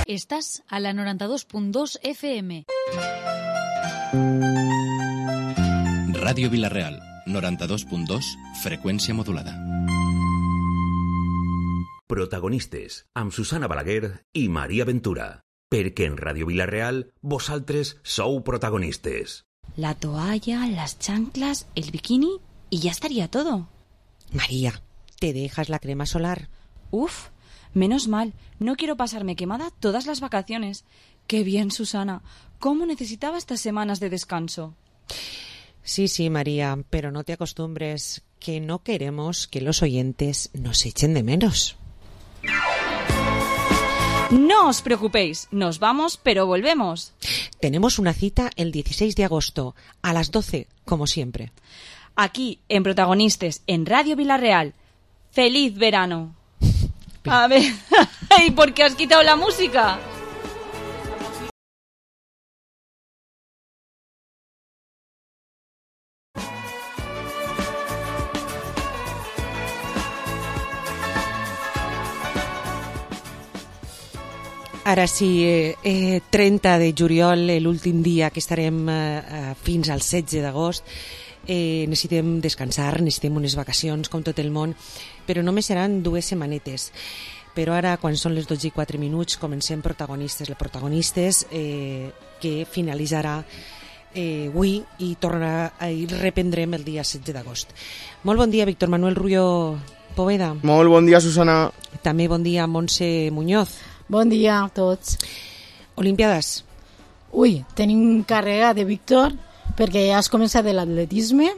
Estás a la 92.2 FM. Ràdio Vila-real, 92.2, freqüència modulada. Protagonistes, amb Susana Balaguer i Maria Ventura. Perquè en Ràdio Vila-real, vosaltres sou protagonistes. La toalla, las chanclas, el bikini y ya estaría todo. María, ¿te dejas la crema solar? Uf, menos mal. No quiero pasarme quemada todas las vacaciones. Qué bien, Susana. ¿Cómo necesitaba estas semanas de descanso? Sí, María, pero no te acostumbres, que no queremos que los oyentes nos echen de menos. No os preocupéis, nos vamos, pero volvemos. Tenemos una cita el 16 de agosto, a las 12, como siempre. Aquí, en Protagonistes, en Radio Vila-real. ¡Feliz verano! A ver, ¿y por qué has quitado la música? Ara sí, 30 de juliol, l'últim dia que estarem fins al 16 d'agost. Necessitem descansar, necessitem unes vacacions com tot el món, però només seran 2 setmanetes. Però ara, quan són les 12:04, comencem Protagonistes. Les Protagonistes que finalitzarà avui i tornarà i reprendrem el dia 16 d'agost. Molt bon dia, Víctor Manuel Rubio Poveda. Molt bon dia, Susana. També bon dia, Montse Muñoz. Bon dia a tots. Olimpiades. Ui, tenim càrrega de Víctor perquè ja has començat l'atletisme,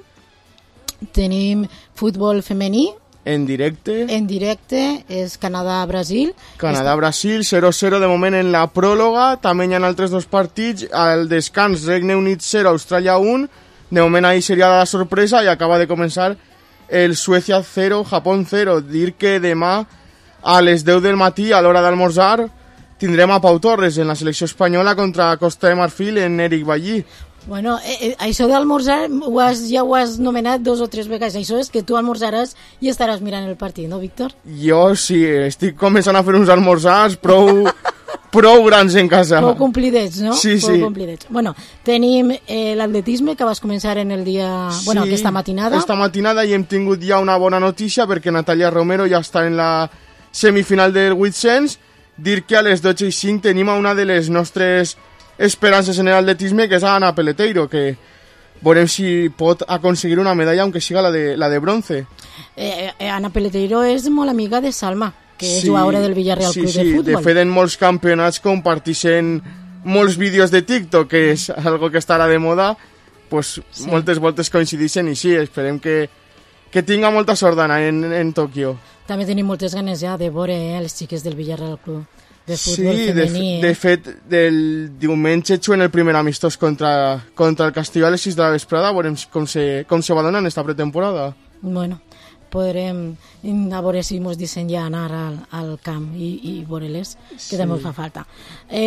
tenim futbol femení en directe és Canadà-Brasil. Canadà-Brasil, 0-0 de moment en la pròrroga, també hi ha altres 2 partits, al descans Regne Unit 0, Austràlia 1, de moment ahí seria la sorpresa i acaba de començar el Suècia 0, Japó 0. Dir que demà a les 10 del matí, a l'hora d'almorzar, tindrem a Pau Torres en la selecció espanyola contra Costa de Marfil en Eric Ballí. Bueno, això d'almorzar ja ho has nomenat 2 o 3 vegades. Això és que tu almorzaràs i estaràs mirant el partit, no, Víctor? Jo sí, estic començant a fer uns almorzars prou grans en casa. Prou complidets, no? Sí. Complidets. Bueno, tenim l'atletisme que vas començar en el dia... Bueno, aquesta matinada. Esta matinada i hem tingut ja una bona notícia perquè Natalia Romero ja està en la semifinal del 800. Dir que a les 12:05 tenim a una de les nostres esperances en l'atletisme, que és Ana Peleteiro, que veurem si pot aconseguir una medalla, aunque siga la de bronce. Ana Peleteiro és molt amiga de Salma, que és jugadora del Villarreal Club de Futbol. De fet, en molts campionats comparteixen molts vídeos de TikTok, que és algo que estarà de moda, pues moltes voltes coincideixen i sí, esperem que tinga molta sort d'anar en Tòquio. També tenim moltes ganes ja de veure les xiques del Villarreal Club de Futbol femení. De fet, del diumenge juguen el primer amistós contra el Castelló a les 6 de la vesprada, veurem com se va donar en esta pretemporada. Bueno, podrem a veure si ens deixen ja anar al camp i veure-les, que també ens fa falta.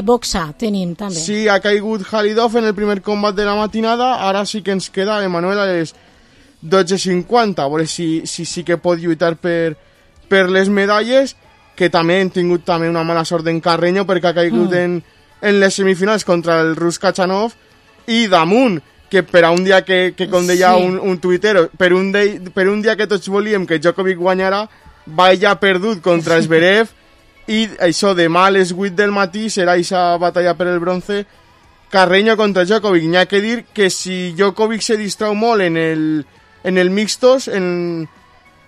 Boxa tenim també. Sí, ha caigut Halidov en el primer combat de la matinada, ara sí que ens queda Emanuel a les 12:50, a veure si sí que pot lluitar per les medalles, que també hem tingut també una mala sort d'en Carreño perquè ha caigut en les semifinals contra el rus Kachanov, i damunt, que per a un dia que com deia un tuitero, per un dia que tots volíem que Djokovic guanyara, va ja perdut contra Zverev, i això demà a les 8 del matí serà aquesta batalla per el bronce, Carreño contra Djokovic. N'hi ha que dir que si Djokovic se distrau molt en el mixtos, en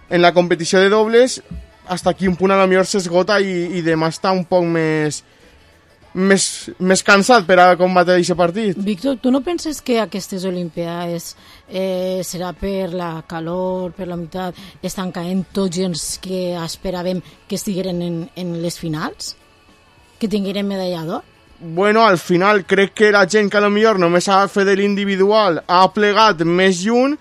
la competició de dobles, hasta aquí un punt a lo millor s'esgota i demà està un poc més cansat per a combatre aquest partit. Víctor, tu no penses que aquestes Olimpiades serà per la calor, per la humitat, estan caent tots els que esperàvem que estigueren en les finals? Que tingueren medalla d'or? Bueno, al final crec que la gent que a lo millor només ha fet l'individual ha plegat més lluny,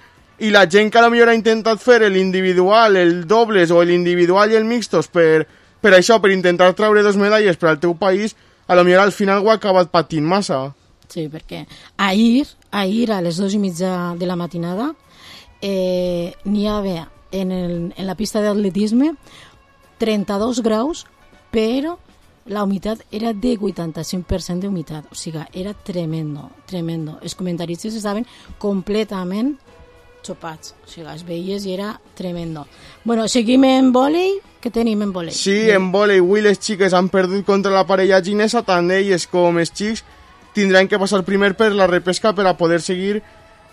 i la gent que a lo millor ha intentat fer l'individual, el dobles o l'individual i el mixtos per això, per intentar treure 2 medalles per al teu país, a lo millor al final ho ha acabat patint massa. Sí, perquè ahir a les 2:30 de la matinada n'hi havia en la pista d'atletisme 32 graus, però la humitat era de 85% d'humitat, o sigui, era tremendo. Els comentaristes estaven completament xopats, o sigui, es veies i era tremendo. Bueno, seguim en vòlei. Què tenim en vòlei? Sí, en vòlei, avui les xiques han perdut contra la parella ginesa, tant elles com els xics tindran que passar primer per la repesca per a poder seguir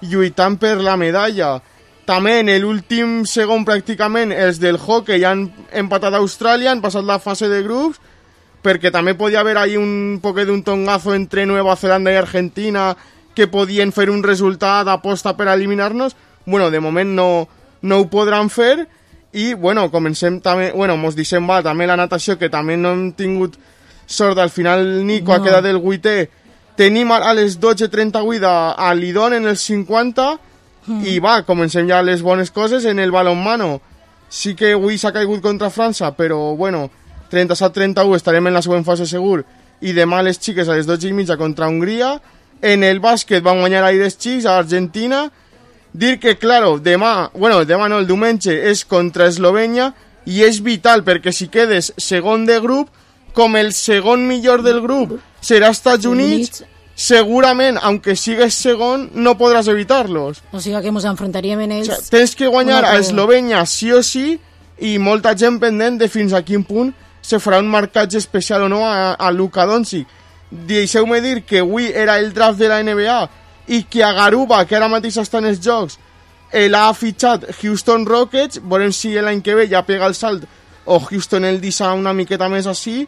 lluitant per la medalla. També en l'últim segon pràcticament els del hockey han empatat a Austràlia, han passat la fase de grups, perquè també podia haver ahí un poquet d'un tongazo entre Nueva Zelanda i Argentina que podien fer un resultat d'aposta per eliminar-nos. Bueno, de moment no ho podran fer i, bueno, comencem també, bueno, mos deixem també la natació, que també no hem tingut sort, al final Nico ha quedat el 8è. Tenim a les 12:38 a Lidón en els 50 i comencem ja les bones coses en el balonmano. Sí que avui s'ha caigut contra França, però bueno, 37-31 estarem en la següent fase segur, i demà les xiques a les 12:30 contra Hongria. En el bàsquet van guanyar ahir els xics a Argentina. Dir que, claro, demà no, el diumenge és contra Eslovènia i és vital, perquè si quedes segon de grup, com el segon millor del grup serà Estats Units, segurament, aunque sigues segon, no podràs evitar-los. O sigui que ens enfrontaríem en ells... O sigui, tens que guanyar a Eslovènia sí o sí, i molta gent pendent de fins a quin punt se farà un marcatge especial o no a Luka Doncic. Deixeu-me dir que avui era el draft de la NBA i que a Garuba, que ara mateix està en els jocs, l'ha fitxat Houston Rockets. Veurem si l'any que ve ja pega el salt o Houston el deixa una miqueta més així.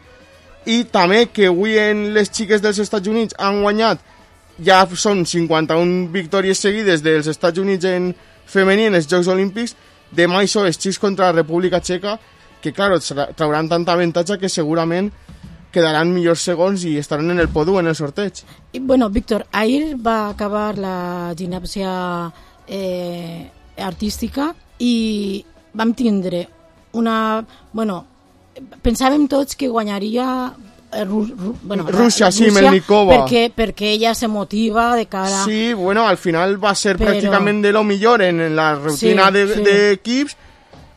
I també que avui en les xiques dels Estats Units han guanyat, ja són 51 victòries seguides dels Estats Units en femení en els Jocs Olímpics. Demà hi són els xics contra la República Txeca, que claro, trauran tanta avantatge que segurament quedaran millors segons i estaran en el podio en el sorteig. I, bueno, Víctor, ahir va acabar la gimnàsia artística i vam tindre una... Bueno, pensàvem tots que guanyaria Rússia, sí, Melnikova. Perquè ella se motiva de cara... Sí, bueno, al final va ser pràcticament de lo millor en la rutina d'equips,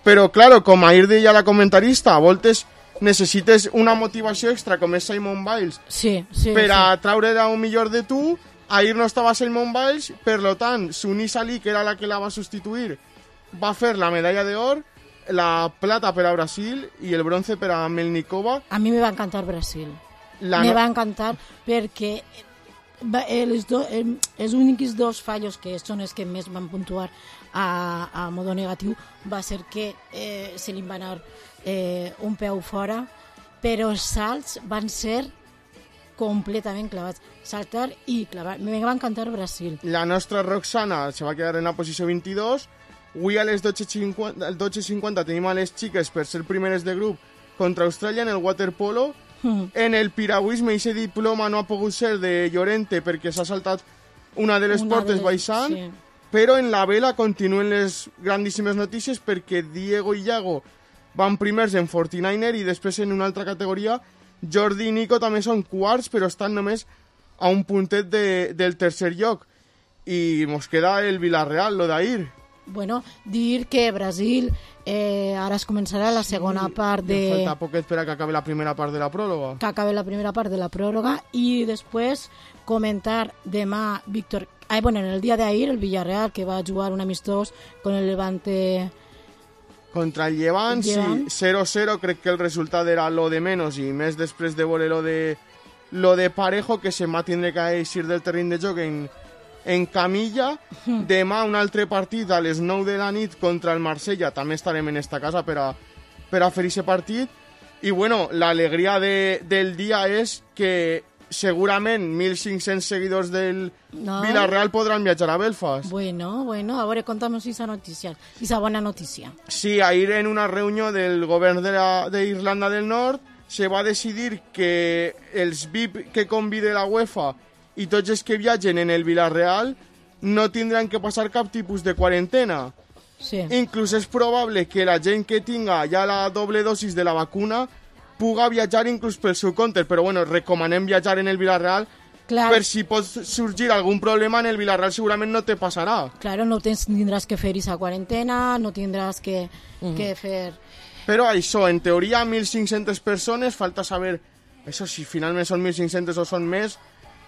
però, claro, com ahir deia la comentarista, a voltes necessites una motivació extra, com és Simone Biles, per a treure el millor de tu. Ahir no estava Simone Biles, per lo tant, Suni Salí, que era la que la va substituir, va fer la medalla d'or, la plata per a Brasil i el bronze per a Melnikova. A mi me va encantar Brasil. Me va encantar perquè els únics dos fallos que són els que més van puntuar a modo negatiu va ser que se li va anar un peu fora, però els salts van ser completament clavats. Saltar i clavar. Me va encantar Brasil. La nostra Roxana se va quedar en la posició 22. Avui a les 12:50 tenim a les xiques per ser primeres de grup contra Austràlia en el waterpolo. En el piragüisme aquest diploma no ha pogut ser de Llorente perquè s'ha saltat una de les portes baixant, però en la vela continuen les grandíssimes notícies perquè Diego i Iago van primers en 49er i després en una altra categoria Jordi i Nico també són quarts, però estan només a un puntet del tercer lloc. I mos queda el Villarreal, lo d'ahir. Bueno, dir que Brasil ara es començarà la segona part de... Falta poquet per a que acabi la primera part de la pròrroga. Que acabi la primera part de la pròrroga i després comentar demà, Víctor... bueno, en el dia d'ahir, el Villarreal, que va jugar un amistós con el Levante... Contra el Llevant, sí, 0-0, crec que el resultat era lo de menos i més després de veure lo de Parejo, que se va tindre que eixir del terreny de joc en camilla. Demà un altre partit a les 9 de la nit contra el Marsella, també estarem en esta casa per a fer aquest partit. I bueno, l'alegria del dia és que segurament 1.500 seguidors del Villarreal podran viatjar a Belfast. Bueno, a veure, conta'm esa notícia, esa bona notícia. Sí, ahir en una reunió del govern d'Irlanda del Nord se va decidir que els VIP que convide la UEFA i tots els que viatgen en el Villarreal no tindran que passar cap tipus de quarantena. Sí. Inclús és probable que la gent que tinga ja la doble dosis de la vacuna puga viatjar inclús pel seu compte, però bueno, recomanem viatjar en el Villarreal. Clar. Per si pot sorgir algun problema en el Villarreal segurament no te passarà. Claro, no tindràs que fer esa quarantena, no tindràs que fer... Però això, en teoria 1.500 persones, falta saber Això si finalment són 1.500 o són més,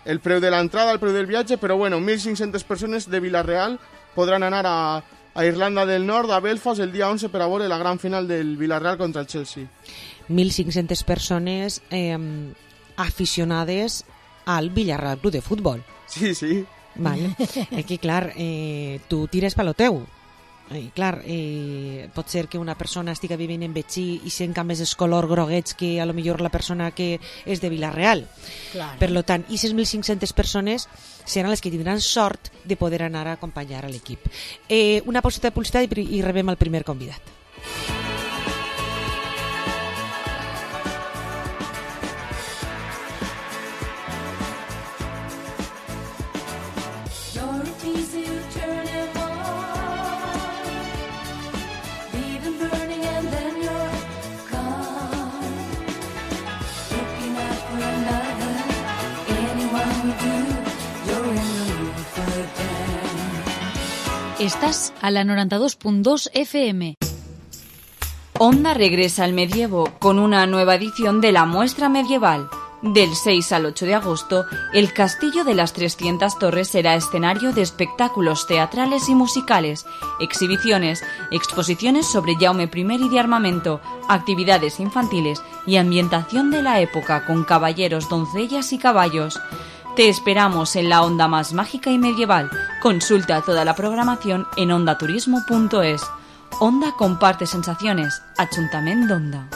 el preu de l'entrada, el preu del viatge, però bueno, 1.500 persones de Vila-real podran anar a Irlanda del Nord, a Belfast, el dia 11 per a veure la gran final del Vila-real contra el Chelsea. 1.500 persones aficionades al Villarreal Club de Futbol. Sí, sí. Vale. Aquí, clar, tu tires pel teu. Clar, pot ser que una persona estigui vivint en Betxí i sent més els colors groguets que a lo millor la persona que és de Vila-real. Claro. Per lo tant, i 6.500 persones seran les que tindran sort de poder anar a acompanyar a l'equip. Una pauseta de publicitat i rebem el primer convidat. Estás a la 92.2 FM. Onda regresa al medievo con una nueva edición de la muestra medieval. Del 6 al 8 de agosto, el Castillo de las 300 Torres será escenario de espectáculos teatrales y musicales, exhibiciones, exposiciones sobre Jaume I y de armamento, actividades infantiles y ambientación de la época con caballeros, doncellas y caballos. Te esperamos en la onda más mágica y medieval. Consulta toda la programación en ondaturismo.es. Onda comparte sensaciones. Ayuntamiento de Onda.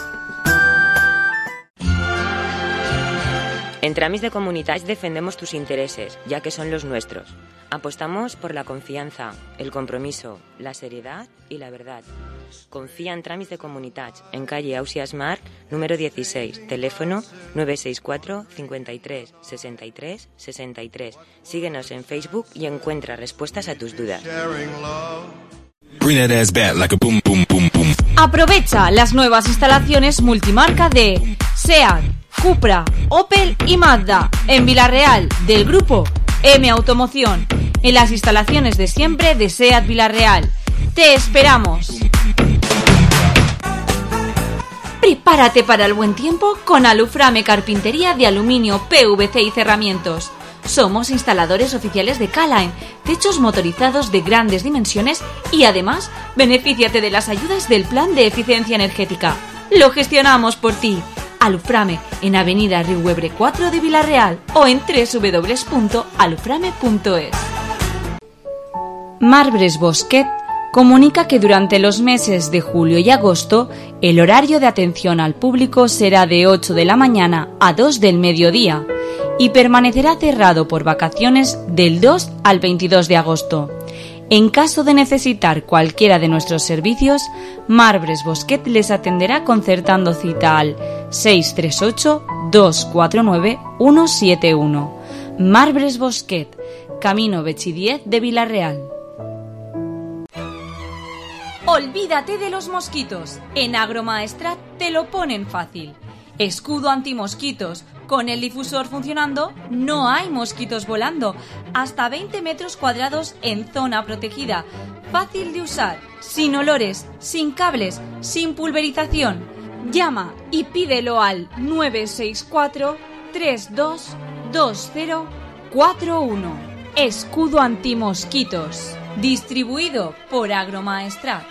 En Tràmits de Comunitats defendemos tus intereses, ya que son los nuestros. Apostamos por la confianza, el compromiso, la seriedad y la verdad. Confía en Tràmits de Comunitats, en calle Ausias Mar, número 16, teléfono 964 53 63 63. Síguenos en Facebook y encuentra respuestas a tus dudas. Aprovecha las nuevas instalaciones multimarca de SEAT, Cupra, Opel y Mazda en Vila-real del grupo M Automoción, en las instalaciones de siempre de SEAT Vila-real. ¡Te esperamos! Prepárate para el buen tiempo con Aluframe Carpintería de aluminio, PVC y cerramientos. Somos instaladores oficiales de K-Line, techos motorizados de grandes dimensiones y además benefíciate de las ayudas del Plan de Eficiencia Energética. Lo gestionamos por ti. Aluframe en Avenida Riuebre 4 de Vila-real o en www.aluframe.es. Marbres Bosquet comunica que durante los meses de julio y agosto el horario de atención al público será de 8 de la mañana a 2 del mediodía y permanecerá cerrado por vacaciones del 2 al 22 de agosto. En caso de necesitar cualquiera de nuestros servicios, Marbres Bosquet les atenderá concertando cita al 638-249-171. Marbres Bosquet, Camino Betxí 10 de Vila-real. Olvídate de los mosquitos. En Agromaestrat te lo ponen fácil. Escudo antimosquitos. Con el difusor funcionando, no hay mosquitos volando. Hasta 20 metros cuadrados en zona protegida. Fácil de usar, sin olores, sin cables, sin pulverización. Llama y pídelo al 964-322041. Escudo antimosquitos. Distribuido por Agromaestrat.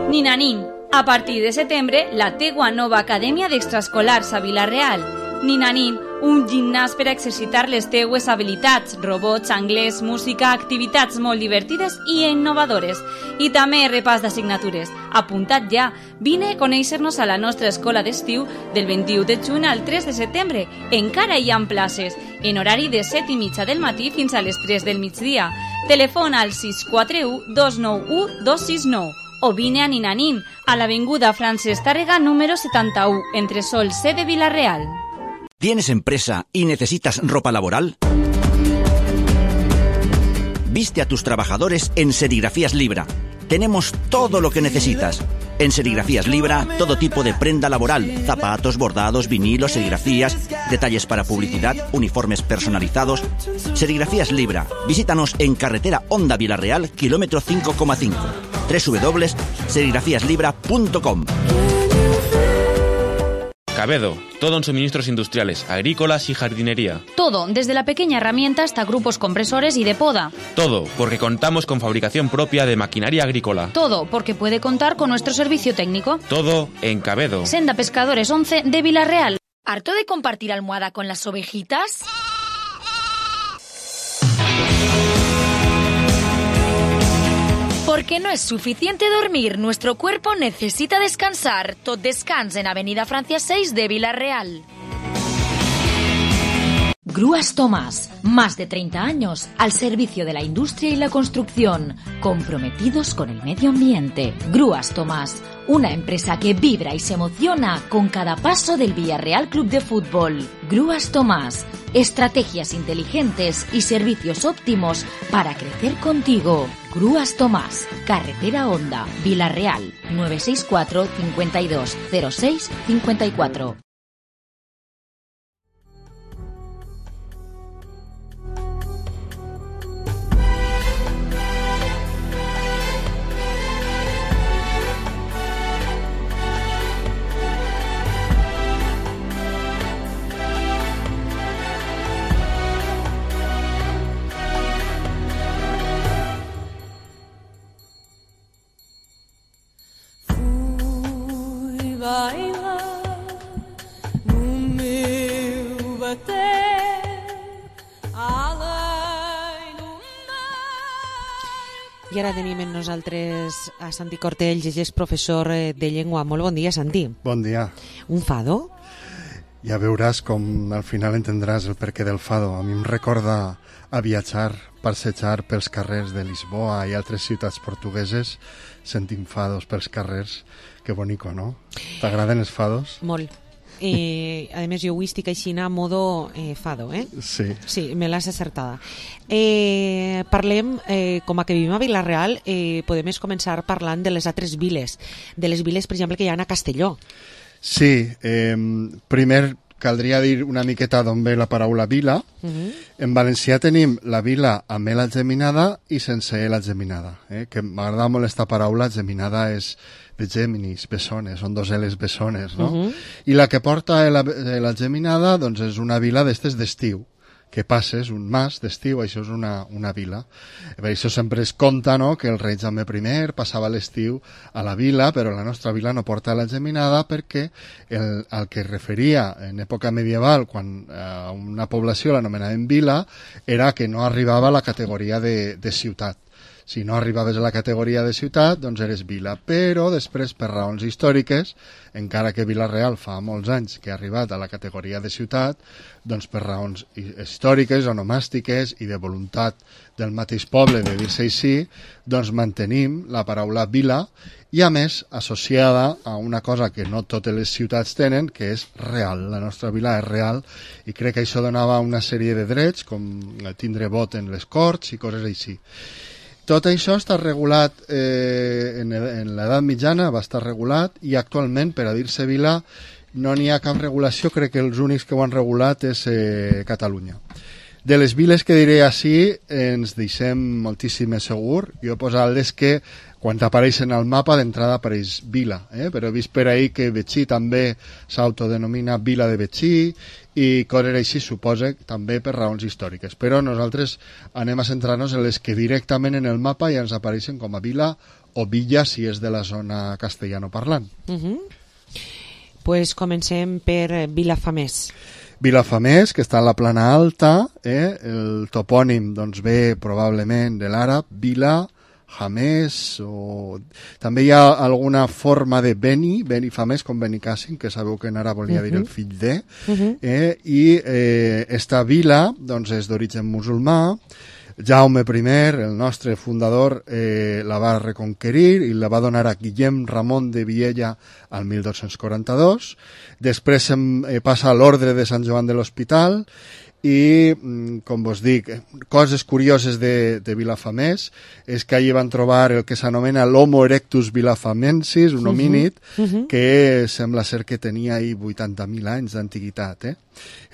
Ninanín. A partir de setembre, la teua nova Acadèmia d'Extraescolars a Vila-real. Ninanín, un gimnàs per a exercitar les teues habilitats, robots, anglès, música, activitats molt divertides i innovadores. I també repàs d'assignatures. Apunta't ja. Vine a conèixer-nos a la nostra escola d'estiu del 21 de juny al 3 de setembre. Encara hi ha places, en horari de 7:30 del matí fins a les 3 del migdia. Telefona al 641-291-269. O vine a Ninanín, a l'avinguda Francesc Tàrrega número 71, entre Sol C de Vila-real. ¿Tienes empresa y necesitas ropa laboral? Viste a tus trabajadores en Serigrafías Libra. Tenemos todo lo que necesitas. En Serigrafías Libra, todo tipo de prenda laboral, zapatos, bordados, vinilos, serigrafías, detalles para publicidad, uniformes personalizados. Serigrafías Libra. Visítanos en carretera Onda Vila-real, kilómetro 5,5. www.serigrafiaslibra.com. Cabedo, todo en suministros industriales, agrícolas y jardinería. Todo, desde la pequeña herramienta hasta grupos compresores y de poda. Todo, porque contamos con fabricación propia de maquinaria agrícola. Todo, porque puede contar con nuestro servicio técnico. Todo en Cabedo. Senda Pescadores 11 de Vilarreal. ¿Harto de compartir almohada con las ovejitas? Porque no es suficiente dormir, nuestro cuerpo necesita descansar. Tot Descans en Avenida Francia 6 de Vilarreal. Grúas Tomás, más de 30 años al servicio de la industria y la construcción, comprometidos con el medio ambiente. Grúas Tomás, una empresa que vibra y se emociona con cada paso del Villarreal Club de Fútbol. Grúas Tomás, estrategias inteligentes y servicios óptimos para crecer contigo. Grúas Tomás, Carretera Honda, Vilarreal, 964 52 06 54. I ara tenim amb nosaltres a Santi Cortells, ell és professor de llengua. Molt bon dia, Santi. Bon dia. Un fado? Ja veuràs com al final entendràs el perquè del fado. A mi em recorda a viatjar, passejar pels carrers de Lisboa i altres ciutats portugueses sentint fados pels carrers. Que bonico, no? T'agraden els fados? Molt. A més, jo avui estic així a modo fado, eh? Sí. Sí, me l'has acertada. Parlem, com a que vivim a Vilarreal, podem començar parlant de les altres viles, de les viles, per exemple, que hi ha a Castelló. Sí, primer caldria dir una miqueta d'on ve la paraula vila. En valencià tenim la vila amb L geminada i sense L geminada, que m'agrada molt esta paraula. Geminada és de Géminis, bessones, són dos L's bessones, no? I la que porta la geminada, doncs és una vila d'estes d'estiu, que passes, un mas d'estiu, això és una vila. Per això sempre es conta, no?, que el rei Jaume I passava l'estiu a la vila, però la nostra vila no porta la geminada perquè el que es referia en època medieval, quan una població l'anomenaven vila, era que no arribava a la categoria de ciutat. Si no arribaves a la categoria de ciutat, doncs eres vila. Però després, per raons històriques, encara que Vilarreal fa molts anys que ha arribat a la categoria de ciutat, doncs per raons històriques, onomàstiques i de voluntat del mateix poble de dir-se així, doncs mantenim la paraula vila i, a més, associada a una cosa que no totes les ciutats tenen, que és real. La nostra vila és real i crec que això donava una sèrie de drets, com tindre vot en les corts i coses així. Tot això està regulat en l'edat mitjana, va estar regulat, i actualment, per a dir-se vila, no n'hi ha cap regulació. Crec que els únics que ho han regulat és Catalunya. De les viles que diré així, ens deixem moltíssimes segur. Jo he posat les que, quan t'apareixen al mapa, d'entrada apareix vila, però he vist per ahí que Betxí també s'autodenomina vila de Betxí, i coses així, suposa, també per raons històriques. Però nosaltres anem a centrar-nos en les que directament en el mapa ja ens apareixen com a vila o villa, si és de la zona castellanoparlant. Pues comencem per Vilafamés. Vilafamés, que està a la plana alta, el topònim doncs, ve probablement de l'àrab, vila, Jamés, o també hi ha alguna forma de Beni Famés, com Benicàssim, que sabeu que en ara volia dir el fill de, i esta vila doncs, és d'origen musulmà. Jaume I, el nostre fundador, la va reconquerir i la va donar a Guillem Ramon de Viella al 1242. Després passa a l'Ordre de Sant Joan de l'Hospital i, com vos dic, coses curioses de Vilafamés és que allí van trobar el que s'anomena l'Homo erectus vilafamensis, un homínid que sembla ser que tenia ahí 80.000 anys d'antiguitat,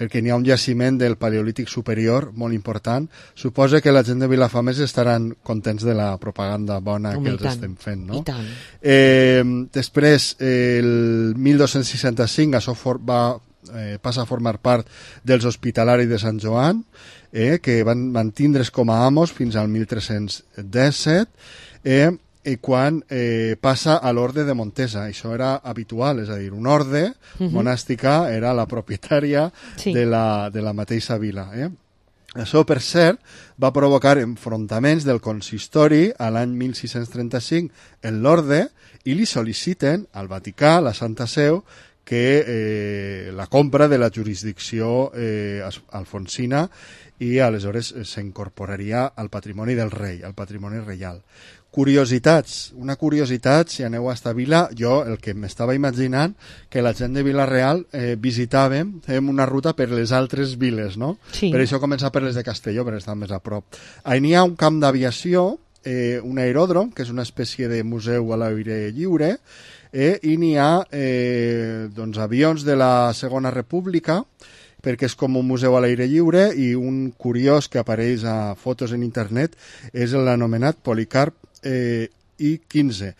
el que n'hi ha un jaciment del Paleolític superior molt important. Suposa que la gent de Vilafamés estaran contents de la propaganda bona que els estem fent, no? I tant. Després, el 1265 això passa a formar part dels Hospitalaris de Sant Joan, que van tindre's com a amos fins al 1317, i quan passa a l'orde de Montesa. Això era habitual, és a dir, una orde monàstica era la propietària de la mateixa vila. Això, per cert, va provocar enfrontaments del consistori a l'any 1635 en l'orde i li sol·liciten al Vaticà, la Santa Seu, que la compra de la jurisdicció alfonsina i aleshores s'incorporaria al patrimoni del rei, al patrimoni reial. Curiositats, una curiositat, si aneu a esta vila, jo el que m'estava imaginant que la gent de Vila-real visitàvem, fèiem una ruta per les altres viles, no? Sí. Per això començar per les de Castelló, perquè estan més a prop. Ahí n'hi ha un camp d'aviació, un aeròdrom, que és una espècie de museu a l'aire lliure, i n'hi ha avions de la Segona República, perquè és com un museu a l'aire lliure, i un curiós que apareix a fotos en internet és l'anomenat Policarp I-15.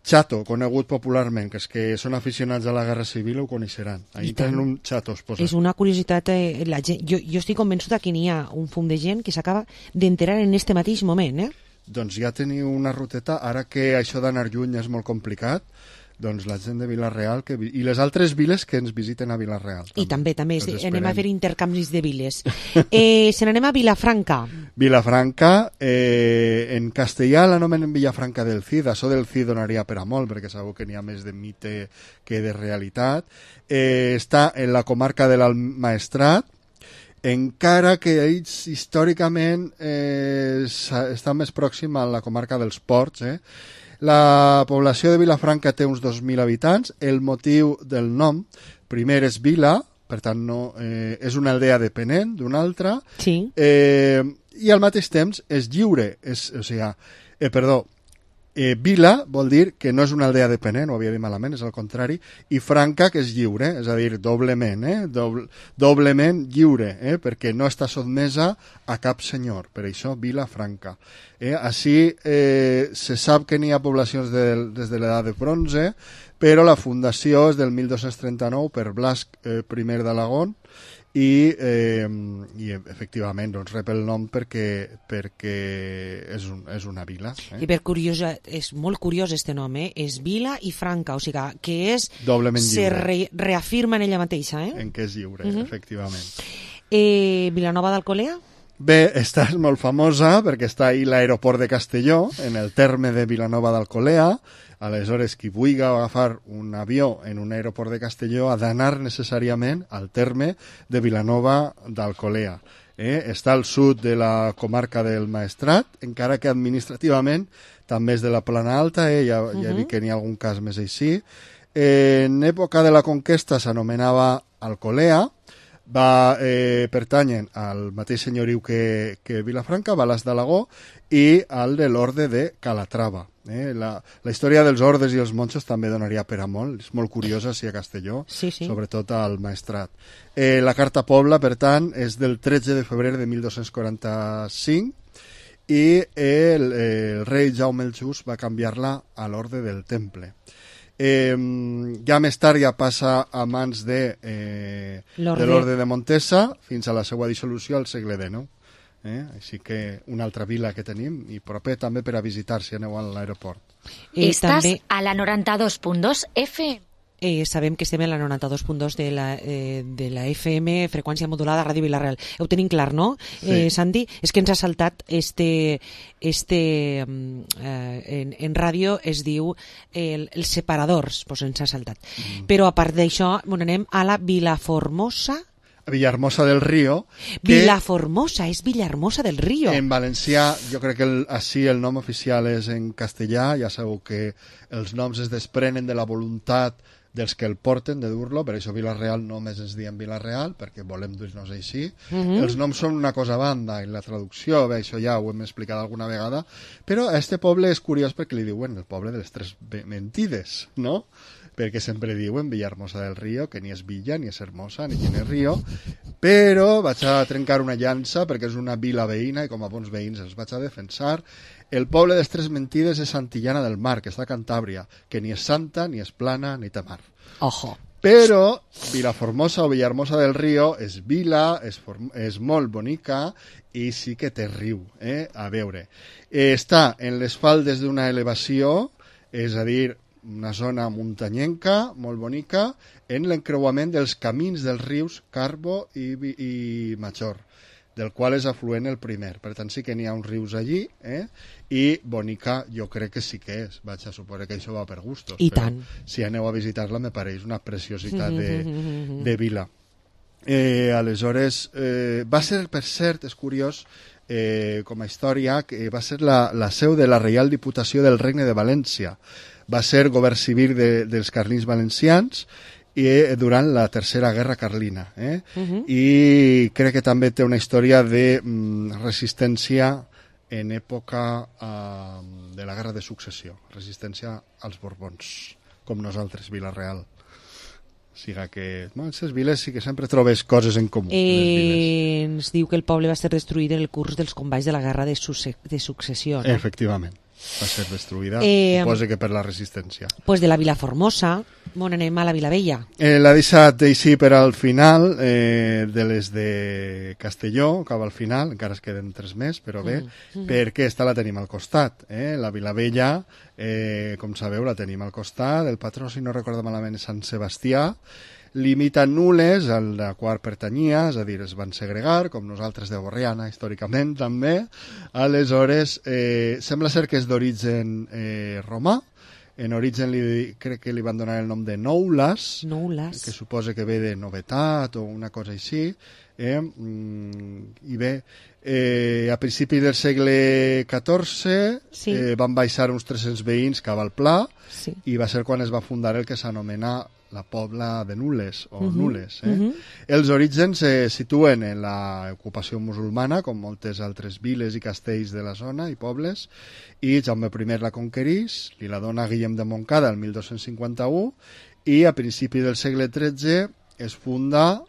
Chato, conegut popularment, que és que són aficionats a la Guerra Civil, ho coneixeran. Ahí tenen un Chato exposat. És una curiositat. Jo estic convençuda que n'hi ha un fum de gent que s'acaba d'enterar en este mateix moment, Doncs ja teniu una ruteta, ara que això d'anar lluny és molt complicat, doncs la gent de Vila-real i les altres viles que ens visiten a Vila-real. I també anem a fer intercanvis de viles. Se n'anem a Vilafranca. Vilafranca, en castellà l'anomenen Villafranca del Cid. Això del Cid donaria per a molt, perquè sabeu que n'hi ha més de mite que de realitat. Està en la comarca de l'Maestrat, encara que ells històricament està més pròxim a la comarca dels Ports. La població de Vilafranca té uns 2.000 habitants. El motiu del nom, primer és vila, per tant és una aldea depenent d'una altra, i al mateix temps és lliure, vila vol dir que no és una aldea depenent, ho havia dit malament, és al contrari, i franca, que és lliure, és a dir, doblement, doblement lliure, perquè no està sotmesa a cap senyor, per això Vilafranca. Així se sap que n'hi ha poblacions des de l'edat de bronze, però la fundació és del 1239 per Blas I d'Alagón, i efectivament rep el nom perquè és una vila. I és molt curiós este nom, és Vila i Franca, o sigui que se reafirma en ella mateixa. En què és lliure, efectivament. Vilanova d'Alcolea? Bé, esta és molt famosa perquè està ahí l'aeroport de Castelló, en el terme de Vilanova d'Alcolea. Aleshores, qui vulgui agafar un avió en un aeroport de Castelló ha d'anar necessàriament al terme de Vilanova d'Alcolea. Està al sud de la comarca del Maestrat, encara que administrativament també és de la Plana Alta, ja dic que n'hi ha algun cas més així. En època de la conquesta s'anomenava Alcolea, va pertanyen al mateix senyoriu que Vilafranca, Balas d'Alagó, i al de l'orde de Calatrava. La història dels ordes i els monjos també donaria per a molt, és molt curiosa si a Castelló, sobretot al Maestrat. La Carta Pobla, per tant, és del 13 de febrer de 1245 i el rei Jaume el Just va canviar-la a l'orde del Temple. Ja més tard ja passa a mans de l'orde de Montesa fins a la seva dissolució al segle XIX. Així que una altra vila que tenim i proper també per a visitar si aneu a l'aeroport. Estàs a la 92.2 FM. Sabem que estem a la 92.2 de la FM, freqüència modulada, Ràdio Vila-real. Ho tenim clar, no, Santi? És que ens ha saltat en ràdio es diu els separadors, doncs ens ha saltat. Però a part d'això, anem a la Vilaformosa. Villahermosa del Río. Vilaformosa, és Villahermosa del Río. En valencià, jo crec que així el nom oficial és en castellà, ja sabeu que els noms es desprenen de la voluntat dels que el porten de dur-lo, per això Vila-real només es diem Vila-real, perquè volem dir-nos així. Els noms són una cosa a banda, i la traducció, bé, això ja ho hem explicat alguna vegada, però a este poble és curiós perquè li diuen el poble de les tres mentides, no? Perquè sempre diuen Villahermosa del Río, que ni és villa, ni és hermosa, ni tiene río, però vaig a trencar una llança perquè és una vila veïna i com a bons veïns els vaig a defensar. El poble de les tres mentides és Santillana del Mar, que està a Cantàbria, que ni és santa, ni és plana, ni té mar. Ojo. Però Vilaformosa o Villahermosa del Río és vila, és molt bonica i sí que té riu, a veure. Està en les faldes d'una elevació, és a dir, una zona muntanyenca, molt bonica, en l'encreuament dels camins dels rius Carbo i Major, del qual és afluent el primer. Per tant, sí que n'hi ha uns rius allí, i bonica jo crec que sí que és. Vaig a suposar que això va per gustos. I tant. Si aneu a visitar-la, me pareix una preciositat de vila. Aleshores, va ser, per cert, és curiós, com a història, que va ser la seu de la Reial Diputació del Regne de València. Va ser govern civil dels carlins valencians i durant la Tercera Guerra Carlina. I crec que també té una història de resistència en època de la Guerra de Successió, resistència als Borbons, com nosaltres, Vila-real. Siga que en aquestes viles sí que sempre trobes coses en comú. Ens diu que el poble va ser destruït en el curs dels combats de la Guerra de Successió, no? Efectivament. Va ser destruïda, suposa que per la resistència. Pues de la Vilaformosa, on anem a la Vilavella. L'ha deixat així per al final, de les de Castelló, acaba al final, encara es queden 3 més, però bé, perquè esta la tenim al costat. La Vilavella, com sabeu, la tenim al costat, el patró, si no recordo malament, és Sant Sebastià, limita Nules, al qual pertanyia, és a dir, es van segregar, com nosaltres de Borriana, històricament, també. Aleshores, sembla ser que és d'origen romà. En origen crec que li van donar el nom de Noulas, que suposa que ve de novetat o una cosa així. I bé, a principi del segle XIV van baixar uns 300 veïns cap al Pla i va ser quan es va fundar el que s'anomena la Pobla de Nules, o Nules. Els orígens se situen en l'ocupació musulmana, com moltes altres viles i castells de la zona i pobles, i Jaume I la conquerís, li la dona Guillem de Montcada el 1251, i a principi del segle XIII es funda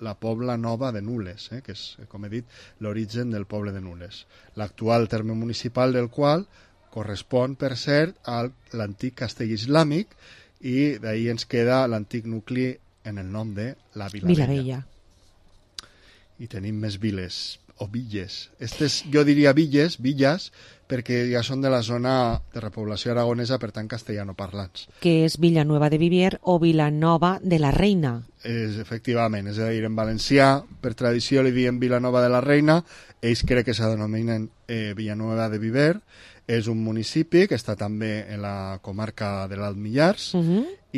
la Pobla Nova de Nules, que és, com he dit, l'origen del poble de Nules. L'actual terme municipal del qual correspon, per cert, a l'antic castell islàmic, i d'ahir ens queda l'antic nucli en el nom de la Vilavella. I tenim més viles, o villes. Jo diria villes, perquè ja són de la zona de repoblació aragonesa, per tant castellanoparlants. Que és Villanueva de Vivier o Vilanova de la Reina. Efectivament, és a dir, en valencià, per tradició li diem Vilanova de la Reina, ells crec que se denominen Villanueva de Viver. És un municipi que està també en la comarca de l'Alt Millars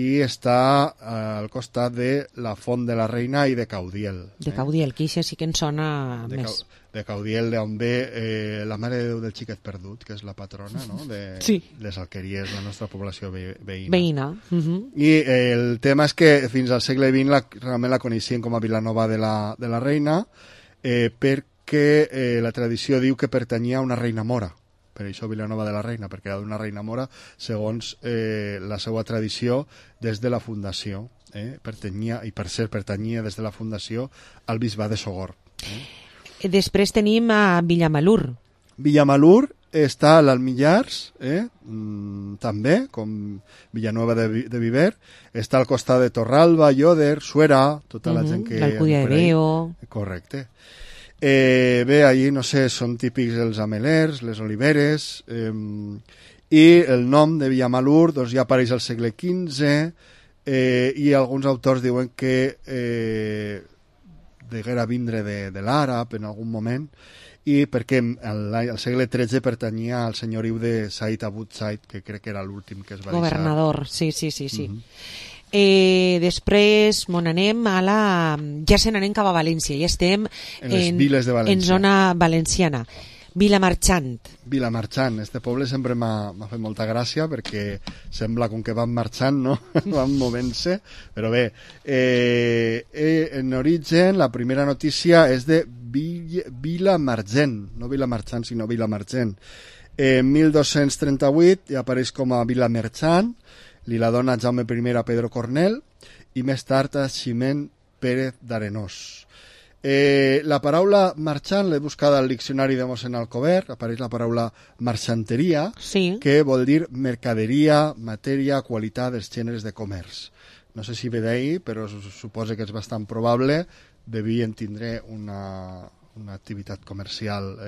i està al costat de la Font de la Reina i de Caudiel. De Caudiel, que això sí que en sona més. De Caudiel, d'on ve la Mare de Déu del Xiquet Perdut, que és la patrona, no? de les Alqueries, la nostra població veïna. I el tema és que fins al segle XX realment la coneixien com a Vilanova de la Reina, perquè la tradició diu que pertanyia a una reina mora. Per això Vilanova de la Reina, perquè era d'una reina mora, segons la seva tradició des de la fundació. Pertanyia des de la fundació al bisbat de Sogorb. Després tenim a Villamalur. Villamalur està a l'Alt Millars, també, com Villanueva de Viver. Està al costat de Torralba, Lloder, Suera, tota la gent que... L'Alcúdia de Veo. Correcte. Bé, allí, no sé, són típics els amelers, les oliveres, i el nom de Villamalur doncs, ja apareix al segle XV, i alguns autors diuen que deguera vindre de l'àrab en algun moment, i perquè al segle XIII pertanyia al senyoriu de Said Abu Said, que crec que era l'últim que es va governador, sí. Després anem a ja se n'anem cap a València, ja estem en les viles de València, en zona valenciana. Vilamarxant. Vilamarxant, este poble sempre m'ha fet molta gràcia perquè sembla com que van marxant, no? Van movent-se, però bé, en origen la primera notícia és de Vilamarxant, no Vilamarxant sinó Vilamarxant. En 1238 ja apareix com a Vilamarxant, li la dona Jaume I a Pedro Cornell i més tard a Ximent Pérez d'Arenós. La paraula marxant l'he buscada al diccionari de mossèn Alcover, apareix la paraula marxanteria, sí, que vol dir mercaderia, matèria, qualitat dels gèneres de comerç. No sé si ve d'ahir, però suposo que és bastant probable, devien tindre una activitat comercial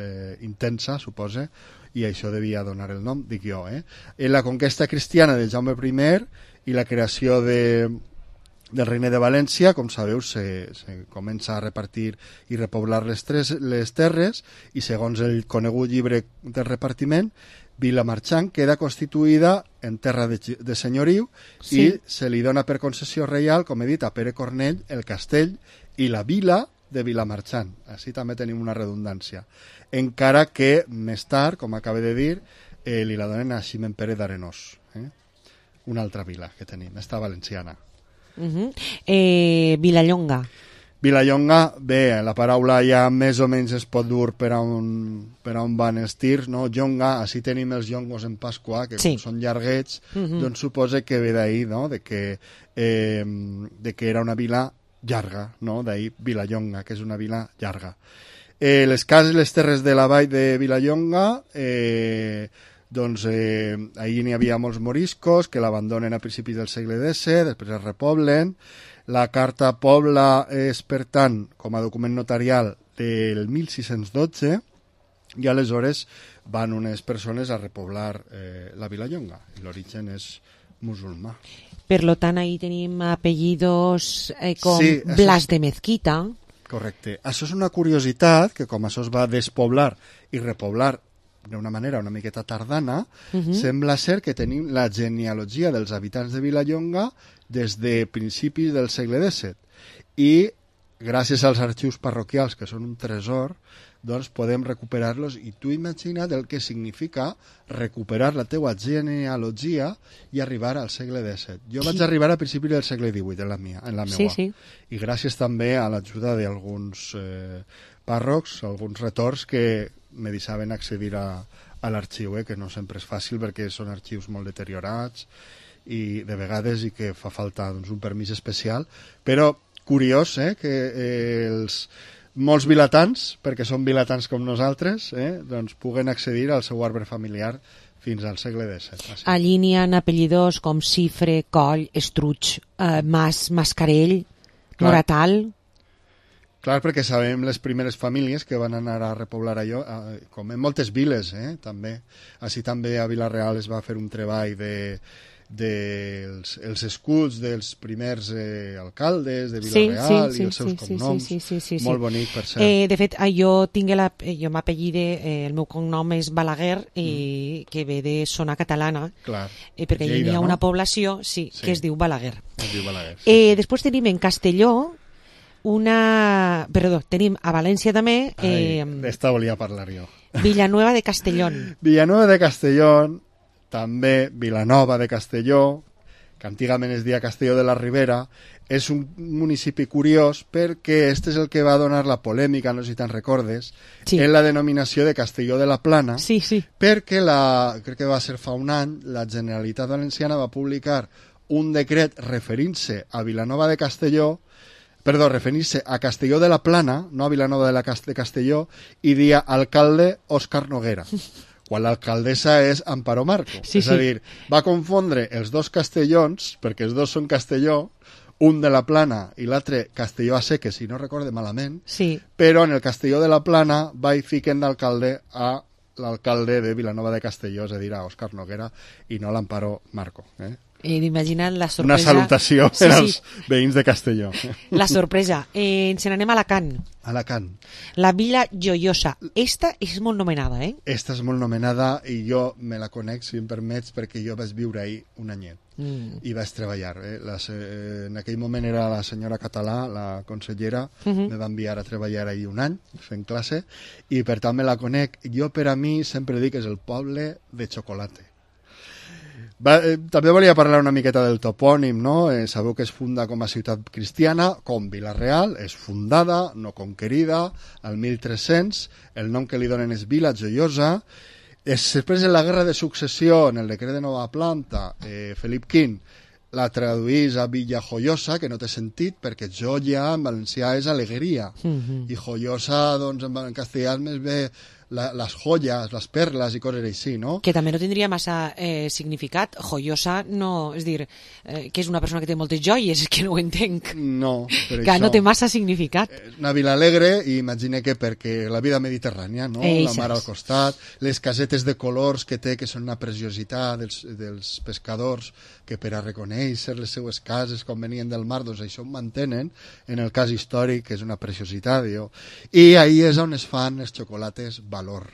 intensa, suposa, i això devia donar el nom, dic jo. En la conquesta cristiana de Jaume I i la creació del Regne de València, com sabeu, se comença a repartir i repoblar les terres, i segons el conegut llibre del repartiment, Vilamarxant queda constituïda en terra de senyoriu, sí, i se li dona per concessió reial, com he dit, a Pere Cornell, el castell i la vila de Vilamarxant. Així també tenim una redundància. Encara que més tard, com acaba de dir, li la donen a Ximent Pérez d'Arenós. Una altra vila que tenim, esta valenciana. Vilallonga. Vilallonga, bé, la paraula ja més o menys es pot dur per a on van els tirs, no? Jonga, així tenim els llongos en Pasqua, que sí, són llarguets, doncs suposa que ve d'ahir, no? De que era una vila llarga, no? D'ahir Vilallonga, que és una vila llarga. Les cases i les terres de la vall de Vilallonga, doncs ahir n'hi havia molts moriscos que l'abandonen a principis del segle X, després es repoblen. La carta Pobla és, per tant, com a document notarial del 1612, i aleshores van unes persones a repoblar la Vilallonga. L'origen és musulmà. Per tant, ahir tenim apellidos com sí, Blas de Mezquita. Correcte. Això és una curiositat, que com això es va despoblar i repoblar d'una manera una miqueta tardana, sembla ser que tenim la genealogia dels habitants de Vilallonga des de principis del segle XVII. I gràcies als arxius parroquials, que són un tresor, doncs podem recuperar-los, i tu imagina't el que significa recuperar la teua genealogia i arribar al segle XVII. Jo vaig arribar a principis del segle XVIII en la meva. Sí, sí. I gràcies també a l'ajuda d'alguns pàrrocs, alguns retors que me deixaven accedir a l'arxiu, que no sempre és fàcil perquè són arxius molt deteriorats i de vegades i que fa falta doncs, un permís especial, però curiós que molts vilatans, perquè són vilatans com nosaltres, doncs puguen accedir al seu arbre familiar fins al segle XVII. Allí n'hi ha apellidos com Cifre, Coll, Estruig, Mas, Mascarell, Moratal. Clar, perquè sabem les primeres famílies que van anar a repoblar allò, com en moltes viles, també. Així també a Vila-real es va fer un treball dels escuts dels primers alcaldes de Vila-real i els seus cognoms. Molt bonic, per cert. De fet, jo m'apellide, el meu cognom és Balaguer, que ve de zona catalana, perquè hi ha una població que es diu Balaguer. Després tenim en Castelló, tenim a València també... D'esta volia parlar jo. Villanueva de Castellón. Villanueva de Castellón, també Vilanova de Castelló, que antigament es deia Castelló de la Ribera, és un municipi curiós perquè este és el que va donar la polèmica, no sé si te'n recordes, en la denominació de Castelló de la Plana, perquè crec que va ser fa un any, la Generalitat Valenciana va publicar un decret referint-se a Vilanova de Castelló, referir-se a Castelló de la Plana, no a Vilanova de Castelló, i dia alcalde Òscar Noguera, quan l'alcaldessa és Amparo Marco. És a dir, va confondre els dos castellons, perquè els dos són Castelló, un de la Plana i l'altre Castelló a Seques, si no recorde malament, però en el Castelló de la Plana va i fiquen d'alcalde a l'alcalde de Vilanova de Castelló, és a dir, a Òscar Noguera, i no l'Amparo Marco. Imagina't la sorpresa... Una salutació per als veïns de Castelló. La sorpresa. Ens n'anem a Alacant. Alacant. La Vila Joiosa. Esta és molt nomenada, Esta és molt nomenada i jo me la conec, si em permets, perquè jo vaig viure ahir un anyet. i vaig treballar. En aquell moment era la senyora Català, la consellera, me va enviar a treballar ahir un any fent classe, i per tant me la conec. Jo, per a mi, sempre dic que és el poble de xocolate. També volia parlar una miqueta del topònim, no? Sabeu que es funda com a ciutat cristiana, com Vila-real, és fundada, no conquerida, al 1300, el nom que li donen és Vila Joiosa. Després de la guerra de successió, en el decret de nova planta, Felip V la traduís a Villa Joiosa, que no té sentit, perquè joia en valencià és alegria, i joiosa, doncs, en castellà més bé les joies, les perles i coses així, no? Que també no tindria massa significat. Joiosa no... És dir, que és una persona que té moltes joies, és que no ho entenc. No, per que això. No té massa significat. Una vila alegre, i imagine que perquè la vida mediterrània, no? La mar al costat, les casetes de colors que té, que són una preciositat dels pescadors, que per a reconèixer les seues cases quan venien del mar, doncs això ho mantenen, en el cas històric, que és una preciositat, i ahí és on es fan els xocolates valor,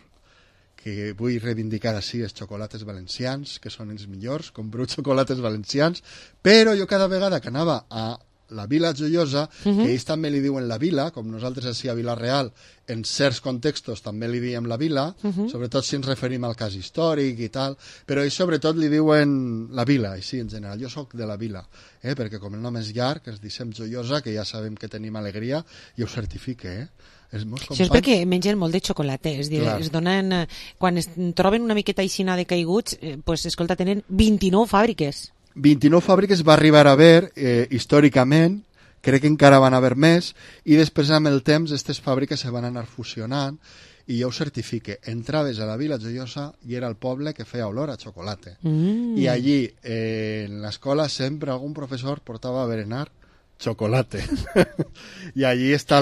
que vull reivindicar així els xocolates valencians, que són els millors, compreu xocolates valencians, però jo cada vegada que anava a la Vila Joiosa, que ells també li diuen la Vila, com nosaltres així a Vila-real, en certs contextos també li diem la Vila, sobretot si ens referim al cas històric i tal, però ells sobretot li diuen la Vila, així en general. Jo sóc de la Vila, perquè com el nom és llarg, ens dicem Joiosa, que ja sabem que tenim alegria, i ho certifique, Això és perquè mengen molt de xocolata, és dir, es donen, quan es troben una miqueta aixina de caiguts, pues, escolta, tenen 29 fàbriques. 29 fàbriques va arribar a haver històricament, crec que encara van haver més, i després amb el temps aquestes fàbriques se van anar fusionant, i jo ho certifique. Entraves a la Vila Joiosa i era el poble que feia olor a xocolata. I allí, en l'escola, sempre algun professor portava a berenar xocolate. I allí està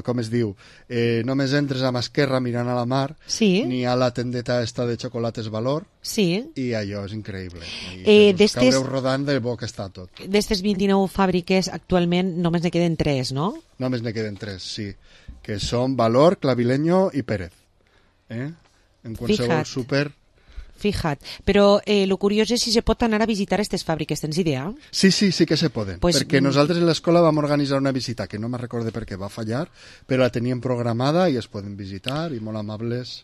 com es diu, només entres a mà esquerra mirant a la mar, n'hi ha la tendeta esta de xocolates valor, i allò és increïble. Caureu rodant de bo que està tot. D'estes 29 fàbriques, actualment només ne queden 3, no? Només ne queden 3, sí, que són Valor, Clavileño i Pérez. En qualsevol súper... Fija't, però el curiós és si se pot anar a visitar aquestes fàbriques, tens idea? Sí que se poden, perquè nosaltres en l'escola vam organitzar una visita, que no me'n recorde per què va fallar, però la teníem programada i es poden visitar, i molt amables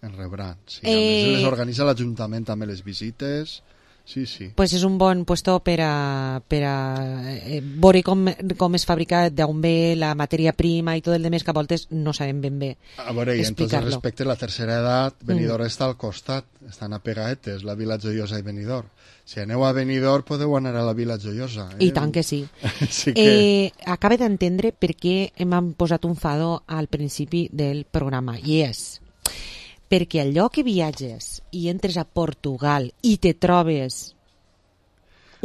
en rebran. Sí, a més les organitza l'Ajuntament també les visites... Sí. Pues és un bon puesto per a veure com es fabrica, d'on ve la matèria prima i tot el demés, que a voltes no sabem ben bé explicar-lo. A veure, i en tots els respectes, la tercera edat, Benidorm està al costat, estan apegaetes, la Vila Joiosa i Benidorm. Si aneu a Benidorm podeu anar a la Vila Joiosa. I tant que sí. Acaba d'entendre per què m'han posat un fado al principi del programa, i és... perquè allò que viatges i entres a Portugal i te trobes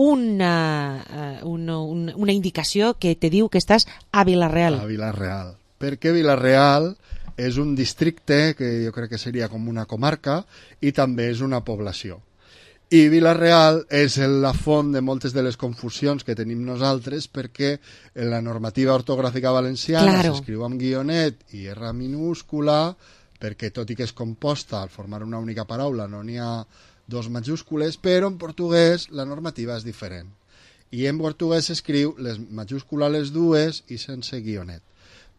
una indicació que te diu que estàs a Vila-real. A Vila-real. Perquè Vila-real és un districte que jo crec que seria com una comarca i també és una població. I Vila-real és la font de moltes de les confusions que tenim nosaltres, perquè en la normativa ortogràfica valenciana s'escriu amb guionet i R minúscula, perquè tot i que és composta al formar una única paraula no n'hi ha dos majúscules, però en portuguès la normativa és diferent. I en portuguès s'escriu les majúscules les dues i sense guionet.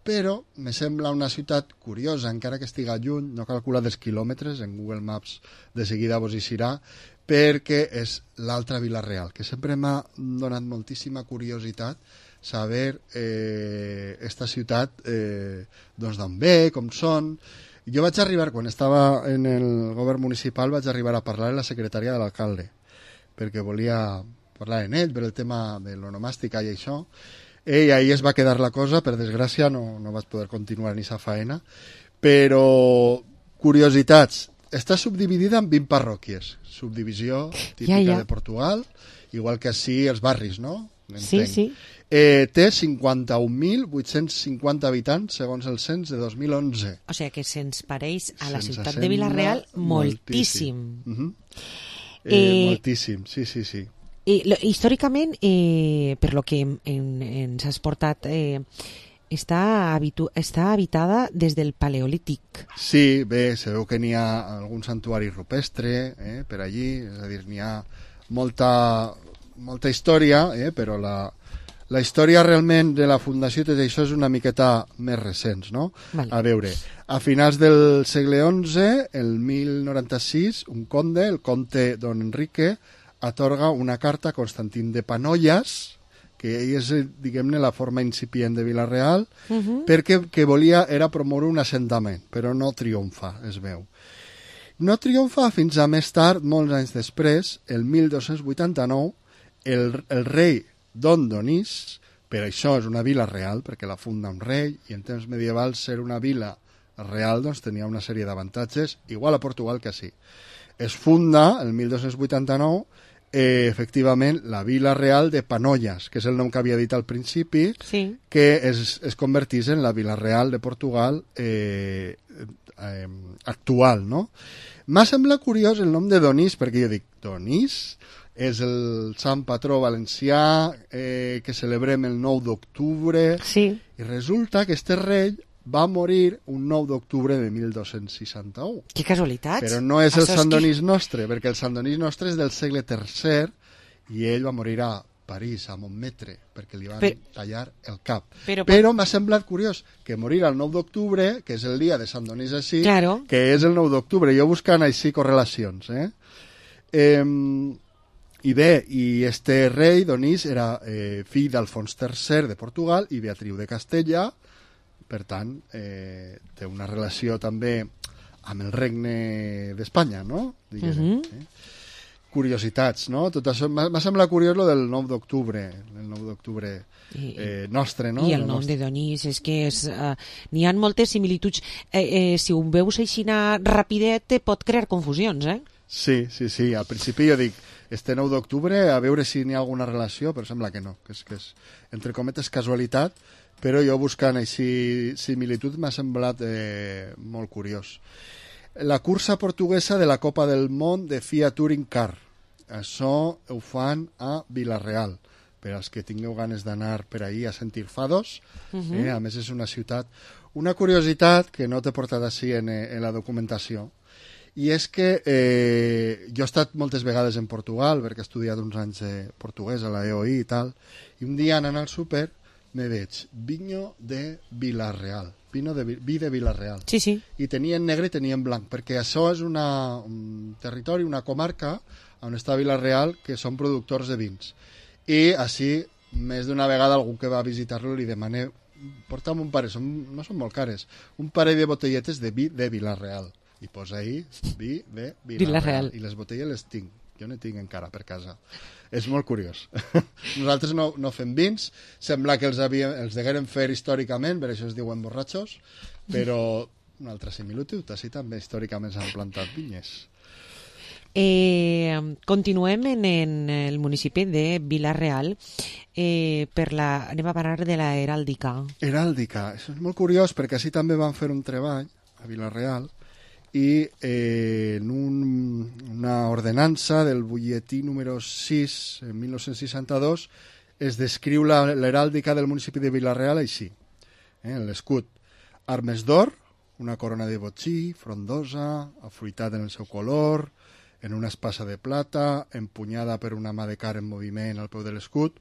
Però me sembla una ciutat curiosa, encara que estiga lluny, no calcula dels quilòmetres, en Google Maps de seguida vos hi serà, perquè és l'altra Vila-real, que sempre m'ha donat moltíssima curiositat saber esta ciutat doncs d'on ve, com són. Jo vaig arribar, quan estava en el govern municipal, vaig arribar a parlar amb la secretària de l'alcalde, perquè volia parlar en ell per el tema de l'onomàstica i això, i ahí es va quedar la cosa, per desgràcia no vaig poder continuar ni sa faena, però curiositats, està subdividida en 20 parròquies, subdivisió típica de Portugal, igual que així els barris, no? Sí. Té 51.850 habitants segons el cens de 2011. O sigui que se'ns pareix a la ciutat de Vila-real moltíssim. Moltíssim, sí. Històricament, per lo que ens has portat, està habitada des del Paleolític. Sí, bé, se veu que n'hi ha algun santuari rupestre per allí, és a dir, n'hi ha molta molta història, però la història realment de la fundació i tot això és una miqueta més recents, no? Vale. A veure, a finals del segle XI, el 1096, un conde, el comte Don Enrique, atorga una carta a Constantín de Panollas, que és, diguem-ne, la forma incipient de Vila-real, perquè que volia era promoure un assentament, però no triomfa, es veu. No triomfa fins a més tard, molts anys després, el 1289, el rei Don Donís, per això és una vila real, perquè la funda un rei, i en temps medievals ser una vila real doncs, tenia una sèrie d'avantatges, igual a Portugal que sí. Es funda, el 1289, efectivament, la vila real de Panollas, que és el nom que havia dit al principi, que es convertís en la vila real de Portugal actual, no? M'ha semblat curiós el nom de Donís, perquè jo dic, Donís és el sant patró valencià que celebrem el 9 d'octubre, i resulta que este rei va morir un 9 d'octubre de 1261. Que casualitats. Però no és el Sant Donís nostre, perquè el Sant Donís nostre és del segle III i ell va morir a París, a Montmetre, perquè li van tallar el cap. Però m'ha semblat curiós que morir el 9 d'octubre, que és el dia de Sant Donís així, que és el 9 d'octubre. Jo buscant així correlacions. I bé, i este rei, Donís, era fill d'Alfons III de Portugal i Beatriu de Castella, per tant, té una relació també amb el regne d'Espanya, no? Curiositats, no? Tot això m'ha semblat curiós lo del 9 d'octubre, el 9 d'octubre nostre, no? I el nom de Donís, és que n'hi ha moltes similituds. Si ho veus així rapidet, pot crear confusions, Sí, al principi jo dic, este 9 d'octubre, a veure si n'hi ha alguna relació, però sembla que no, que és entre cometes casualitat, però jo buscant així similitud m'ha semblat molt curiós. La cursa portuguesa de la Copa del Món de FIA Touring Car. Això ho fan a Vila-real, per als que tingueu ganes d'anar per ahir a sentir fados. A més, és una ciutat. Una curiositat que no t'he portat així en la documentació, i és que jo he estat moltes vegades en Portugal, perquè he estudiat uns anys portuguès a la EOI i tal, i un dia anant al súper me veig vinho de Vila-real, vi de Vila-real. Sí. I tenia en negre i tenia en blanc, perquè això és un territori, una comarca on està Vila-real, que són productors de vins. I així, més d'una vegada algú que va a visitar-lo li demana, porta'm un parell, no són molt cares, un parell de botelletes de vi de Vila-real. I posa ahí vi de Vila-real. I les botelles les tinc. Jo no tinc encara per casa. És molt curiós. Nosaltres no fem vins, sembla que els degueren fer històricament, per això es diuen borratxos, però una altra similitud, així també històricament s'han plantat vinyes. Continuem en el municipi de Vila-real. Anem a parlar de la heràldica. Heràldica, això és molt curiós perquè així també van fer un treball a Vila-real i en una ordenança del butlletí número 6 en 1962 es descriu l'heràldica del municipi de Vila-real així. L'escut, armes d'or, una corona de botxí, frondosa, afruitat en el seu color, en una espasa de plata, empunyada per una mà de car en moviment al peu de l'escut,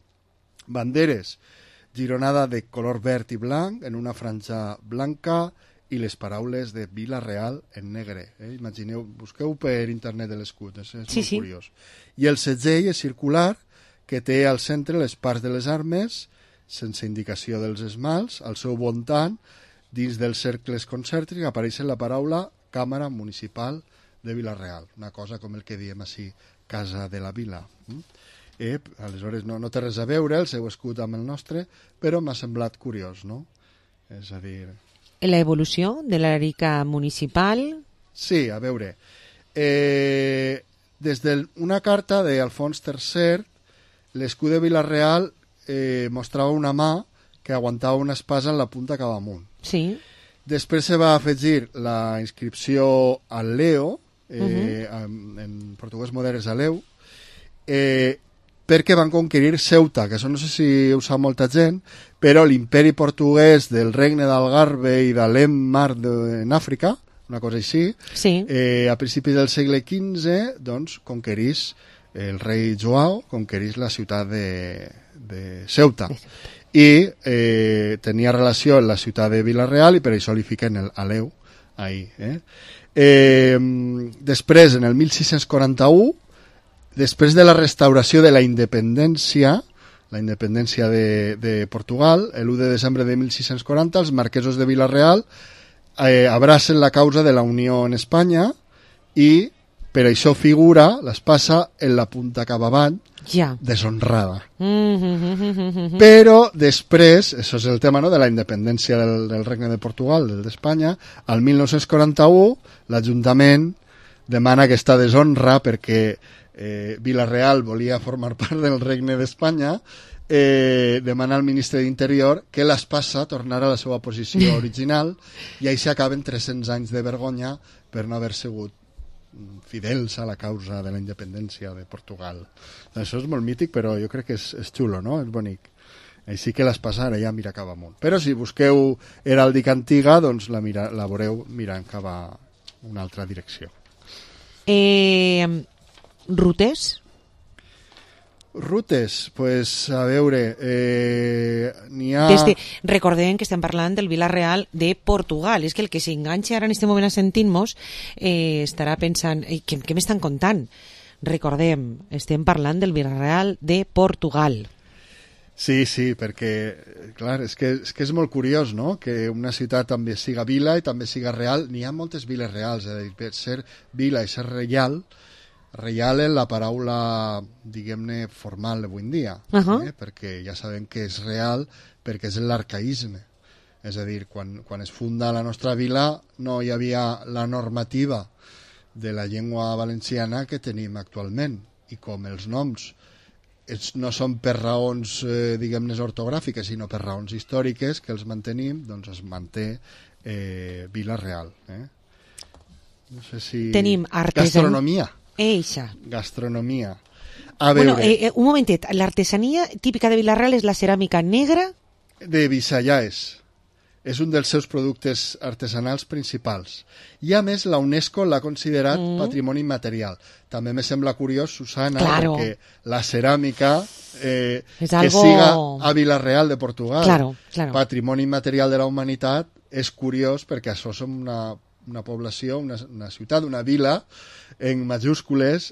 banderes, gironada de color verd i blanc, en una franja blanca, i les paraules de Vila-real en negre. Imagineu, busqueu per internet de l'escut, és molt curiós. I el segell és circular, que té al centre les parts de les armes, sense indicació dels esmalts, al seu voltant, dins dels cercles concèntrics, apareix la paraula Càmara Municipal de Vila-real, una cosa com el que diem així, Casa de la Vila. Aleshores no té res a veure el seu escut amb el nostre, però m'ha semblat curiós, no? És a dir... La evolució de l'heràldica municipal? Sí, a veure. Des d'una carta d'Alfons III, l'escut de Vila-real mostrava una mà que aguantava una espasa en la punta cap amunt. Sí. Després se va afegir la inscripció al Leo, en portuguès modern és Aleu, perquè van conquerir Ceuta, que això no sé si ho sap molta gent, però l'imperi portuguès del regne d'Algarve i de l'Emmar en Àfrica, una cosa així, a principis del segle XV, doncs, conquerís el rei Joao conquerís la ciutat de Ceuta. I tenia relació amb la ciutat de Vila-real i per això li fiquen el Aleu ahí. Després, en el 1641, després de la restauració de la independència de Portugal, l'1 de desembre de 1640, els marquesos de Vila-real abracen la causa de la Unió en Espanya i per això figura l'espasa en la punta cap avant, deshonrada. Però després, això és el tema, no?, de la independència del Regne de Portugal, d'Espanya, al 1941 l'Ajuntament demana aquesta deshonra perquè Vila-real volia formar part del Regne d'Espanya, demana al ministre d'Interior que l'espasa tornara a la seva posició original i així acaben 300 anys de vergonya per no haver sigut fidels a la causa de la independència de Portugal. Això és molt mític, però jo crec que és xulo, no? És bonic. Així que l'espasa ara ja mira cap amunt. Però si busqueu heràldica antiga, doncs la veureu mirant cap a una altra direcció. Rutes? Rutes, pues a veure, n'hi ha... Recordem que estem parlant del Vila-real de Portugal. És que el que s'enganxa ara en aquest moment a sentir-nos estarà pensant, què m'estan contant? Recordem, estem parlant del Vila-real de Portugal. Sí, perquè, clar, és que és molt curiós, no?, que una ciutat també siga vila i també siga real. N'hi ha moltes viles reals, és a dir, per ser vila i ser reial és la paraula, diguem-ne, formal d'avui en dia, perquè ja sabem que és real perquè és l'arcaïsme. És a dir, quan es funda la nostra vila no hi havia la normativa de la llengua valenciana que tenim actualment, i com els noms no són per raons, diguem-ne, ortogràfiques, sinó per raons històriques que els mantenim, doncs es manté Vila-real. No sé si... Tenim gastronomia. Gastronomia. A veure... un momentet, l'artesania típica de Vila-real és la ceràmica negra? De Visayas. És un dels seus productes artesanals principals. I a més la UNESCO l'ha considerat patrimoni immaterial. També me sembla curiós, Susana, perquè la ceràmica que siga a Vila-real de Portugal, patrimoni immaterial de la humanitat, és curiós perquè això som una població, una ciutat, una vila en majúscules,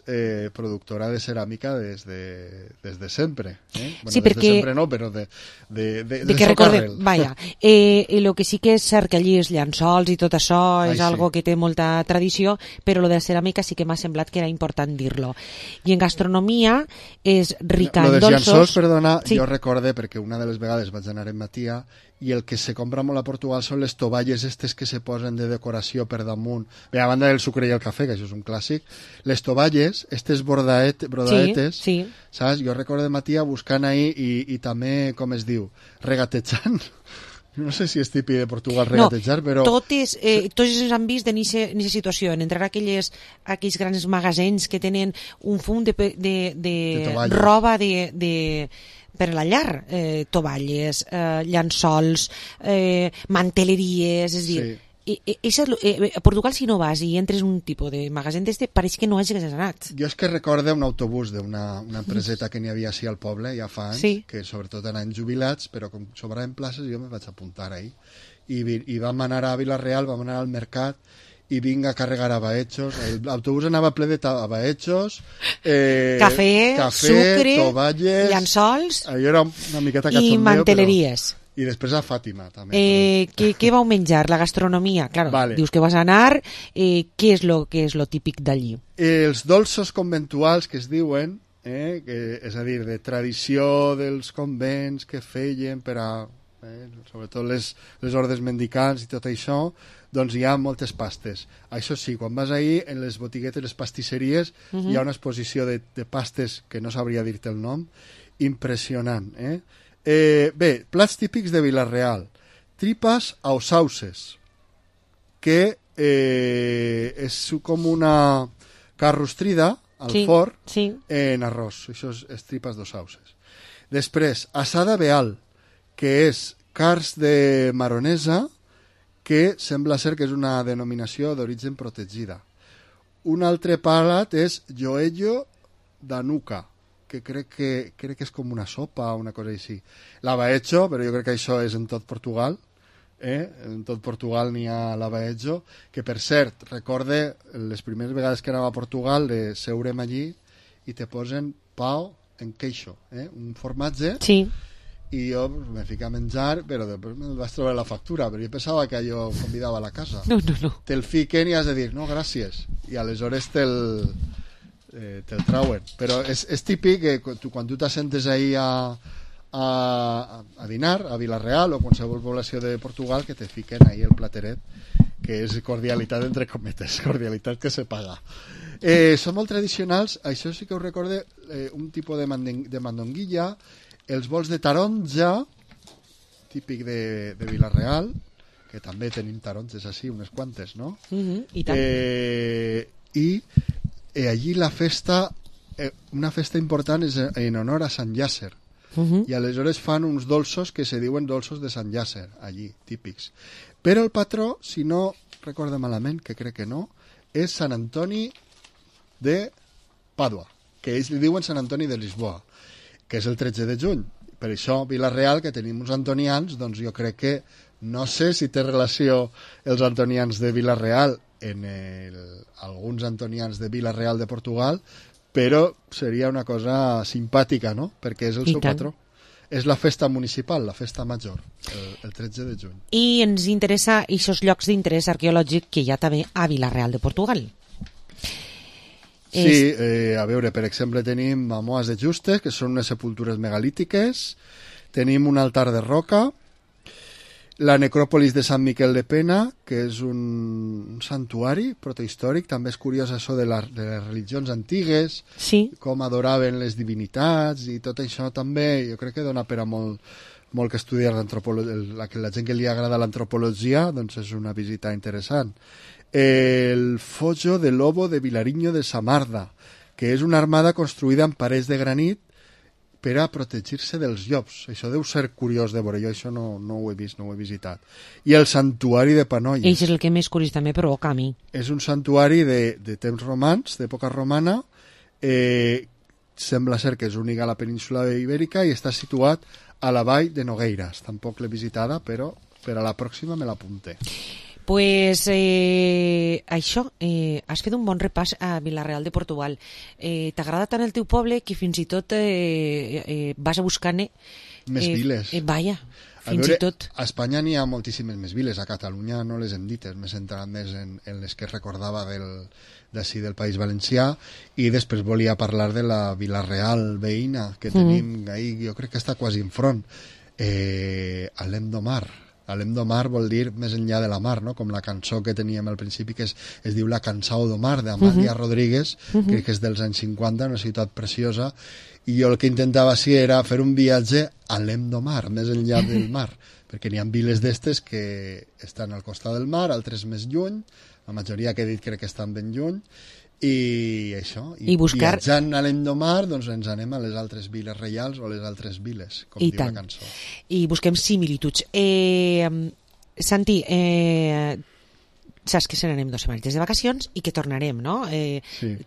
productora de ceràmica des de sempre. Bueno, sí, des perquè... de sempre no, però de que recordem, vaja, el que sí que és cert que allí els llençols i tot això és algo que té molta tradició, però lo de la ceràmica sí que m'ha semblat que era important dir-lo. I en gastronomia és rica en dolços... Lo dels llençols, perdona, jo recorde, perquè una de les vegades vaig anar en Matia, i el que se compra molt a Portugal són les tovalles estes que se posen de decoració per damunt. Bé, a banda del sucre i el cafè, que això és un clàssic, les tovalles, estes brodaetes, saps? Jo recordo de Matia buscant ahí i també, com es diu, regatejant. No sé si és típic de Portugal regatejar, però... Tots ens han vist en aquesta situació, en entrar a aquells grans magasins que tenen un fum de roba per a la llar, tovalles, llençols, manteleries, és a dir... A Portugal, si no vas i entres en un tipus de magasin d'este, pareix que no hagis anat. Jo és que recorde un autobús d'una empreseta que n'hi havia així al poble, ja fa anys, que sobretot anaven jubilats, però com sobraven places jo me vaig apuntar ahí. I vam anar a Vila-real, vam anar al mercat, i vinc a carregar abaetxos. L'autobús anava ple de abaetxos, cafè, sucre, tovalles, llençols era una miqueta cachondeo, i manteleries. I després a Fàtima, també. Què vau menjar? La gastronomia? Claro, dius que vas anar, què és lo típic d'allí? Els dolços conventuals que es diuen, és a dir, de tradició dels convents que feien per a, sobretot les ordes mendicants i tot això, doncs hi ha moltes pastes. Això sí, quan vas ahir, en les botiguetes, les pastisseries, hi ha una exposició de pastes que no sabria dir-te el nom, impressionant, bé, plats típics de Vila-real. Tripas ausauses, que és com una carrostrida al forn en arròs. Això és tripas d'ausauses. Després, assada beal, que és carns de maronesa, que sembla ser que és una denominació d'origen protegida. Un altre plat és joello d'anuca, que crec que és com una sopa o una cosa així. L'avaecho, però jo crec que això és en tot Portugal. En tot Portugal n'hi ha l'avaecho, que per cert, recorde les primeres vegades que anava a Portugal de seurem allí i te posen pao en queixo, un formatge. Sí. I jo me fico a menjar, però després me'l vaig trobar la factura, però jo pensava que allò convidava a la casa. No. Te'l fiquen i has de dir, no, gràcies. I aleshores te'l trauen. Però és típic que quan tu t'assentes ahí a dinar, a Vila-real o qualsevol població de Portugal, que te fiquen ahí el plateret, que és cordialitat entre cometes, cordialitat que se paga. Són molt tradicionals, això sí que us recorde, un tipus de mandonguilla, els bols de taronja, típic de Vila-real, que també tenim taronges així, unes quantes, no? I tant. I allí la festa, una festa important és en honor a Sant Llàcer. I aleshores fan uns dolços que se diuen dolços de Sant Llàcer, allí, típics. Però el patró, si no recordo malament, que crec que no, és Sant Antoni de Pàdua, que ells li diuen Sant Antoni de Lisboa, que és el 13 de juny. Per això, Vila-real, que tenim uns antonians, doncs jo crec que, no sé si té relació els antonians de Vila-real en alguns antonians de Vila-real de Portugal, però seria una cosa simpàtica, no? Perquè és el seu patró. És la festa municipal, la festa major, el 13 de juny. I ens interessa aquests llocs d'interès arqueològic que hi ha també a Vila-real de Portugal. Sí, a veure, per exemple, tenim Mamoas de Justes, que són unes sepultures megalítiques, tenim un altar de roca, la necròpolis de Sant Miquel de Pena, que és un santuari protahistòric, també és curiós això de les religions antigues, com adoraven les divinitats, i tot això també, jo crec que dona per a molt que estudiar l'antropologia, la gent que li agrada l'antropologia, doncs és una visita interessant. El Fojo de Lobo de Vilariño de Samarda, que és una armada construïda en parets de granit per a protegir-se dels llops. Això deu ser curiós de veure, jo això no ho he vist, no ho he visitat. I el santuari de Panolles. Això és el que més curiós també provoca a mi. És un santuari de temps romans, d'època romana, sembla ser que és únic a la península ibèrica i està situat a la vall de Nogueiras. Tampoc l'he visitada, però per a la pròxima me l'apunte. Pues això, has fet un bon repàs a Vila-real de Portugal. T'agrada tant el teu poble que fins i tot vas a buscar-ne més viles. Vaja, fins i tot. A Espanya n'hi ha moltíssimes més viles, a Catalunya no les hem dites, m'he centrat més en les que recordava d'ací del País Valencià, i després volia parlar de la Vila-real veïna que tenim ahí, jo crec que està quasi enfront, Alem do Mar. Alem do Mar vol dir més enllà de la mar, no? Com la cançó que teníem al principi, que es diu La Cansao do Mar, d'Amàlia Rodríguez, que és dels anys 50, una ciutat preciosa, i jo el que intentava sí era fer un viatge a Alem do Mar, més enllà del mar, perquè n'hi ha viles d'estes que estan al costat del mar, altres més lluny, la majoria que he dit crec que estan ben lluny, i això, i viatjant a Alem do Mar, doncs ens anem a les altres viles reials o a les altres viles, com diu la cançó. I busquem similituds. Santi, saps que se n'anem 2 setmanetes de vacacions i que tornarem, no?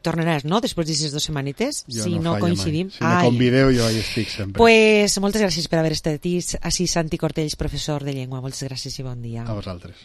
Tornaràs, no?, després d'aquestes 2 setmanetes, si no coincidim. Si me convideu, jo hi estic sempre. Pues moltes gràcies per haver estat així, Santi Cortells, professor de llengua. Moltes gràcies i bon dia. A vosaltres.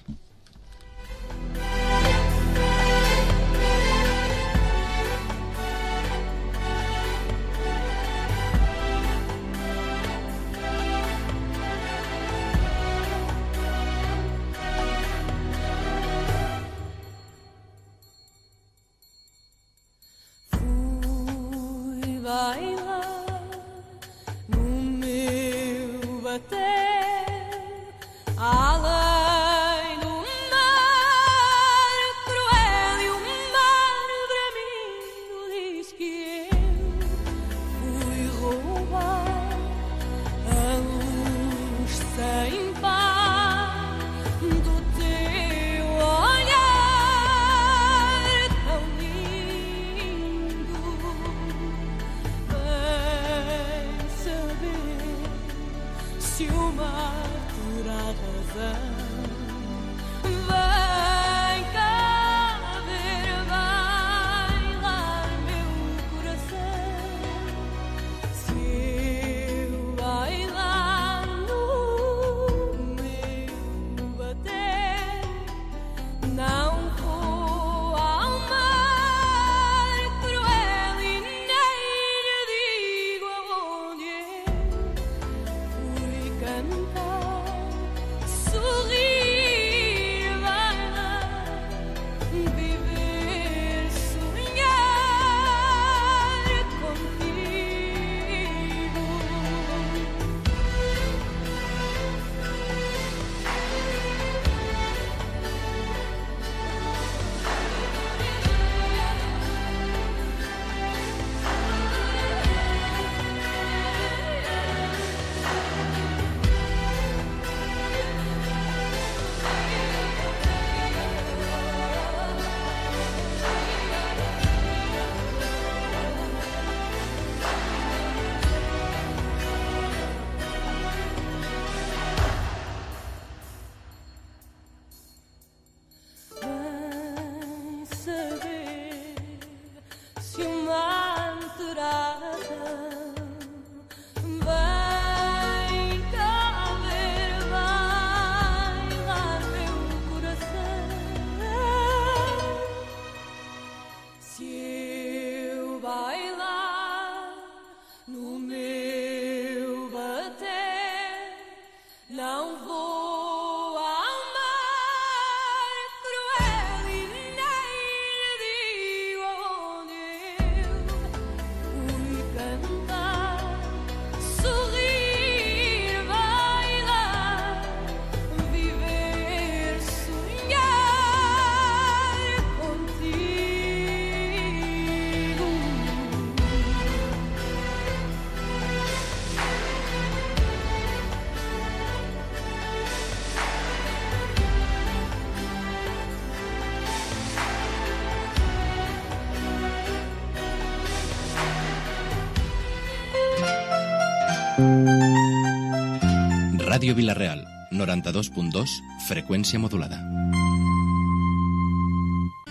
Ràdio Vila-real, 92.2, freqüència modulada.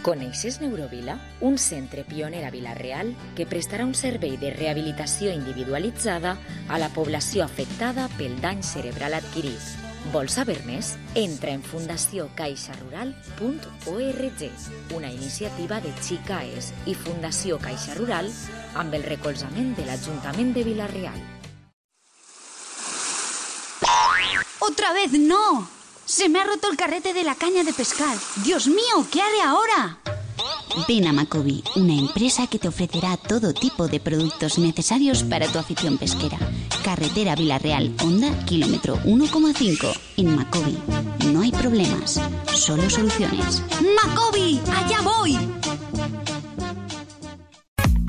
Coneixes Neurovila? Un centre pioner a Vila-real que prestarà un servei de rehabilitació individualitzada a la població afectada pel dany cerebral adquirit. Vols saber més? Entra en fundaciocaixarural.org, una iniciativa de Xicaes i Fundació Caixa Rural amb el recolzament de l'Ajuntament de Vila-real. ¡Otra vez no! ¡Se me ha roto el carrete de la caña de pescar! ¡Dios mío! ¿Qué haré ahora? Ven a Macobi, una empresa que te ofrecerá todo tipo de productos necesarios para tu afición pesquera. Carretera Vila-real, Honda, kilómetro 1,5. En Macobi no hay problemas, solo soluciones. ¡Macobi! ¡Allá voy!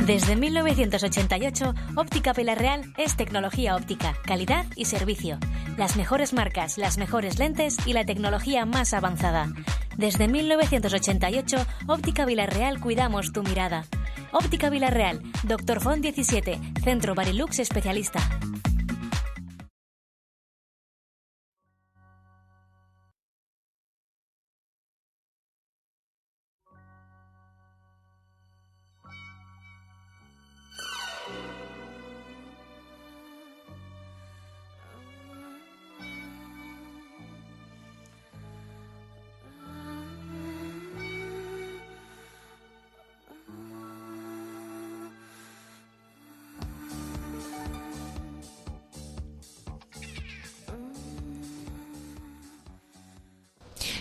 Desde 1988, Óptica Vila-real es tecnología óptica, calidad y servicio. Las mejores marcas, las mejores lentes y la tecnología más avanzada. Desde 1988, Óptica Vila-real cuidamos tu mirada. Óptica Vila-real, Dr. Font 17, Centro Barilux especialista.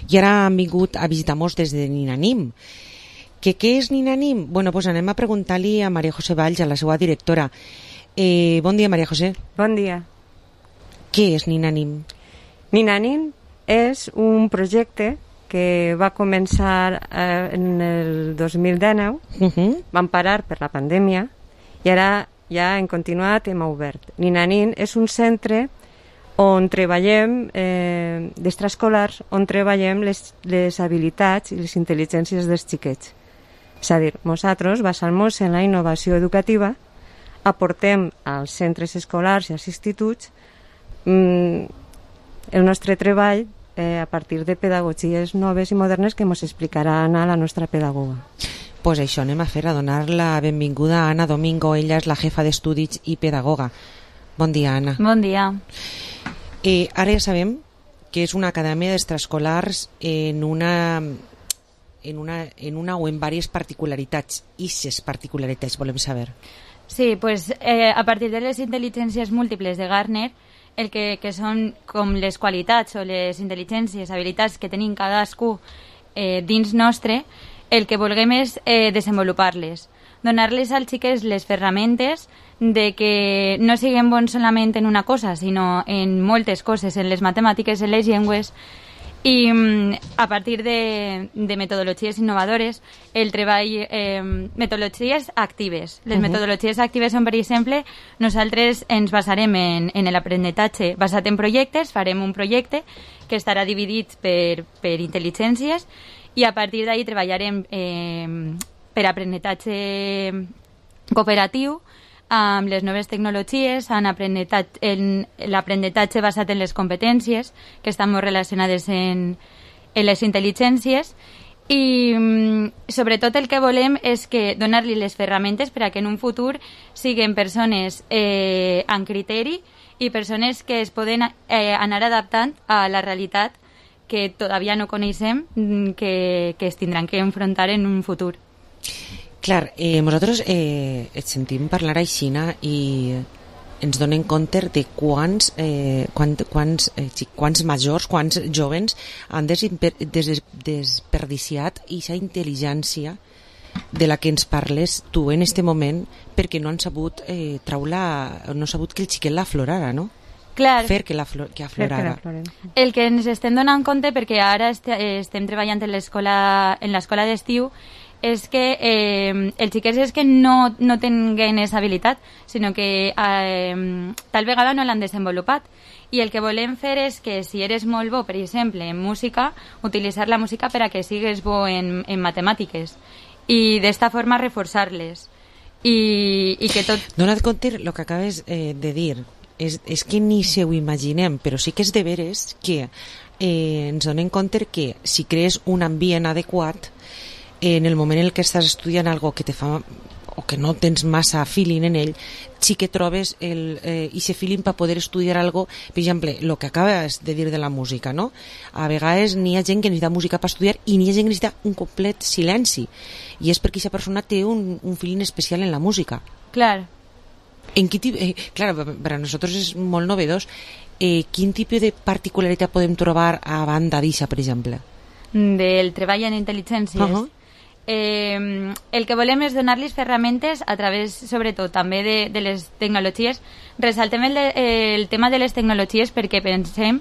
I ara han vingut a visitar-nos des de Ninanim. Què és Ninanim? Bueno, pues anem a preguntar-li a Maria José Valls, a la seva directora. Bon dia, Maria José. Bon dia. Què és Ninanim? Ninanim és un projecte que va començar en el 2019, vam parar per la pandèmia i ara ja hem continuat, hem obert. Ninanim és un centre on treballem d'extraescolars, on treballem les habilitats i les intel·ligències dels xiquets. És a dir, nosaltres, basant-nos en la innovació educativa, aportem als centres escolars i als instituts el nostre treball a partir de pedagogies noves i modernes que ens explicaran a la nostra pedagoga. Pues això anem a fer, a donar la benvinguda a Anna Domingo. Ella és la jefa d'estudis i pedagoga. Bon dia, Anna. Bon dia. Ara ja sabem que és una acadèmia d'extraescolars en una o en diverses particularitats. Ixes particularitats volem saber. Sí, pues a partir de les intel·ligències múltiples de Gardner, el que són com les qualitats o les intel·ligències, habilitats que tenim cadascú dins nostre, el que vulguem és desenvolupar-les. Donar-les als xiquets les ferramentes de que no siguem bons solament en una cosa, sinó en moltes coses, en les matemàtiques, en les llengües, i a partir de metodologies innovadores, el treball, metodologies actives. Les metodologies actives són, per exemple, nosaltres ens basarem en l'aprenentatge basat en projectes, farem un projecte que estarà dividit per intel·ligències i a partir d'ahí treballarem per aprenentatge cooperatiu amb les noves tecnologies, en l'aprenentatge basat en les competències que estan molt relacionades en les intel·ligències i sobretot el que volem és que donar-li les ferramentes per a que en un futur siguin persones amb criteri i persones que es poden anar adaptant a la realitat que todavía no coneixem, que es tindran que enfrontar en un futur. Clar, nosaltres et sentim parlar aixina i ens donem compte de quants majors, quants jóvens han desperdiciat aquesta intel·ligència de la que ens parles tu en este moment perquè no han sabut no han sabut que el xiquet l'aflorara, no? Clar, fer que aflorara. El que ens estem donant compte, perquè ara estem treballant en l'escola d'estiu, és que els xiquets és que no tinguin aquesta habilitat, sinó que tal vegada no l'han desenvolupat. I el que volem fer és que si eres molt bo, per exemple, en música, utilitzar la música per a que sigues bo en matemàtiques. I d'esta forma reforçar-les. I que tot... Dona't compte el que acabes de dir. és que ni se ho imaginem, però sí que és de veres que ens donem compte que si crees un ambient adequat, en el moment en què estàs estudiant algo que te fa o que no tens massa feeling en ell, sí que trobes ese feeling per poder estudiar algo. Per exemple, el que acabes de dir de la música, no? A vegades n'hi ha gent que necessita música per estudiar i n'hi ha gent que necessita un complet silenci, i és perquè aquesta persona té un feeling especial en la música. Clar. Claro, per a nosaltres és molt novedós. Quin tipus de particularitat podem trobar a banda d'això, per exemple? Del treball en intel·ligències. El que volem és donar-los ferramentes a través, sobretot, també de les tecnologies. Ressaltem el tema de les tecnologies perquè pensem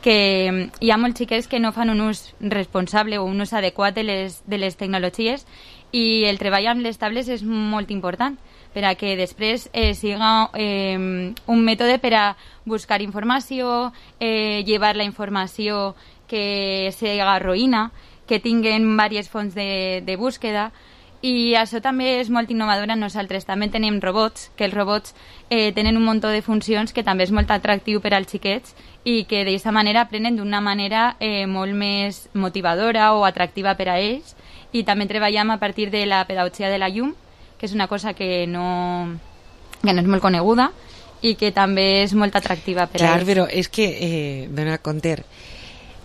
que hi ha molts xiquets que no fan un ús responsable o un ús adequat de les tecnologies, i el treball amb les tablets és molt important per a que després siga un mètode per a buscar informació, llevar la informació que siga roïna, que tinguen diverses fonts de búsqueda, i això també és molt innovador. Nosaltres també tenim robots, que els robots tenen un munt de funcions que també és molt atractiu per als xiquets i que d'aquesta manera aprenen d'una manera molt més motivadora o atractiva per a ells. I també treballem a partir de la pedagogia de la llum, que és una cosa que no és molt coneguda i que també és molt atractiva per a ells. Clar, però és que, dona compte,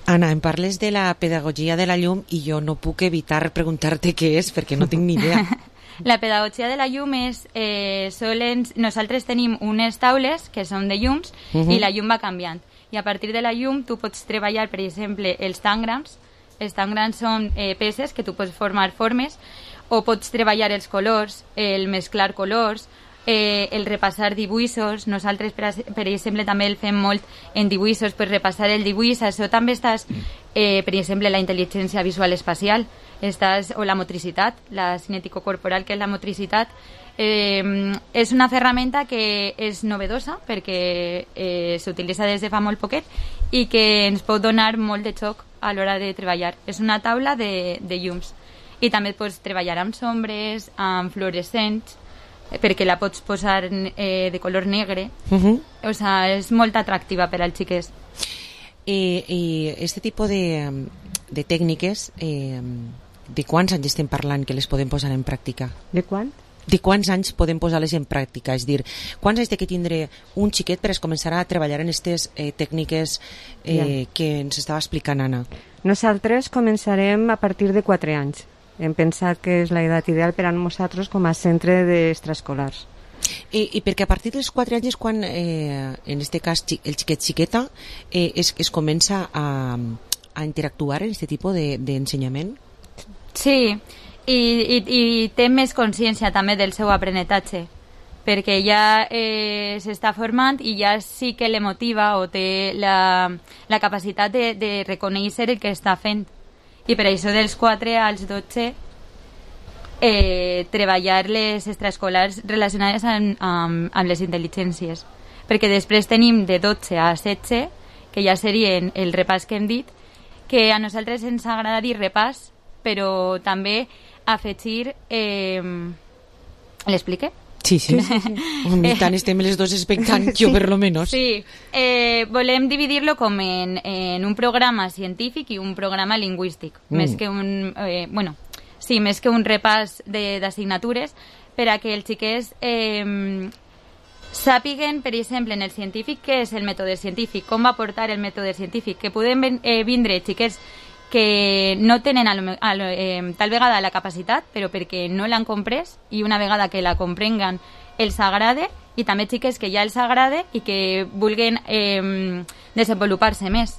Anna, em parles de la pedagogia de la llum i jo no puc evitar preguntar-te què és, perquè no tinc ni idea. La pedagogia de la llum és... nosaltres tenim unes taules que són de llums i la llum va canviant. I a partir de la llum tu pots treballar, per exemple, els tangrams. Els tangrams són peces que tu pots formar formes, o pots treballar els colors, el mesclar colors, el repassar dibuixos. Nosaltres, per exemple, també el fem molt en dibuixos, per repassar el dibuix. Això també estàs, per exemple, la intel·ligència visual espacial, o la motricitat, la cinètico-corporal, que és la motricitat. És una ferramenta que és novedosa perquè s'utilitza des de fa molt poquet i que ens pot donar molt de xoc a l'hora de treballar. És una taula de llums, i també pots treballar amb sombres, amb fluorescents, perquè la pots posar de color negre. O sigui, és molt atractiva per als xiquets. I aquest tipus de tècniques, de quants anys estem parlant que les podem posar en pràctica? De quant? De quants anys podem posar-les en pràctica? És dir, quants anys té que tindre un xiquet per començar a treballar en aquestes tècniques que ens estava explicant Anna? Nosaltres començarem a partir de 4 anys. Hem pensat que és l'edat ideal per a nosaltres com a centre d'extraescolars. I perquè a partir dels 4 anys és quan, en aquest cas, el xiquet-xiqueta es comença a interactuar en aquest tipus d'ensenyament? Sí, i té més consciència també del seu aprenentatge, perquè ja s'està formant i ja sí que le motiva o té la capacitat de reconèixer el que està fent. I per això dels 4 als 12 treballar les extraescolars relacionades amb les intel·ligències, perquè després tenim de 12 a 16, que ja serien el repàs que hem dit, que a nosaltres ens agrada dir repàs, però també afegir... L'explique? Sí. Tant estem les dos expectant, jo per lo menos. Sí, volem dividir-lo com en un programa científic i un programa lingüístic, més que un... més que un repàs d'assignatures, per a que els xiquets sàpiguen, per exemple, en el científic, què és el mètode científic, com va portar el mètode científic, que podem vindre xiquets que no tenen tal vegada la capacitat, però perquè no l'han comprès, i una vegada que la comprenguen els agrada, i també xiques que ja els agrada i que vulguin desenvolupar-se més.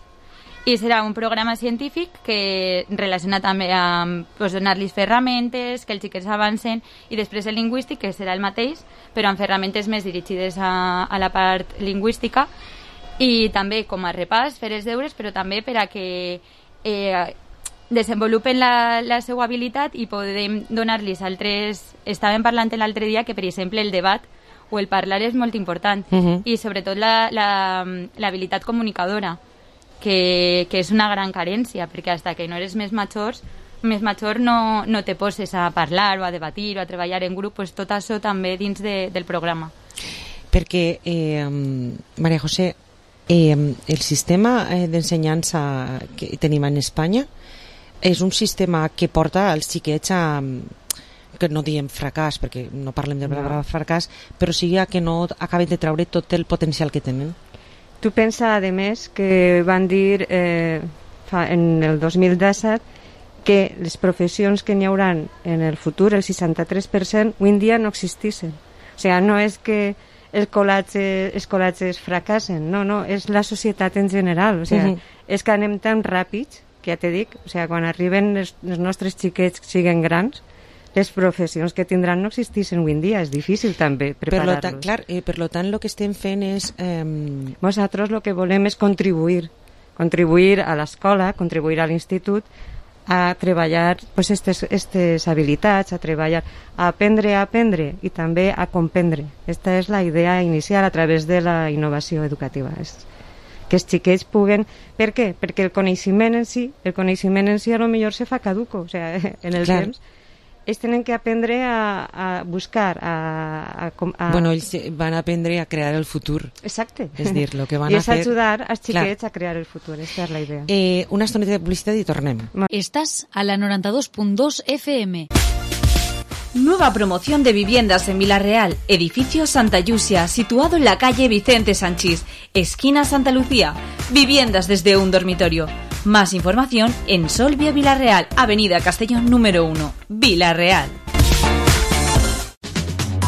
I serà un programa científic que relaciona també amb donar-los ferramentes, que els xiquets avancen, i després el lingüístic, que serà el mateix, però amb ferramentes més dirigides a la part lingüística, i també com a repàs, fer els deures, però també per a que desenvolupen la seva habilitat i podem donar-los altres... Estàvem parlant l'altre dia que, per exemple, el debat o el parlar és molt important, i sobretot l'habilitat comunicadora, que és una gran carència, perquè fins que no eres més major no te poses a parlar o a debatir o a treballar en grup, pues tot això també dins del programa. Perquè, Maria José, el sistema d'ensenyança que tenim en Espanya és un sistema que porta els xiquets a, que no diem fracàs, perquè no parlem de paraula fracàs, però sigui que no acaben de treure tot el potencial que tenen. Tu pensa, a més, que van dir en el 2017 que les professions que n'hi haurà en el futur, el 63%, avui en dia no existissin. O sigui, no és que els col·legis fracassen, no, és la societat en general. O sigui, és que anem tan ràpids, que ja t'he dit, o sigui, quan arriben els nostres xiquets que siguin grans, les professions que tindran no existissin avui en dia, és difícil també preparar-los. Per tant, el que estem fent és... Nosaltres el que volem és contribuir a l'escola, contribuir a l'institut, a treballar aquestes habilitats, a treballar, a aprendre i també a comprendre. Aquesta és la idea inicial a través de la innovació educativa. Que els xiquets puguen... Per què? Perquè el coneixement en si a lo millor se fa caduco, o sigui, en el temps. Ells tenen que aprendre a buscar, Bueno, ells van aprendre a crear el futur. Exacte. És dir, lo que van I a fer... és ajudar als xiquets a crear el futur, aquesta és la idea. Una estoneta de publicitat i tornem. Estás a la 92.2 FM. Nueva promoción de viviendas en Villarreal, edificio Santa Yusia, situado en la calle Vicente Sanchís, esquina Santa Lucía. Viviendas desde un dormitorio. Más información en Solvia Villarreal, Avenida Castellón número 1, Villarreal.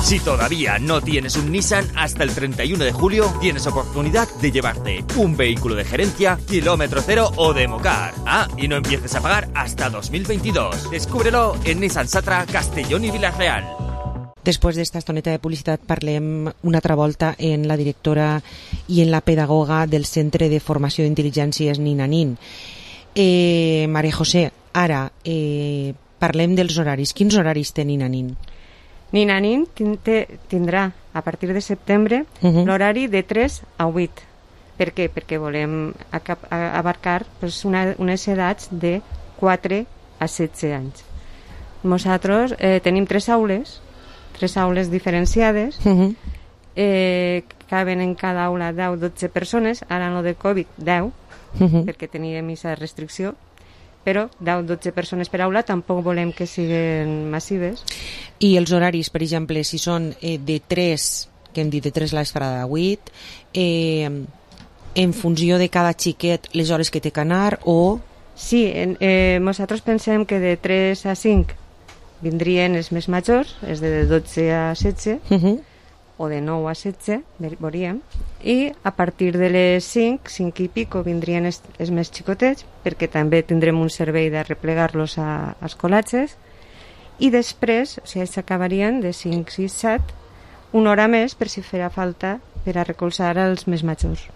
Si todavía no tienes un Nissan, hasta el 31 de julio tienes oportunidad de llevarte un vehículo de gerencia, kilómetro cero o Democar. Y no empieces a pagar hasta 2022. Descúbrelo en Nissan Satra, Castellón i Villarreal. Després d'esta estoneta de publicitat parlem una altra volta en la directora i en la pedagoga del Centre de Formació d'Intel·ligències Ninanin. Maria José, ara parlem dels horaris. Quins horaris té Ninanin? Ninanin tindrà a partir de setembre l'horari de 3 a 8. Per què? Perquè volem abarcar unes edats de 4 a 16 anys. Nosaltres tenim 3 aules diferenciades, caben en cada aula 10-12 persones, ara no de Covid 10, perquè teníem aquesta restricció, però 10-12 persones per aula tampoc volem que siguin massives. I els horaris, per exemple, si són de 3, que hem dit de 3 a l'esferada de 8, en funció de cada xiquet, les hores que té que anar, o... Sí, nosaltres pensem que de 3 a 5 vindrien els més majors, és de 12 a 16, o de 9 a 16, veuríem, i a partir de les 5 i pico vindrien els més xicotets, perquè també tindrem un servei de replegar-los als col·legis, i després, o sigui, s'acabarien de 5, 6, 7, una hora més per si farà falta per a recolzar els més majors.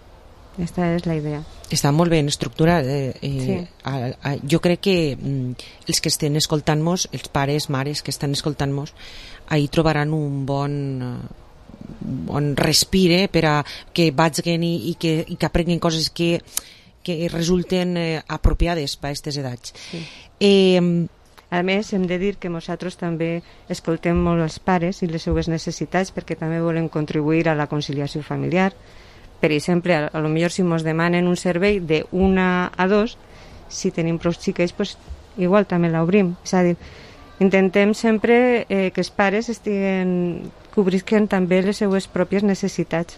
Aquesta és la idea. Està molt ben estructurat. Sí. Jo crec que els que estan escoltant-nos, els pares, mares que estan escoltant-nos, ahí trobaran un bon respire per a que vagin i que aprenguin coses que resulten apropiades per a aquestes edats. Sí. A més, hem de dir que nosaltres també escoltem molt els pares i les seues necessitats, perquè també volem contribuir a la conciliació familiar. Per exemple, a lo millor si ens demanen un servei de 1 a 2, si tenim prou xiquets, pues, igual també l'obrim. És a dir, intentem sempre que els pares cobrisquen també les seues pròpies necessitats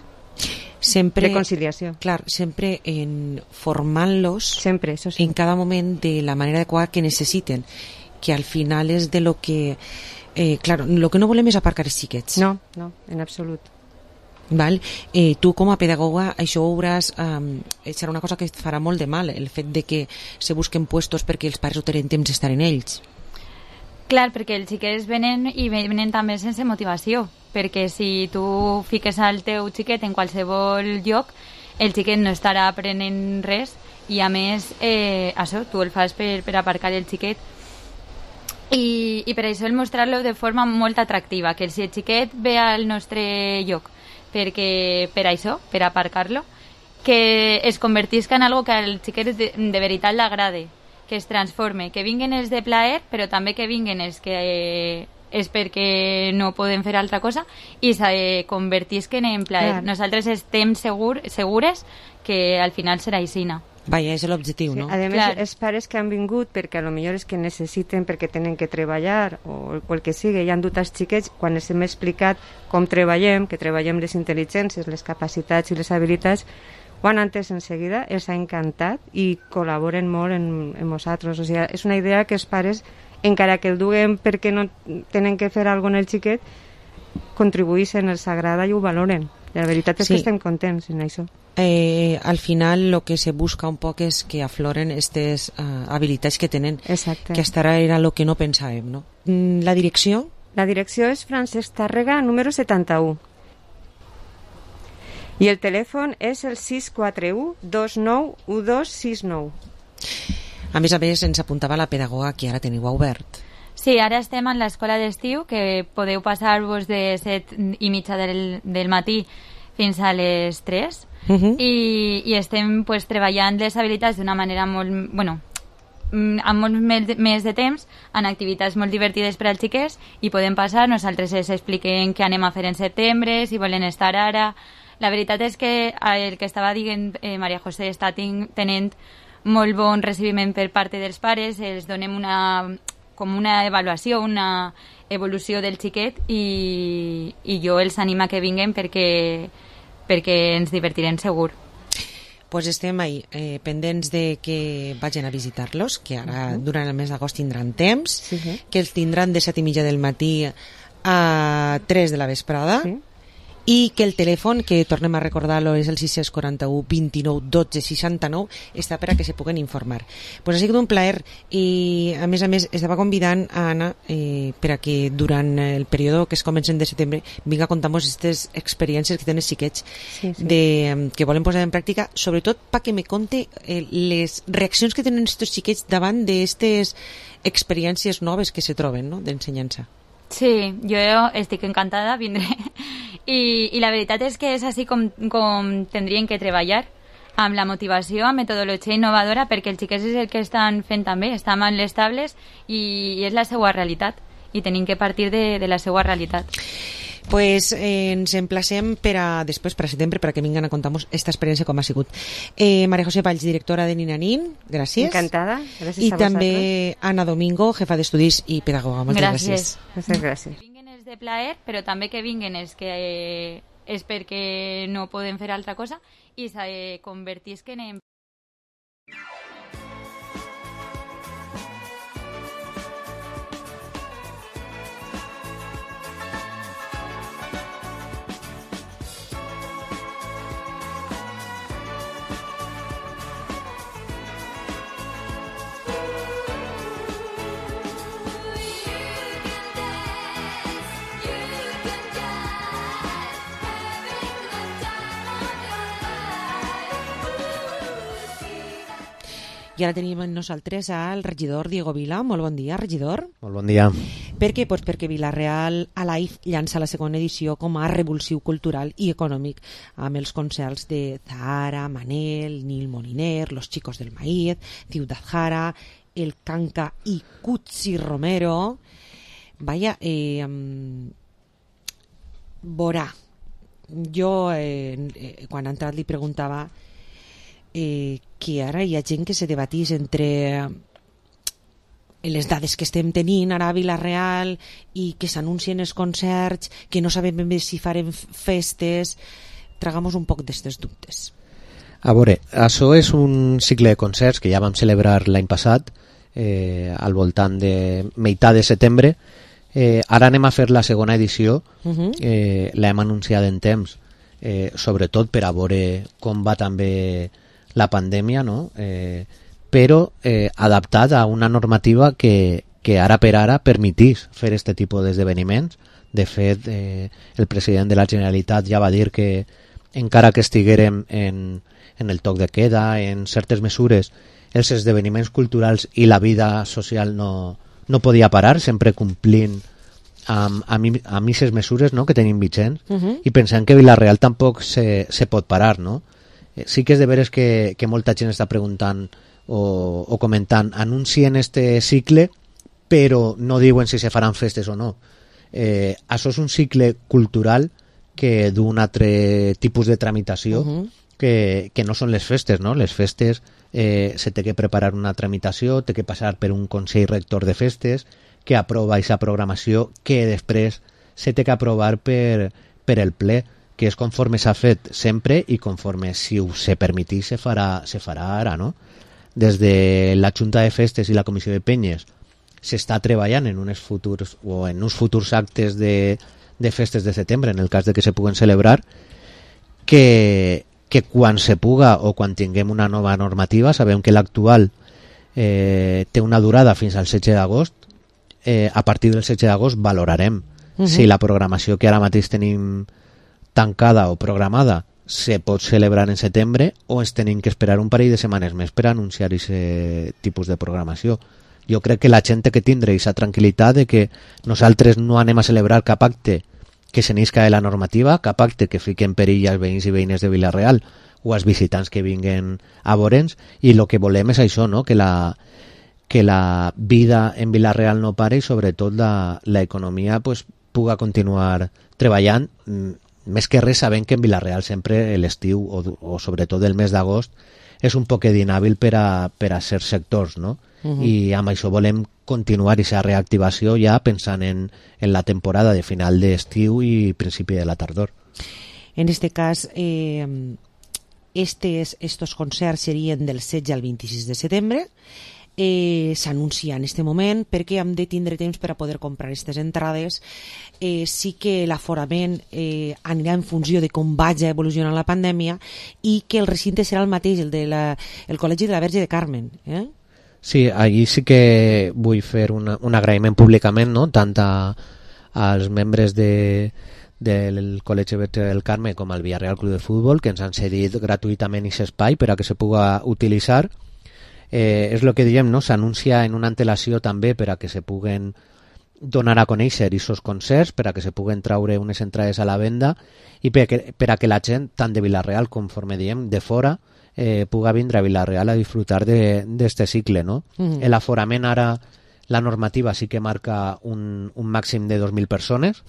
sempre, de conciliació. Clar, sempre formant-los sempre, eso sí, en cada moment de la manera adequada que necessiten, que al final és de lo que... claro, lo que no volem és aparcar els xiquets. No, en absolut. Val? Tu com a pedagoga això veuràs, serà una cosa que et farà molt de mal, el fet de que se busquen puestos perquè els pares no tenen temps d'estar en ells. Clar, perquè els xiquets venen i venen també sense motivació, perquè si tu fiques al teu xiquet en qualsevol lloc, el xiquet no estarà aprenent res i a més això, tu el fas per aparcar el xiquet. I per això el mostrar-lo de forma molt atractiva, que si el xiquet ve al nostre lloc per això, per aparcar-lo, que es convertisca en algo que al xiquet de veritat l'agrade, que es transforme, que vinguen els de plaer, però també que vinguen els que és perquè no podem fer altra cosa i se convertisquen en plaer. Clar. Nosaltres estem segures que al final serà aixina. Vaja, és l'objectiu, no? A més, els pares que han vingut perquè a lo millor és que necessiten, perquè tenen que treballar o el que sigui, i han dut els xiquets, quan els hem explicat com treballem, que treballem les intel·ligències, les capacitats i les habilitats, ho han entès en seguida, els ha encantat i col·laboren molt en nosaltres. O sigui, és una idea que els pares, encara que el duguen perquè no tenen que fer alguna cosa en el xiquet, contribueixen, els agrada i ho valoren. La veritat és que estem contents en això. Al final lo que se busca un poc és que afloren aquestes habilitats que tenen. Exacte. Que hasta ara era lo que no pensàvem, no? La direcció? La direcció és Francesc Tàrrega, número 71. I el telèfon és el 641 29 1269. A més, ens apuntava la pedagoga que ara teniu obert. Sí, ara estem en l'escola d'estiu, que podeu passar-vos de 7:30 del matí fins a les 3. I estem pues, treballant les habilitats d'una manera molt... Bueno, amb molt més de temps, en activitats molt divertides per als xiquets, i podem passar, nosaltres els expliquem què anem a fer en setembre, si volen estar ara. La veritat és que el que estava dient Maria José està tenint molt bon recibiment per part dels pares, els donem com una avaluació, una evolució del xiquet, i jo els animo a que vinguen perquè ens divertirem segur. Pues estem ahí, pendents de que vagin a visitar-los, que ara durant el mes d'agost tindran temps, que els tindran de 7:30 del matí a 3 de la vesprada, i que el telèfon, que tornem a recordar-lo, és el 641 29 12 69, està per a que se puguen informar. Pues ha sigut un plaer, i a més estava convidant a Anna per a que durant el període que es comencen de setembre vinga a contar-nos aquestes experiències que tenen els xiquets que volen posar en pràctica, sobretot perquè me conte les reaccions que tenen aquests xiquets davant d'aquestes experiències noves que se troben, no?, d'ensenyança. Sí, jo estic encantada, vindré. I la veritat és que és així com tindrien que treballar, amb la motivació, amb metodologia innovadora, perquè els xiquets és el que estan fent també, estan en les tables i és la seva realitat, i tenim que partir de la seva realitat. Pues ens emplacem per a després, per a setembre, per a que vinguen a contar-nos aquesta experiència com ha sigut. Maria José Valls, directora de Ninanín, gràcies. Encantada, gràcies I a vosaltres. I també Anna Domingo, jefa d'estudis i pedagoga. Moltes gràcies. Moltes gràcies. Vinguen els de plaer, però també que vinguen els que és perquè no poden fer altra cosa i se convertisquen en... I ara tenim amb nosaltres al regidor Diego Vila. Molt bon dia, regidor. Molt bon dia. Per què? Pues perquè Vila-real Alive llança la segona edició com a revulsiu cultural i econòmic amb els concerts de Zahara, Manel, Nil Moliner, Los Chicos del Maíz, Ciudad Jara, El Canca i Cutsi Romero. Vaya, veurà. Jo, quan ha entrat, li preguntava que ara hi ha gent que se debatís entre les dades que estem tenint ara a Vila-real i que s'anuncien els concerts, que no sabem ben bé si farem festes. Tragamos un poc d'estes dubtes. A veure, això és un cicle de concerts que ja vam celebrar l'any passat, al voltant de meitat de setembre. Ara anem a fer la segona edició, l'hem anunciat en temps, sobretot per a veure com va també la pandèmia, no? Però adaptat a una normativa que ara per ara permetís fer aquest tipus d'esdeveniments. De fet, el president de la Generalitat ja va dir que encara que estiguérem en el toc de queda, en certes mesures, els esdeveniments culturals i la vida social no podia parar, sempre complint amb aquestes mesures, no?, que tenim vigents, i pensem que Vila-real tampoc se pot parar, no? Sí que és de veres que molta gent està preguntant o comentant, anuncien este cicle però no diuen si se faran festes o no. Això és un cicle cultural que d'un altre tipus de tramitació que no són les festes, no? Les festes se té que preparar una tramitació, té que passar per un consell rector de festes que aprova aquesta programació que després se té que aprovar per el ple, que és conforme s'ha fet sempre i conforme, si ho se permetís, se farà ara, no? Des de la Junta de Festes i la Comissió de Penyes s'està treballant en uns futurs actes de festes de setembre, en el cas de que se puguen celebrar, que quan se puga o quan tinguem una nova normativa, sabem que l'actual té una durada fins al 16 d'agost, a partir del 16 d'agost valorarem si la programació que ara mateix tenim tancada o programada se pot celebrar en setembre o ens tenim que esperar un parell de setmanes més per anunciar aquest tipus de programació. Jo crec que la gent té que tindre aquesta tranquil·litat de que nosaltres no anem a celebrar cap acte que se n'isca de la normativa, cap acte que fiqui en perill als veïns i veïnes de Vila-real o als visitants que vinguen a veure'ns, i el que volem és això, no? Que la vida en Vila-real no pare i sobretot l'economia pues, puga continuar treballant. Més que res sabem que en Vila-real sempre l'estiu o sobretot el mes d'agost és un poquet inhàbil per a certs sectors, no? I amb això volem continuar aquesta reactivació ja pensant en la temporada de final d'estiu i principi de la tardor. En este cas, estos concerts serien del 16 al 26 de setembre. S'anuncia en este moment perquè hem de tindre temps per a poder comprar aquestes entrades. Sí que l'aforament anirà en funció de com vagi evolucionant la pandèmia i que el recinte serà el mateix, el Col·legi de la Verge de Carmen. Sí, allí sí que vull fer un agraïment públicament, no? Tant als membres del Col·legi Verge del Carme com al Villarreal Club de Futbol, que ens han cedit gratuïtament aquest espai per a que se puga utilitzar. És el que diem, no? S'anuncia en una antelació també per a que se puguen donar a conèixer aquests concerts, per a que se puguen traure unes entrades a la venda i per a que la gent, tant de Vila-real com, conforme diem, de fora, puga vindre a Vila-real a disfrutar d'este cicle, no? L'aforament ara, la normativa sí que marca un màxim de 2.000 persones,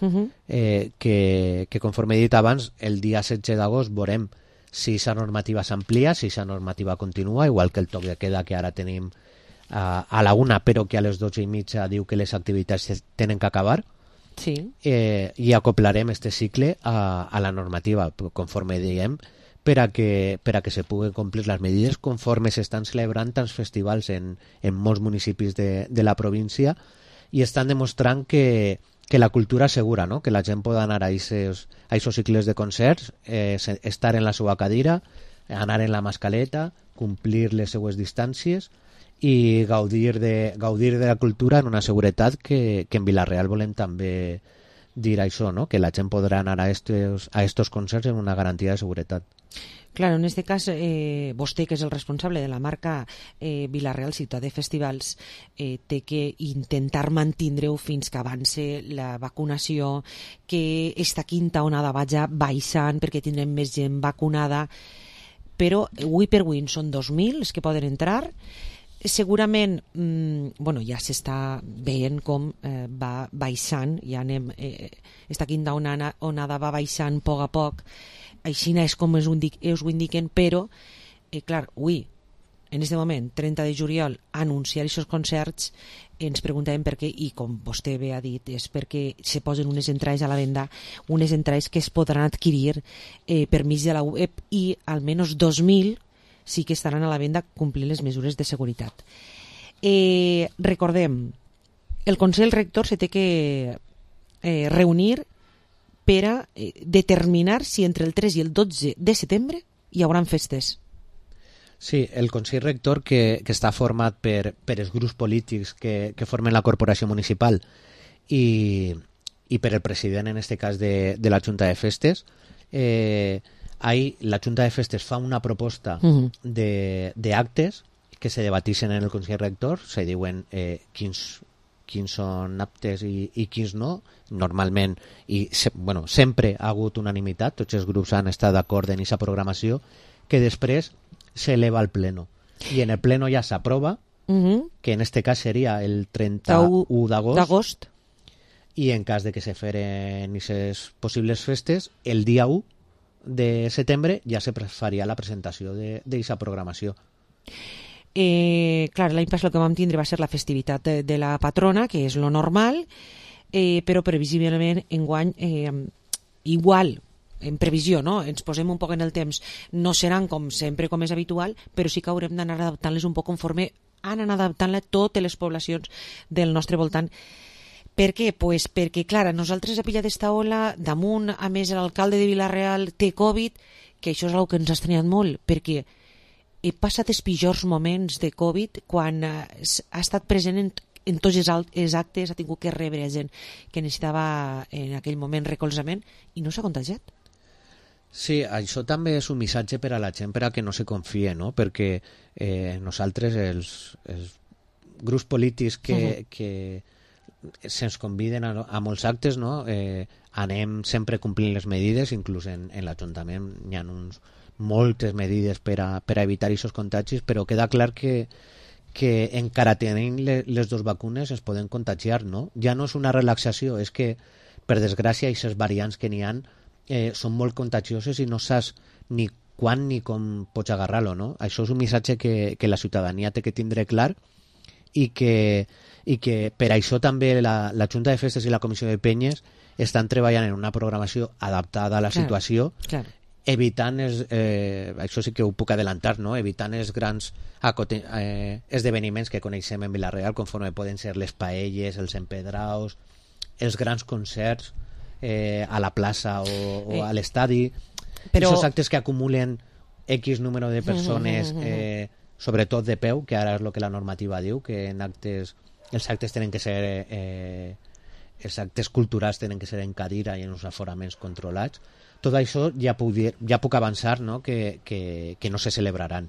que conforme he dit abans, el dia 16 d'agost veurem si aquesta normativa s'amplia, si aquesta normativa continua, igual que el toc de queda que ara tenim a la 1, però que a les 12:30 diu que les activitats tenen que acabar, i acoplarem este cicle a la normativa, conforme diem, per a que se puguen complir les medides conforme s'estan celebrant tants festivals en molts municipis de la província, i estan demostrant que la cultura assegura, no? Que la gent pot anar a aquests cicles de concerts, estar en la seva cadira, anar en la mascaleta, complir les seues distàncies i gaudir de la cultura en una seguretat que en Vila-real volem també dir això, no? Que la gent podrà anar a estos concerts en una garantia de seguretat. Claro, en este cas, vostè, que és el responsable de la marca Vila-real Ciutat de Festivals, té que intentar mantindre-ho fins que avance la vacunació, que esta quinta onada vagi baixant perquè tindrem més gent vacunada, però avui per avui són 2.000 els que poden entrar. Segurament, ja s'està veient com va baixant, ja anem, esta quinta onada va baixant a poc, així és com us ho indiquen, però, clar, avui, en aquest moment, 30 de juliol, anunciar aquests concerts, ens preguntàvem per què, i com vostè bé ha dit, és perquè se posen unes entrades a la venda, unes entrades que es podran adquirir per mig de la web, i almenys 2.000 sí que estaran a la venda complint les mesures de seguretat. Recordem, el Consell Rector se té que reunir per a determinar si entre el 3 i el 12 de setembre hi haurà festes. Sí, el Consell Rector, que està format per els grups polítics que formen la corporació municipal i per el president, en aquest cas, de la Junta de Festes, ahí la Junta de Festes fa una proposta d'actes que se debatixen en el Consell Rector, se diuen quins són aptes i quins no. Normalment, sempre ha hagut unanimitat, tots els grups han estat d'acord en aquesta programació, que després s'eleva al pleno. I en el pleno ja s'aprova, que en aquest cas seria el 31 d'agost, i en cas de que se feren aquestes possibles festes, el dia 1 de setembre ja se faria la presentació d'aquesta programació. Clar, l'any passat el que vam tindre va ser la festivitat de la patrona, que és lo normal, però previsiblement enguany igual, en previsió, no? Ens posem un poc en el temps, no seran com sempre, com és habitual, però sí que haurem d'anar adaptant-les un poc conforme han anat adaptant-la totes les poblacions del nostre voltant. Per què? Pues perquè, clar, nosaltres a Pilla d'esta ola, damunt, a més, l'alcalde de Vila-real té Covid, que això és una que ens ha estranyat molt, perquè he passat els pitjors moments de Covid quan ha estat present en tots els actes, ha tingut que rebre gent que necessitava en aquell moment recolzament i no s'ha contagiat. Sí, això també és un missatge per a la gent per a que no se confie, no? Perquè nosaltres, els grups polítics que se'ns conviden a molts actes, no? Anem sempre complint les medides, inclús en l'Ajuntament hi ha moltes medides per a evitar aquests contagis, però queda clar que encara tenint les dues vacunes es poden contagiar, no? Ja no és una relaxació, és que, per desgràcia, aquestes variants que n'hi ha són molt contagioses i no saps ni quan ni com pots agarrar-lo, no? Això és un missatge que la ciutadania té que tindre clar i que per això també la Junta de Festes i la Comissió de Penyes estan treballant en una programació adaptada a la situació, evitant això sí que ho puc adelantar, no? Evitant els grans esdeveniments que coneixem en Vila-real, conforme poden ser les paelles, els empedraus, els grans concerts a la plaça o a l'estadi, aquests actes que acumulen X número de persones, sobretot de peu, que ara és el que la normativa diu, que els actes tenen que ser els actes culturals tenen que ser en cadira i en uns aforaments controlats. Tot això ja puc avançar, no? que no se celebraran,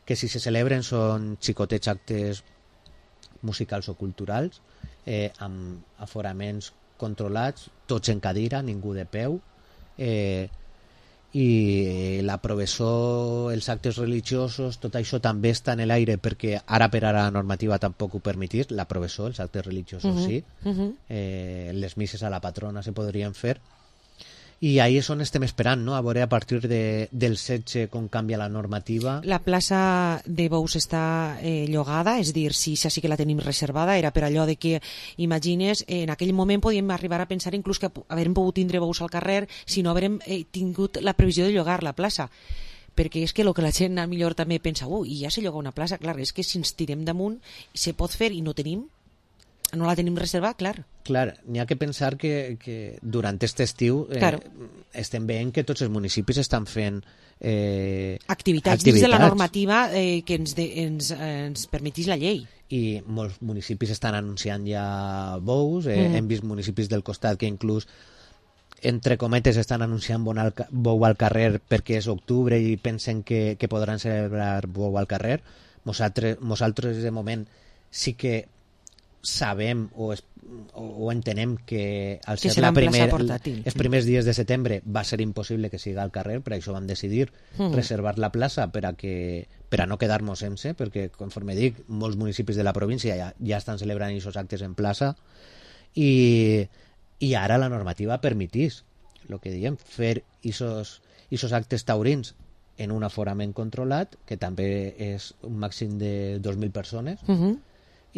que si se celebren són xicotets actes musicals o culturals amb aforaments controlats, tots en cadira, ningú de peu, i la professó, els actes religiosos, tot això també està en l'aire perquè ara per ara la normativa tampoc ho permetís, la professó, els actes religiosos sí, les misses a la patrona se podrien fer, i ahí és on estem esperant, no? A veure a partir del 16 com canvia la normativa. La plaça de Bous està llogada, és dir, sí que la tenim reservada, era per allò de que, imagines, en aquell moment podíem arribar a pensar inclús que haurem pogut tindre Bous al carrer si no haurem tingut la previsió de llogar la plaça, perquè és que el que la gent millor també pensa, i ja se lloga una plaça, clar, és que si ens tirem damunt se pot fer i no la tenim reservada, clar. Clar, n'hi ha que pensar que durant aquest estiu estem veient que tots els municipis estan fent activitats dins de la normativa que ens permetís la llei. I molts municipis estan anunciant ja bous, hem vist municipis del costat que inclús entre cometes estan anunciant bou al carrer perquè és octubre i pensen que podran celebrar bou al carrer. Nosaltres de moment sí que sabem o entenem que al ser els primers dies de setembre va ser impossible que siga al carrer, per això vam decidir reservar la plaça per a no quedar-nos sense, perquè conforme dic, molts municipis de la província ja estan celebrant aquests actes en plaça i ara la normativa permetís el que diem, fer aquests actes taurins en un aforament controlat, que també és un màxim de 2.000 persones,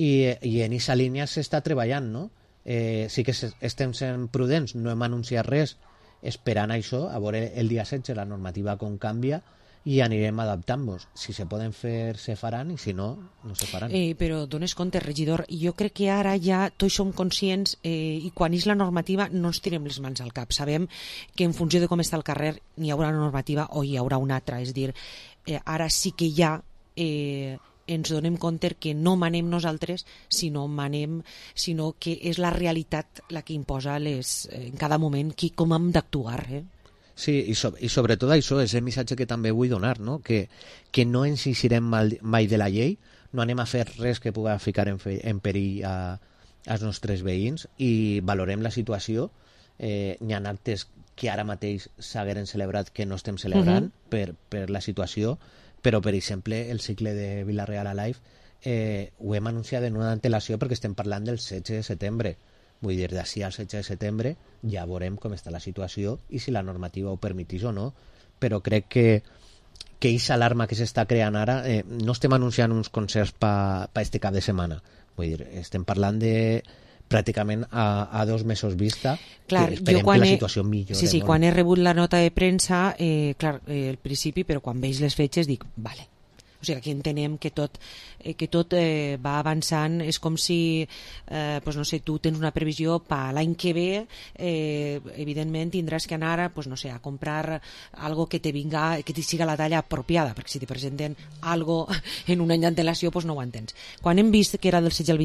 i en aquesta línia s'està treballant, no? Sí que estem sent prudents, no hem anunciat res esperant això, a veure el dia 16 la normativa com canvia i anirem adaptant-nos. Si se poden fer, se faran, i si no, no se faran. Però dones compte, regidor, jo crec que ara ja tots som conscients i quan és la normativa no ens tirem les mans al cap. Sabem que en funció de com està el carrer n'hi haurà una normativa o hi haurà una altra, és dir, ara sí que ja ens donem compte que no manem nosaltres, sinó que és la realitat la que imposa en cada moment com hem d'actuar. Sí, i sobretot això és el missatge que també vull donar, no? Que no ens eixirem mai de la llei, no anem a fer res que pugui ficar en perill als nostres veïns i valorem la situació. N'hi ha actes que ara mateix s'hagueren celebrat que no estem celebrant per la situació, però, per exemple, el cicle de Vila-real Alive ho hem anunciat en una antelació perquè estem parlant del 16 de setembre. Vull dir, d'ací al 16 de setembre ja veurem com està la situació i si la normativa ho permetís o no, però crec que aquesta alarma que s'està creant ara, no estem anunciant uns concerts per este cap de setmana. Vull dir, estem parlant de pràcticament a 2 mesos vista. Clar, esperem que la situació millori. Sí, molt. Quan he rebut la nota de premsa, clar, al principi, però quan veig les fetges dic, vale. O sigui, aquí entenem que tot va avançant. És com si, pues no sé, tu tens una previsió per l'any que ve, evidentment tindràs que anar, pues no sé, a comprar algo que te vinga, que te siga la talla apropiada, perquè si te presenten algo en un any d'antelació, pues no ho entens. Quan hem vist que era del 16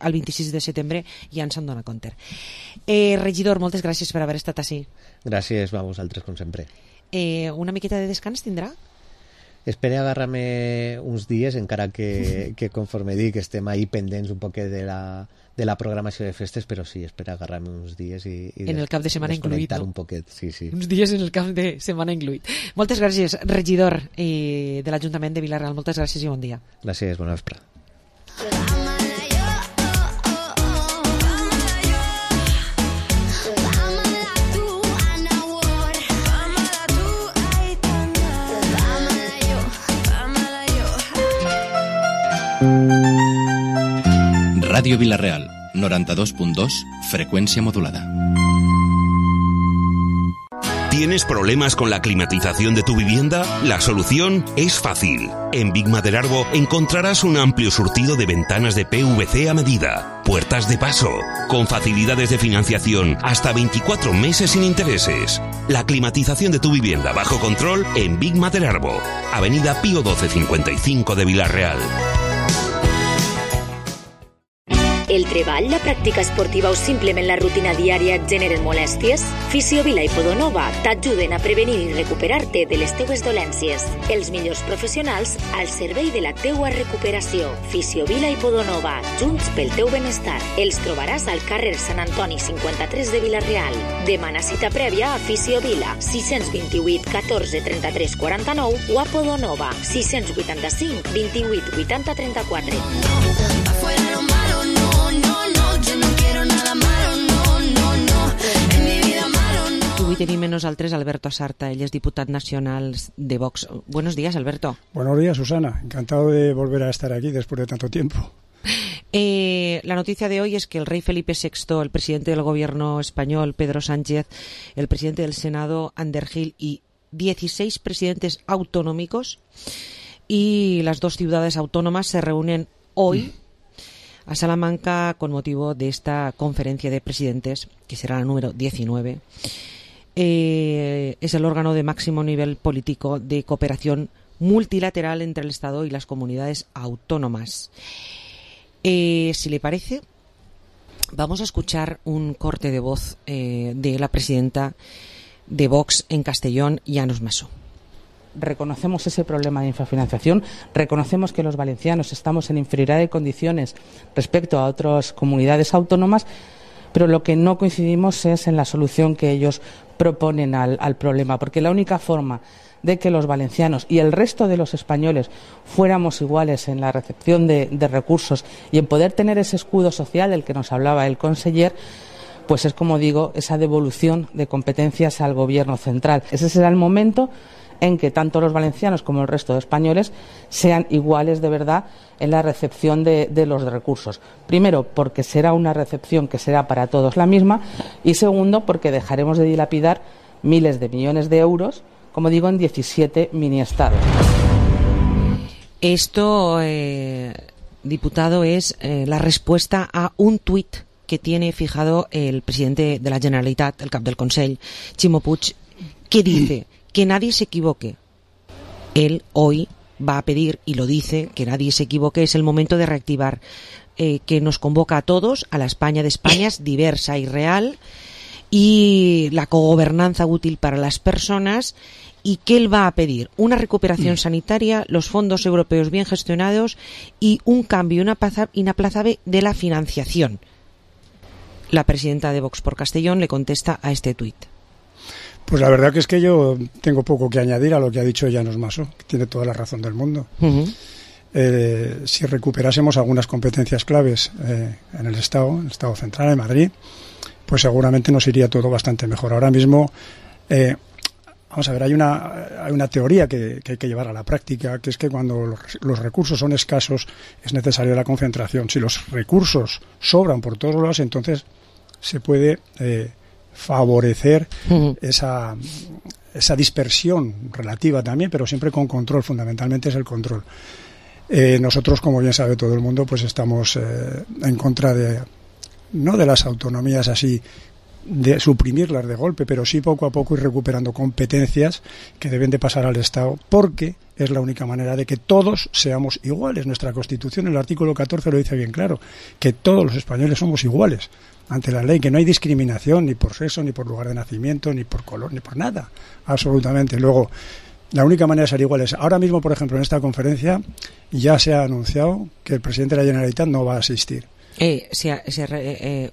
al 26 de setembre, ja ens en dona compte. Regidor, moltes gràcies per haver estat així. Gràcies a vosaltres, com sempre. Una miqueta de descans tindrà? Espero agarrar-me uns dies, encara que conforme dic estem ahí pendents un poc de la programació de festes, però sí, espero agarrar-me uns dies i en el cap de setmana incluït, no? Un poquet, sí. Uns dies en el cap de setmana incluït. Moltes gràcies, regidor de l'Ajuntament de Vila-real. Moltes gràcies i bon dia. Gràcies, bona vesprada. Radio Vila-real, 92.2, frecuencia modulada. ¿Tienes problemas con la climatización de tu vivienda? La solución es fácil. En Big Maderarbo encontrarás un amplio surtido de ventanas de PVC a medida, puertas de paso, con facilidades de financiación hasta 24 meses sin intereses. La climatización de tu vivienda bajo control en Big Maderarbo, Avenida Pío 1255 de Vila-real. El treball, la pràctica esportiva o simplement la rutina diària et generen molèsties? Fisiovila i Podonova t'ajuden a prevenir i recuperar-te de les teues dolències. Els millors professionals al servei de la teua recuperació. Fisiovila i Podonova, junts pel teu benestar. Els trobaràs al carrer Sant Antoni 53 de Vila-real. Demana cita prèvia a Fisiovila 628 14 33 49 o a Podonova 685 28 80 34. Afuera lo malo, no, yo no quiero nada malo, no, en mi vida malo, no. Avui tenim amb nosaltres Alberto Asarta, ell és diputat nacional de Vox. Buenos días, Alberto. Buenos días, Susana. Encantado de volver a estar aquí después de tanto tiempo. La noticia de hoy es que el rey Felipe VI, el presidente del gobierno español, Pedro Sánchez, el presidente del Senado, Ander Gil, y 16 presidentes autonómicos y las 2 ciudades autónomas se reúnen hoy a Salamanca con motivo de esta conferencia de presidentes, que será la número 19. Es el órgano de máximo nivel político de cooperación multilateral entre el Estado y las comunidades autónomas. Si le parece, vamos a escuchar un corte de voz de la presidenta de Vox en Castellón, Llanos Masó. Reconocemos ese problema de infrafinanciación, reconocemos que los valencianos estamos en inferioridad de condiciones respecto a otras comunidades autónomas, pero lo que no coincidimos es en la solución que ellos proponen al problema, porque la única forma de que los valencianos y el resto de los españoles fuéramos iguales en la recepción de recursos y en poder tener ese escudo social del que nos hablaba el conseller, pues es, como digo, esa devolución de competencias al gobierno central. Ese será el momento en que tanto los valencianos como el resto de españoles sean iguales de verdad en la recepción de los recursos. Primero, porque será una recepción que será para todos la misma, y segundo, porque dejaremos de dilapidar miles de millones de euros, como digo, en 17 mini-estados. Esto, diputado, es la respuesta a un tuit que tiene fijado el presidente de la Generalitat, el cap del Consell, Ximo Puig, que dice que nadie se equivoque. Él hoy va a pedir, y lo dice, que nadie se equivoque, es el momento de reactivar, que nos convoca a todos, a la España de Españas, diversa y real, y la cogobernanza útil para las personas, y que él va a pedir una recuperación sanitaria, los fondos europeos bien gestionados y un cambio inaplazable de la financiación. La presidenta de Vox por Castellón le contesta a este tuit. Pues la verdad que es que yo tengo poco que añadir a lo que ha dicho Llanos Masó, que tiene toda la razón del mundo. si recuperásemos algunas competencias claves en el Estado central, en Madrid, pues seguramente nos iría todo bastante mejor. Ahora mismo, vamos a ver, hay una teoría que hay que llevar a la práctica, que es que cuando los recursos son escasos es necesaria la concentración. Si los recursos sobran por todos lados, entonces se puede favorecer esa dispersión relativa también, pero siempre con control. Fundamentalmente es el control. Nosotros, como bien sabe todo el mundo, pues estamos en contra no de las autonomías así, de suprimirlas de golpe, pero sí poco a poco ir recuperando competencias que deben de pasar al Estado, porque es la única manera de que todos seamos iguales. Nuestra Constitución, el artículo 14 lo dice bien claro, que todos los españoles somos iguales ante la ley, que no hay discriminación ni por sexo, ni por lugar de nacimiento, ni por color, ni por nada, absolutamente. Luego, la única manera de ser iguales. Ahora mismo, por ejemplo, en esta conferencia ya se ha anunciado que el presidente de la Generalitat no va a asistir.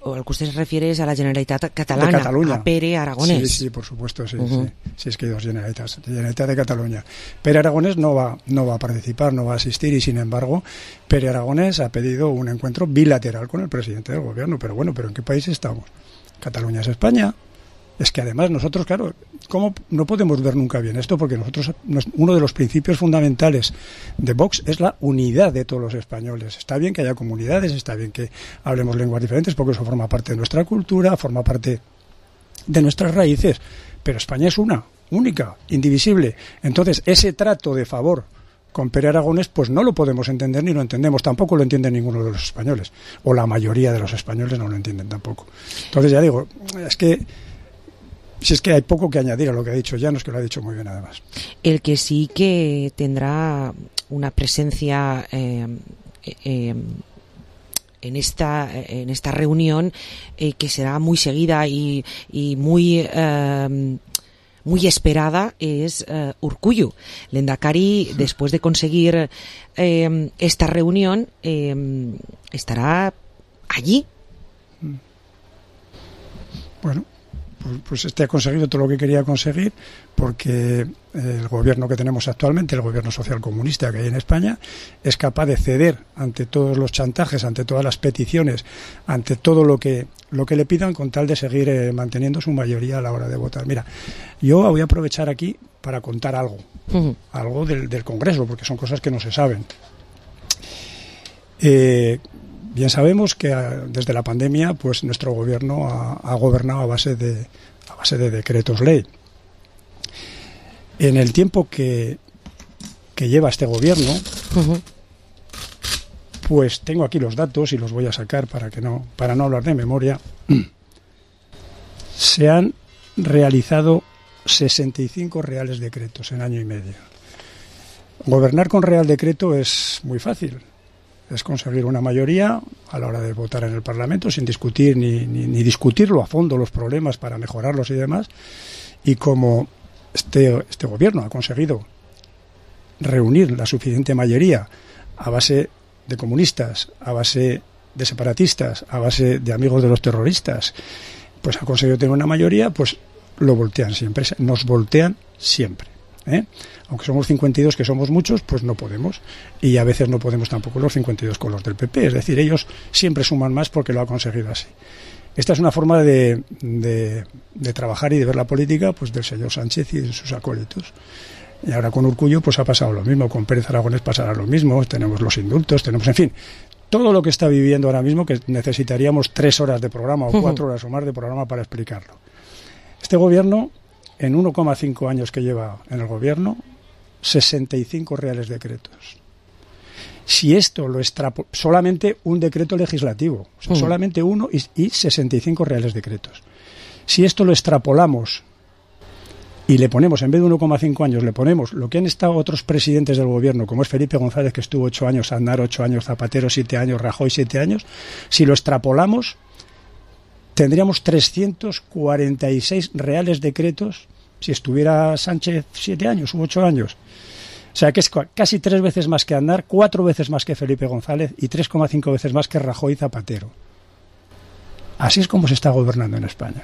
O al que usted se refiere es a la Generalitat catalana, de Cataluña. A Pere Aragonès. Sí, por supuesto, sí. Sí, es que hay dos Generalitats. Generalitat de Cataluña. Pere Aragonès no va a participar, no va a asistir, y sin embargo, Pere Aragonès ha pedido un encuentro bilateral con el presidente del gobierno. Pero bueno, ¿en qué país estamos? Cataluña es España. Es que además nosotros, claro, ¿cómo no podemos ver nunca bien esto? Porque nosotros, uno de los principios fundamentales de Vox es la unidad de todos los españoles. Está bien que haya comunidades, está bien que hablemos lenguas diferentes, porque eso forma parte de nuestra cultura, forma parte de nuestras raíces. Pero España es una, única, indivisible. Entonces, ese trato de favor con Pere Aragonès, pues no lo podemos entender ni lo entendemos. Tampoco lo entiende ninguno de los españoles. O la mayoría de los españoles no lo entienden tampoco. Entonces, ya digo, si es que hay poco que añadir a lo que ha dicho Llanos, que lo ha dicho muy bien además. El que sí que tendrá una presencia en esta reunión que será muy seguida y muy esperada es Urkullu. Lehendakari, después de conseguir esta reunión, estará allí. Bueno, pues ha conseguido todo lo que quería conseguir, porque el gobierno que tenemos actualmente, el gobierno socialcomunista que hay en España, es capaz de ceder ante todos los chantajes, ante todas las peticiones, ante todo lo que le pidan, con tal de seguir manteniendo su mayoría a la hora de votar. Mira, yo voy a aprovechar aquí para contar algo del Congreso, porque son cosas que no se saben. Bien sabemos que desde la pandemia, pues nuestro gobierno ha gobernado a base de decretos ley. En el tiempo que lleva este gobierno, pues tengo aquí los datos y los voy a sacar para no hablar de memoria. Se han realizado 65 reales decretos en año y medio. Gobernar con real decreto es muy fácil. Es conseguir una mayoría a la hora de votar en el Parlamento sin discutir ni discutirlo a fondo los problemas para mejorarlos y demás. Y como este gobierno ha conseguido reunir la suficiente mayoría a base de comunistas, a base de separatistas, a base de amigos de los terroristas, pues ha conseguido tener una mayoría, pues lo voltean siempre, nos voltean siempre. Aunque somos 52, que somos muchos, pues no podemos, y a veces no podemos tampoco los 52 con los del PP, es decir, ellos siempre suman más porque lo ha conseguido así. Esta es una forma de trabajar y de ver la política, pues del señor Sánchez y de sus acólitos. Y ahora con Urkullu pues ha pasado lo mismo, con Pérez Aragonés pasará lo mismo, tenemos los indultos, tenemos, en fin, todo lo que está viviendo ahora mismo, que necesitaríamos 3 horas de programa o 4 horas o más de programa para explicarlo. Este gobierno, en 1,5 años que lleva en el gobierno, 65 reales decretos. Si esto lo solamente un decreto legislativo, o sea, solamente uno y 65 reales decretos. Si esto lo extrapolamos y le ponemos, en vez de 1,5 años, le ponemos lo que han estado otros presidentes del gobierno, como es Felipe González, que estuvo 8 años, Aznar 8 años, Zapatero 7 años, Rajoy 7 años, si lo extrapolamos, tendríamos 346 reales decretos si estuviera Sánchez 7 años u 8 años. O sea que es casi 3 veces más que Aznar, 4 veces más que Felipe González y 3,5 veces más que Rajoy y Zapatero. Así es como se está gobernando en España.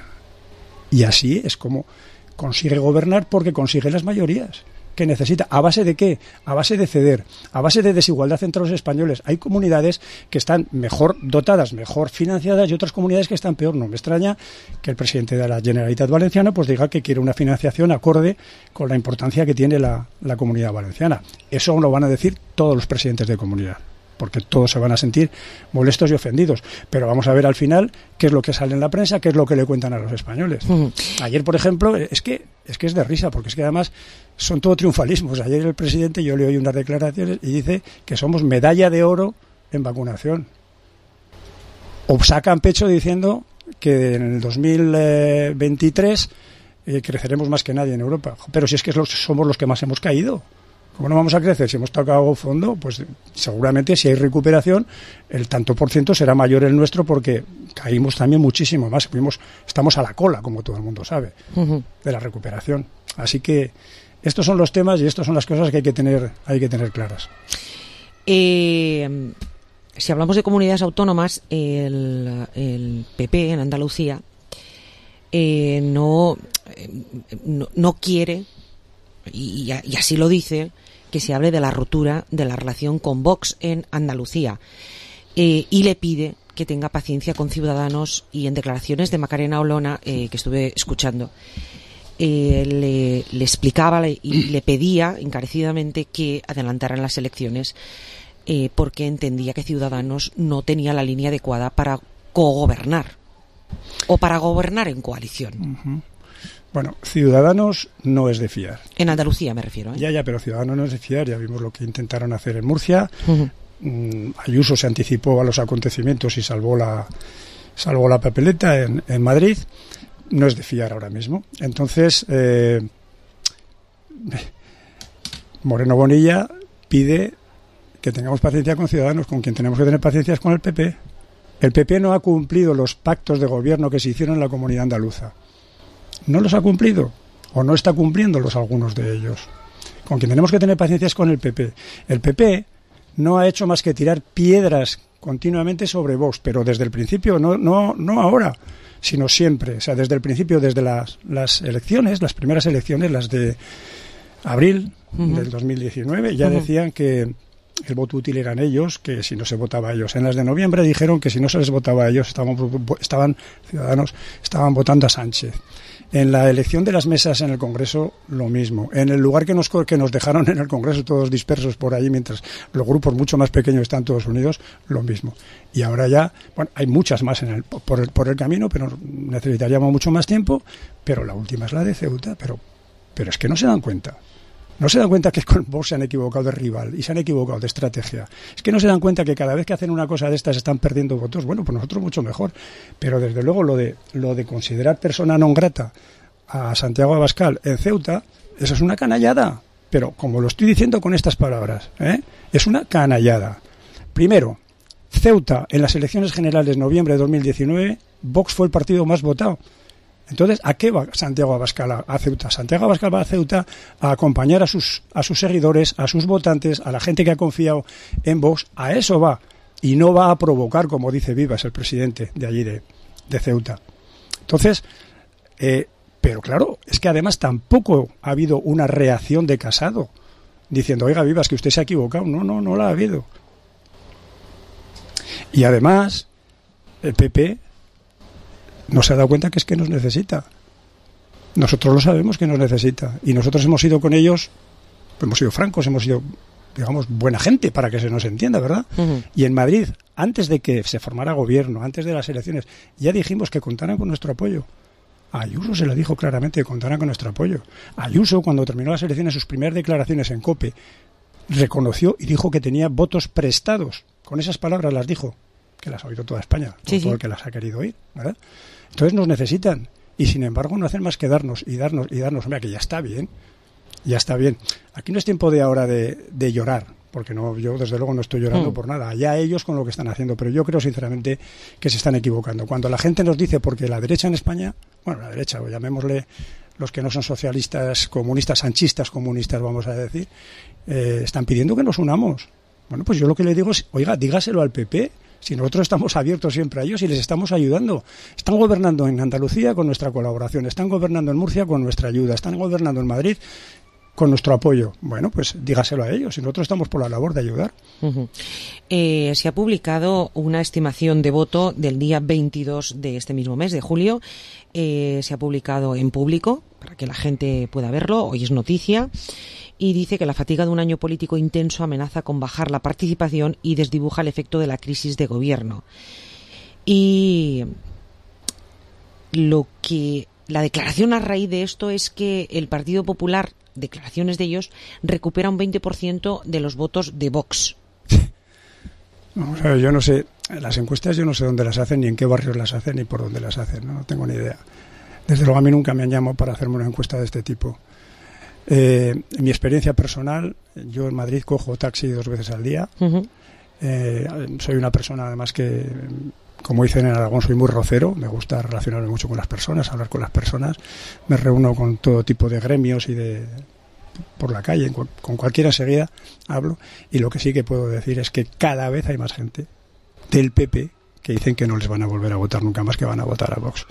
Y así es como consigue gobernar, porque consigue las mayorías. que necesita. ¿A base de qué? A base de ceder, a base de desigualdad entre los españoles. Hay comunidades que están mejor dotadas, mejor financiadas y otras comunidades que están peor. No me extraña que el presidente de la Generalitat Valenciana pues diga que quiere una financiación acorde con la importancia que tiene la Comunidad Valenciana. Eso lo van a decir todos los presidentes de comunidad, porque todos se van a sentir molestos y ofendidos. Pero vamos a ver al final qué es lo que sale en la prensa, qué es lo que le cuentan a los españoles. Ayer, por ejemplo, es que es de risa, porque es que además son todo triunfalismos. Ayer el presidente, yo le oí unas declaraciones y dice que somos medalla de oro en vacunación. O sacan pecho diciendo que en el 2023 creceremos más que nadie en Europa. Pero si es que somos los que más hemos caído. ¿Cómo no vamos a crecer? Si hemos tocado fondo, pues seguramente si hay recuperación, el tanto por ciento será mayor el nuestro, porque caímos también muchísimo más. Estamos a la cola, como todo el mundo sabe, de la recuperación. Así que estos son los temas y estas son las cosas que hay que tener claras. Si hablamos de comunidades autónomas, el PP en Andalucía no quiere, y así lo dice, que se hable de la ruptura de la relación con Vox en Andalucía, y le pide que tenga paciencia con Ciudadanos. Y en declaraciones de Macarena Olona, que estuve escuchando, le explicaba y le pedía encarecidamente que adelantaran las elecciones, porque entendía que Ciudadanos no tenía la línea adecuada para cogobernar o para gobernar en coalición. Bueno, Ciudadanos no es de fiar. En Andalucía me refiero. Ya, pero Ciudadanos no es de fiar. Ya vimos lo que intentaron hacer en Murcia. Ayuso se anticipó a los acontecimientos y salvó la papeleta en Madrid. No es de fiar ahora mismo. Entonces, Moreno Bonilla pide que tengamos paciencia con Ciudadanos. Con quien tenemos que tener paciencia es con el PP. El PP no ha cumplido los pactos de gobierno que se hicieron en la Comunidad Andaluza. No los ha cumplido, o no está cumpliéndolos algunos de ellos. Con quien tenemos que tener paciencia es con el PP. El PP no ha hecho más que tirar piedras continuamente sobre Vox, pero desde el principio, no ahora, sino siempre. O sea, desde el principio, desde las elecciones, las primeras elecciones, las de abril del 2019, ya decían que el voto útil eran ellos, que si no se votaba a ellos. En las de noviembre dijeron que si no se les votaba a ellos, Ciudadanos estaban votando a Sánchez. En la elección de las mesas en el Congreso, lo mismo. En el lugar que nos dejaron en el Congreso, todos dispersos por ahí, mientras los grupos mucho más pequeños están todos unidos, lo mismo. Y ahora ya, bueno, hay muchas más por el camino, pero necesitaríamos mucho más tiempo. Pero la última es la de Ceuta, pero es que no se dan cuenta. No se dan cuenta que con Vox se han equivocado de rival y se han equivocado de estrategia. Es que no se dan cuenta que cada vez que hacen una cosa de estas están perdiendo votos. Bueno, pues nosotros mucho mejor. Pero desde luego lo de considerar persona non grata a Santiago Abascal en Ceuta, eso es una canallada. Pero como lo estoy diciendo con estas palabras, es una canallada. Primero, Ceuta en las elecciones generales de noviembre de 2019, Vox fue el partido más votado. Entonces, ¿a qué va Santiago Abascal a Ceuta? Santiago Abascal va a Ceuta a acompañar a sus seguidores, a sus votantes, a la gente que ha confiado en Vox. A eso va. Y no va a provocar, como dice Vivas, el presidente de allí de Ceuta. Entonces, pero claro, es que además tampoco ha habido una reacción de Casado diciendo, oiga, Vivas, que usted se ha equivocado. No la ha habido. Y además, el PP no se ha dado cuenta que es que nos necesita. Nosotros lo sabemos que nos necesita. Y nosotros hemos ido con ellos, hemos sido francos, hemos sido, digamos, buena gente, para que se nos entienda, ¿verdad? Y en Madrid, antes de que se formara gobierno, antes de las elecciones, ya dijimos que contaran con nuestro apoyo. A Ayuso se le dijo claramente que contaran con nuestro apoyo. Ayuso, cuando terminó las elecciones, sus primeras declaraciones en COPE, reconoció y dijo que tenía votos prestados. Con esas palabras las dijo, que las ha oído toda España, todo el que las ha querido oír, ¿verdad? Entonces nos necesitan, y sin embargo no hacen más que darnos. Hombre, que ya está bien. Aquí no es tiempo de ahora de llorar, porque yo desde luego no estoy llorando por nada. Allá ellos con lo que están haciendo, pero yo creo sinceramente que se están equivocando. Cuando la gente nos dice, porque la derecha en España, bueno, la derecha, o llamémosle los que no son socialistas, comunistas, sanchistas comunistas, vamos a decir, están pidiendo que nos unamos. Bueno, pues yo lo que le digo es, oiga, dígaselo al PP. Si nosotros estamos abiertos siempre a ellos y les estamos ayudando. Están gobernando en Andalucía con nuestra colaboración, están gobernando en Murcia con nuestra ayuda, están gobernando en Madrid con nuestro apoyo. Bueno, pues dígaselo a ellos, y nosotros estamos por la labor de ayudar. Se ha publicado una estimación de voto del día 22 de este mismo mes, de julio. Se ha publicado en público para que la gente pueda verlo, hoy es noticia, y dice que la fatiga de un año político intenso amenaza con bajar la participación y desdibuja el efecto de la crisis de gobierno. Y la declaración a raíz de esto es que el Partido Popular, declaraciones de ellos, recupera un 20% de los votos de Vox. Vamos a ver, yo no sé, las encuestas yo no sé dónde las hacen, ni en qué barrios las hacen, ni por dónde las hacen, no tengo ni idea. Desde luego a mí nunca me han llamado para hacerme una encuesta de este tipo. En mi experiencia personal, yo en Madrid cojo taxi 2 veces al día. Soy una persona además que, como dicen en Aragón, soy muy rocero, me gusta relacionarme mucho con las personas, hablar con las personas, me reúno con todo tipo de gremios y por la calle, con cualquiera enseguida hablo, y lo que sí que puedo decir es que cada vez hay más gente del PP que dicen que no les van a volver a votar nunca más, que van a votar a Vox.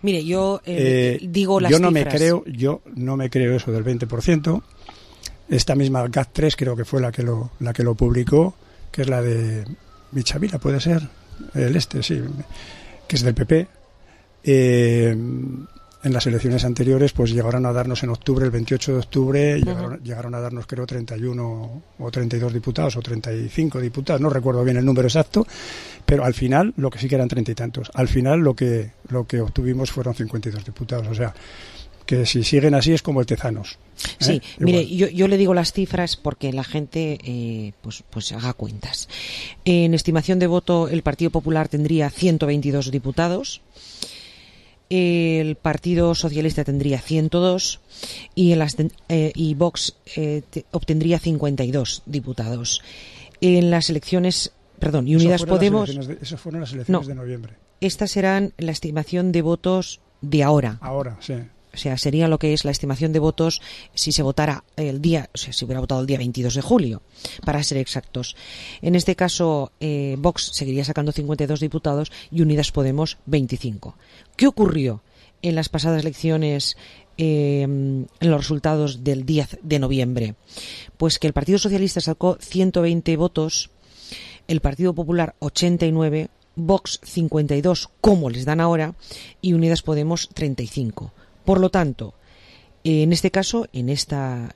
Mire, yo digo las yo cifras. Yo no me creo eso del 20%. Esta misma GAT3 creo que fue la que lo publicó, que es la de Michavila, puede ser, sí, que es del PP. En las elecciones anteriores pues llegaron a darnos en octubre, el 28 de octubre, llegaron a darnos creo 31 o 32 diputados o 35 diputados, no recuerdo bien el número exacto, pero al final, lo que sí que eran 30 y tantos, al final lo que obtuvimos fueron 52 diputados, o sea, que si siguen así es como el Tezanos. Sí, mire, yo le digo las cifras porque la gente pues haga cuentas. En estimación de voto, el Partido Popular tendría 122 diputados, el Partido Socialista tendría 102 y Vox obtendría 52 diputados. En las elecciones, perdón, y Unidas Podemos... Esas fueron las elecciones de noviembre. Estas serán la estimación de votos de ahora. Ahora, sí. O sea, sería lo que es la estimación de votos si se votara si hubiera votado el día 22 de julio, para ser exactos. En este caso, Vox seguiría sacando 52 diputados y Unidas Podemos 25. ¿Qué ocurrió en las pasadas elecciones, en los resultados del 10 de noviembre? Pues que el Partido Socialista sacó 120 votos, el Partido Popular 89, Vox 52, como les dan ahora, y Unidas Podemos 35. Por lo tanto, en este caso, en esta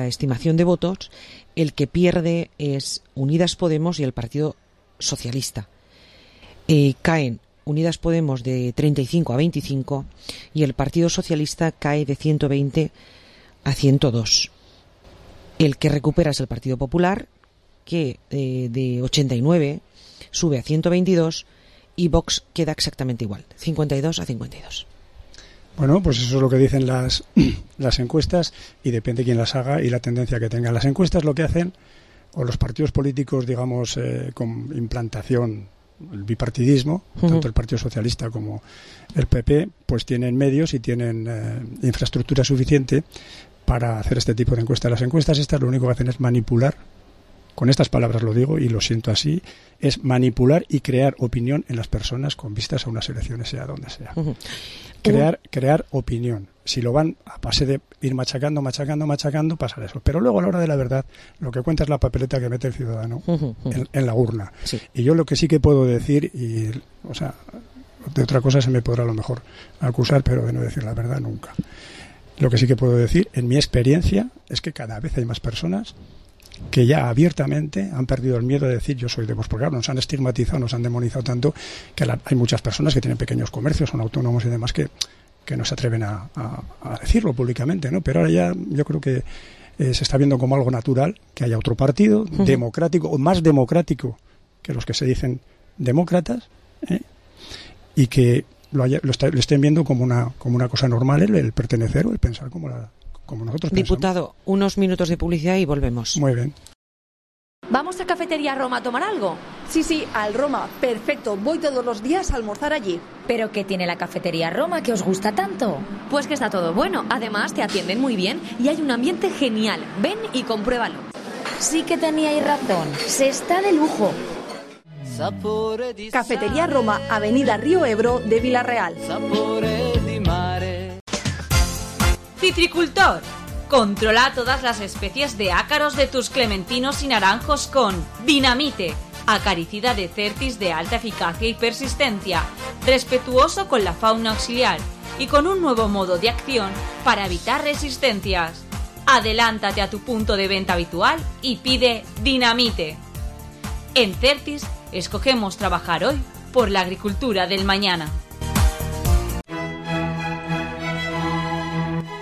estimación de votos, el que pierde es Unidas Podemos y el Partido Socialista. Caen Unidas Podemos de 35 a 25 y el Partido Socialista cae de 120 a 102. El que recupera es el Partido Popular, que de 89 sube a 122 y Vox queda exactamente igual, 52 a 52. Bueno, pues eso es lo que dicen las encuestas y depende quién las haga y la tendencia que tengan. Las encuestas lo que hacen, o los partidos políticos, digamos, con implantación, el bipartidismo, tanto el Partido Socialista como el PP, pues tienen medios y tienen infraestructura suficiente para hacer este tipo de encuestas. Las encuestas estas lo único que hacen es manipular, con estas palabras lo digo y lo siento así, es manipular y crear opinión en las personas con vistas a unas elecciones, sea donde sea. Crear opinión. Si lo van a base de ir machacando, pasará eso. Pero luego a la hora de la verdad, lo que cuenta es la papeleta que mete el ciudadano en la urna. Sí. Y yo lo que sí que puedo decir, de otra cosa se me podrá a lo mejor acusar, pero de no decir la verdad nunca. Lo que sí que puedo decir, en mi experiencia, es que cada vez hay más personas que ya abiertamente han perdido el miedo de decir yo soy de Vox, porque claro, nos han estigmatizado, nos han demonizado tanto que hay muchas personas que tienen pequeños comercios, son autónomos y demás que no se atreven a decirlo públicamente, ¿no? Pero ahora ya yo creo que se está viendo como algo natural que haya otro partido democrático o más democrático que los que se dicen demócratas, y que lo estén viendo como una cosa normal el pertenecer o el pensar como nosotros pensamos. Diputado, unos minutos de publicidad y volvemos. Muy bien. ¿Vamos a Cafetería Roma a tomar algo? Sí, al Roma. Perfecto. Voy todos los días a almorzar allí. ¿Pero qué tiene la Cafetería Roma que os gusta tanto? Pues que está todo bueno. Además, te atienden muy bien y hay un ambiente genial. Ven y compruébalo. Sí que teníais razón. Se está de lujo. Cafetería Roma, Avenida Río Ebro de Vila Real. Citricultor. Controla todas las especies de ácaros de tus clementinos y naranjos con Dinamite, acaricida de Certis de alta eficacia y persistencia, respetuoso con la fauna auxiliar y con un nuevo modo de acción para evitar resistencias. Adelántate a tu punto de venta habitual y pide Dinamite. En Certis escogemos trabajar hoy por la agricultura del mañana.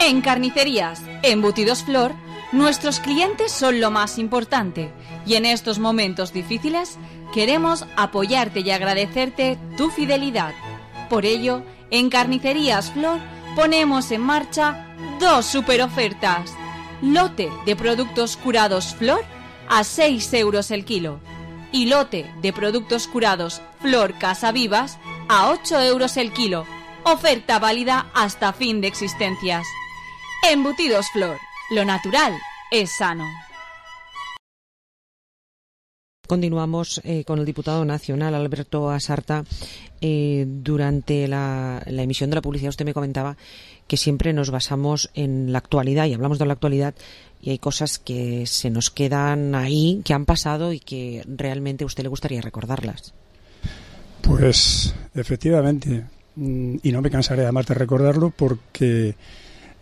En Carnicerías Embutidos Flor, nuestros clientes son lo más importante y en estos momentos difíciles queremos apoyarte y agradecerte tu fidelidad. Por ello, en Carnicerías Flor ponemos en marcha 2 superofertas. Lote de productos curados Flor a 6 euros el kilo y lote de productos curados Flor Casa Vivas a 8 euros el kilo. Oferta válida hasta fin de existencias. Embutidos Flor, lo natural es sano. Continuamos con el diputado nacional Alberto Asarta. Durante la emisión de la publicidad usted me comentaba que siempre nos basamos en la actualidad y hablamos de la actualidad y hay cosas que se nos quedan ahí, que han pasado y que realmente a usted le gustaría recordarlas. Pues efectivamente, y no me cansaré además de recordarlo porque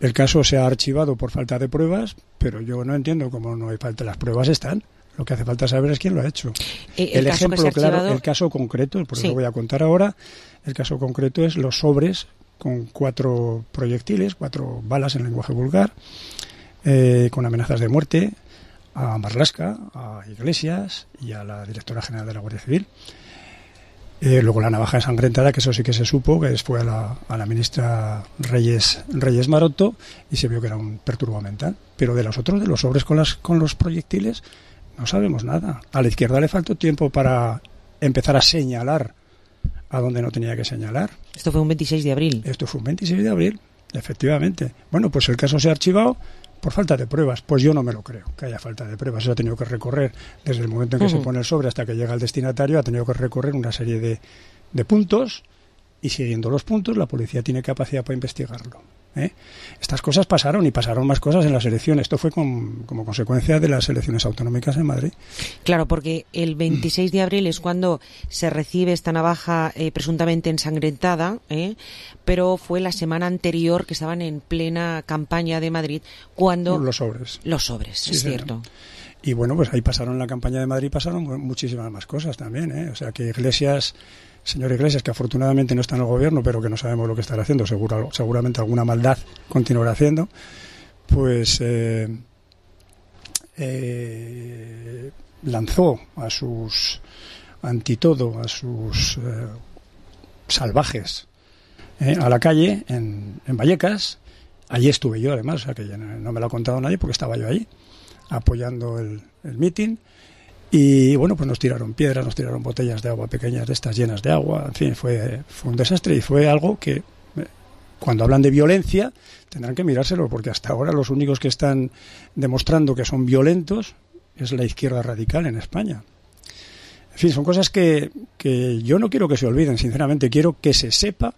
el caso se ha archivado por falta de pruebas, pero yo no entiendo cómo no hay falta. Las pruebas están. Lo que hace falta saber es quién lo ha hecho. El ejemplo claro, el caso concreto, por eso lo voy a contar ahora, el caso concreto es los sobres con 4 proyectiles, 4 balas en lenguaje vulgar, con amenazas de muerte a Marlaska, a Iglesias y a la directora general de la Guardia Civil. Luego la navaja ensangrentada, que eso sí que se supo, que fue a la ministra Reyes Maroto y se vio que era un perturbo mental. Pero de los otros, de los sobres con los proyectiles, no sabemos nada. A la izquierda le faltó tiempo para empezar a señalar a donde no tenía que señalar. Esto fue un 26 de abril. Esto fue un 26 de abril, efectivamente. Bueno, pues el caso se ha archivado por falta de pruebas. Pues yo no me lo creo, que haya falta de pruebas. Eso ha tenido que recorrer, desde el momento en que se pone el sobre hasta que llega al destinatario, ha tenido que recorrer una serie de puntos y siguiendo los puntos la policía tiene capacidad para investigarlo. Estas cosas pasaron y pasaron más cosas en las elecciones. Esto fue como consecuencia de las elecciones autonómicas en Madrid. Claro, porque el 26 de abril es cuando se recibe esta navaja presuntamente ensangrentada, pero fue la semana anterior que estaban en plena campaña de Madrid cuando... Los sobres. Los sobres, sí, es cierto. Y bueno, pues ahí pasaron en la campaña de Madrid, pasaron muchísimas más cosas también, O sea que Iglesias... Señor Iglesias, que afortunadamente no está en el gobierno, pero que no sabemos lo que estará haciendo, seguramente alguna maldad continuará haciendo, pues lanzó a sus salvajes a la calle en Vallecas. Allí estuve yo, además, o sea que no me lo ha contado nadie porque estaba yo allí apoyando el mitin. Y bueno, pues nos tiraron piedras, nos tiraron botellas de agua pequeñas de estas llenas de agua. En fin, fue un desastre y fue algo que, cuando hablan de violencia, tendrán que mirárselo, porque hasta ahora los únicos que están demostrando que son violentos es la izquierda radical en España. En fin, son cosas que yo no quiero que se olviden, sinceramente. Quiero que se sepa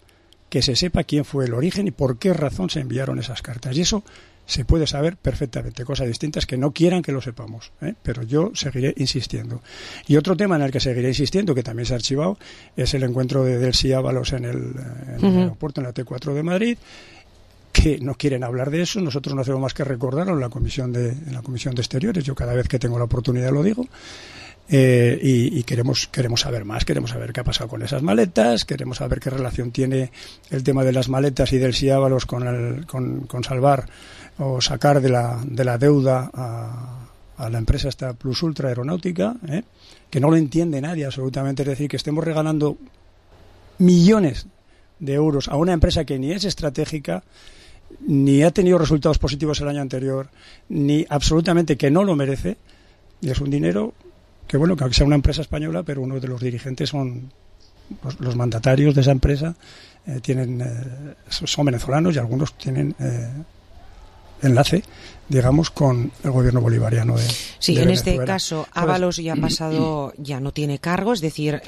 quién fue el origen y por qué razón se enviaron esas cartas. Y eso se puede saber perfectamente. Cosas distintas que no quieran que lo sepamos, pero yo seguiré insistiendo. Y otro tema en el que seguiré insistiendo, que también se ha archivado, es el encuentro de Delcy Ábalos en el aeropuerto, en la T4 de Madrid, que no quieren hablar de eso. Nosotros no hacemos más que recordarlo en la comisión de Exteriores. Yo cada vez que tengo la oportunidad lo digo. Y queremos saber más, queremos saber qué ha pasado con esas maletas, queremos saber qué relación tiene el tema de las maletas y Delcy Ábalos con salvar o sacar de la deuda a la empresa esta Plus Ultra Aeronáutica, que no lo entiende nadie absolutamente. Es decir, que estemos regalando millones de euros a una empresa que ni es estratégica, ni ha tenido resultados positivos el año anterior, ni absolutamente que no lo merece, y es un dinero que, bueno, que aunque sea una empresa española, pero uno de los dirigentes son los mandatarios de esa empresa, son venezolanos y algunos tienen enlace, digamos, con el gobierno bolivariano de Sí, de en Venezuela. este caso, Ábalos ya ha pasado, ya no tiene cargo, es decir,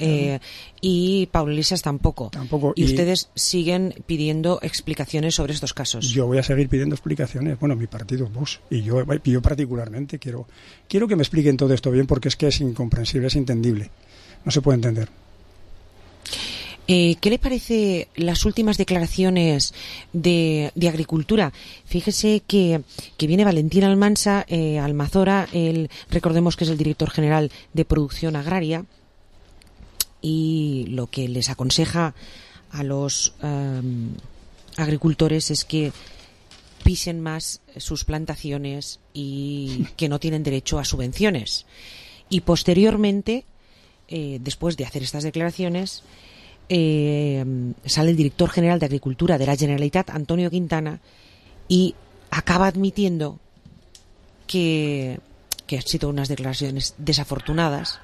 y Pablo Iglesias tampoco. Y ustedes siguen pidiendo explicaciones sobre estos casos. Yo voy a seguir pidiendo explicaciones. Bueno, mi partido, Vox, y yo particularmente quiero que me expliquen todo esto bien, porque es que es incomprensible, es entendible. No se puede entender. ¿Qué le parece las últimas declaraciones de Agricultura? Fíjese que viene Valentín Almansa, Almazora, recordemos que es el director general de Producción Agraria, y lo que les aconseja a los agricultores es que pisen más sus plantaciones y que no tienen derecho a subvenciones. Y posteriormente, después de hacer estas declaraciones, sale el director general de Agricultura de la Generalitat, Antonio Quintana, y acaba admitiendo que han sido unas declaraciones desafortunadas,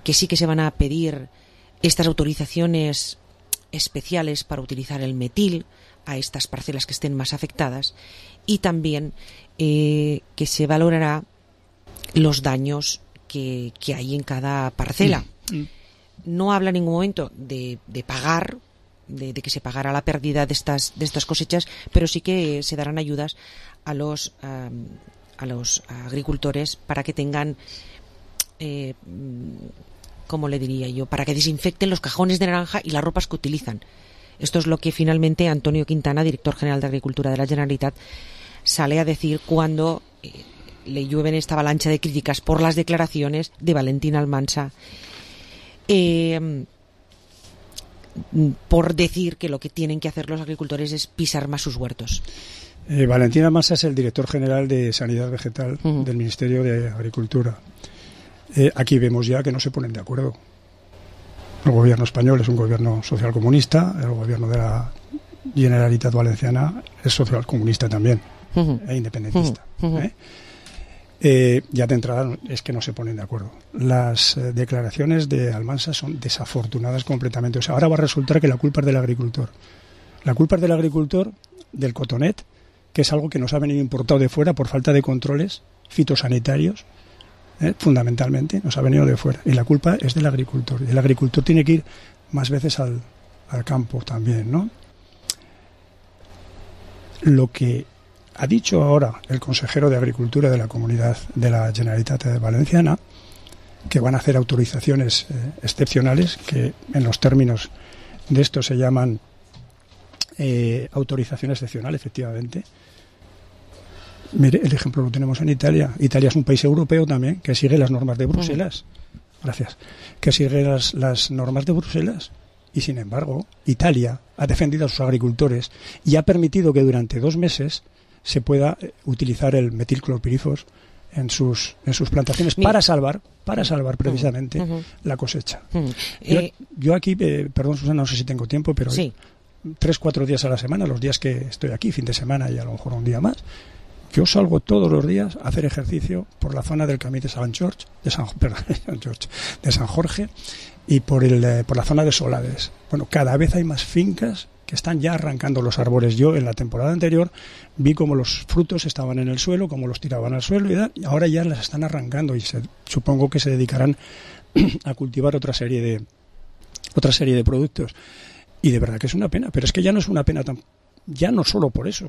que sí que se van a pedir estas autorizaciones especiales para utilizar el metil a estas parcelas que estén más afectadas, y también que se valorará los daños que hay en cada parcela. No habla en ningún momento de pagar, de que se pagará la pérdida de estas cosechas, pero sí que se darán ayudas a los agricultores para que tengan, ¿cómo le diría yo?, para que desinfecten los cajones de naranja y las ropas que utilizan. Esto es lo que finalmente Antonio Quintana, director general de Agricultura de la Generalitat, sale a decir cuando le llueven esta avalancha de críticas por las declaraciones de Valentín Almansa, por decir que lo que tienen que hacer los agricultores es pisar más sus huertos. Valentín Almansa es el director general de Sanidad Vegetal del Ministerio de Agricultura. Aquí vemos ya que no se ponen de acuerdo. El gobierno español es un gobierno socialcomunista, el gobierno de la Generalitat Valenciana es socialcomunista también, e independentista. Ya de entrada es que no se ponen de acuerdo. Las declaraciones de Almansa son desafortunadas completamente. O sea, ahora va a resultar que la culpa es del agricultor. La culpa es del agricultor, del cotonet, que es algo que nos ha venido importado de fuera por falta de controles fitosanitarios, fundamentalmente, nos ha venido de fuera. Y la culpa es del agricultor. Y el agricultor tiene que ir más veces al campo también, ¿no? Lo que ha dicho ahora el consejero de Agricultura de la Comunidad de la Generalitat Valenciana, que van a hacer autorizaciones excepcionales, que en los términos de esto se llaman autorización excepcional, efectivamente. Mire, el ejemplo lo tenemos en Italia. Italia es un país europeo también que sigue las normas de Bruselas. Gracias. Que sigue las normas de Bruselas. Y sin embargo, Italia ha defendido a sus agricultores y ha permitido que durante 2 meses se pueda utilizar el metilclorpirifos en sus plantaciones para salvar precisamente la cosecha. Yo aquí, perdón Susana, no sé si tengo tiempo, pero 3-4 días a la semana, los días que estoy aquí, fin de semana y a lo mejor un día más, yo salgo todos los días a hacer ejercicio por la zona del Camí de San Jorge y por la zona de Solades. Bueno, cada vez hay más fincas que están ya arrancando los árboles. Yo en la temporada anterior vi cómo los frutos estaban en el suelo, cómo los tiraban al suelo y ahora ya las están arrancando y supongo que se dedicarán a cultivar otra serie de productos. Y de verdad que es una pena, pero es que ya no es una pena ya no solo por eso,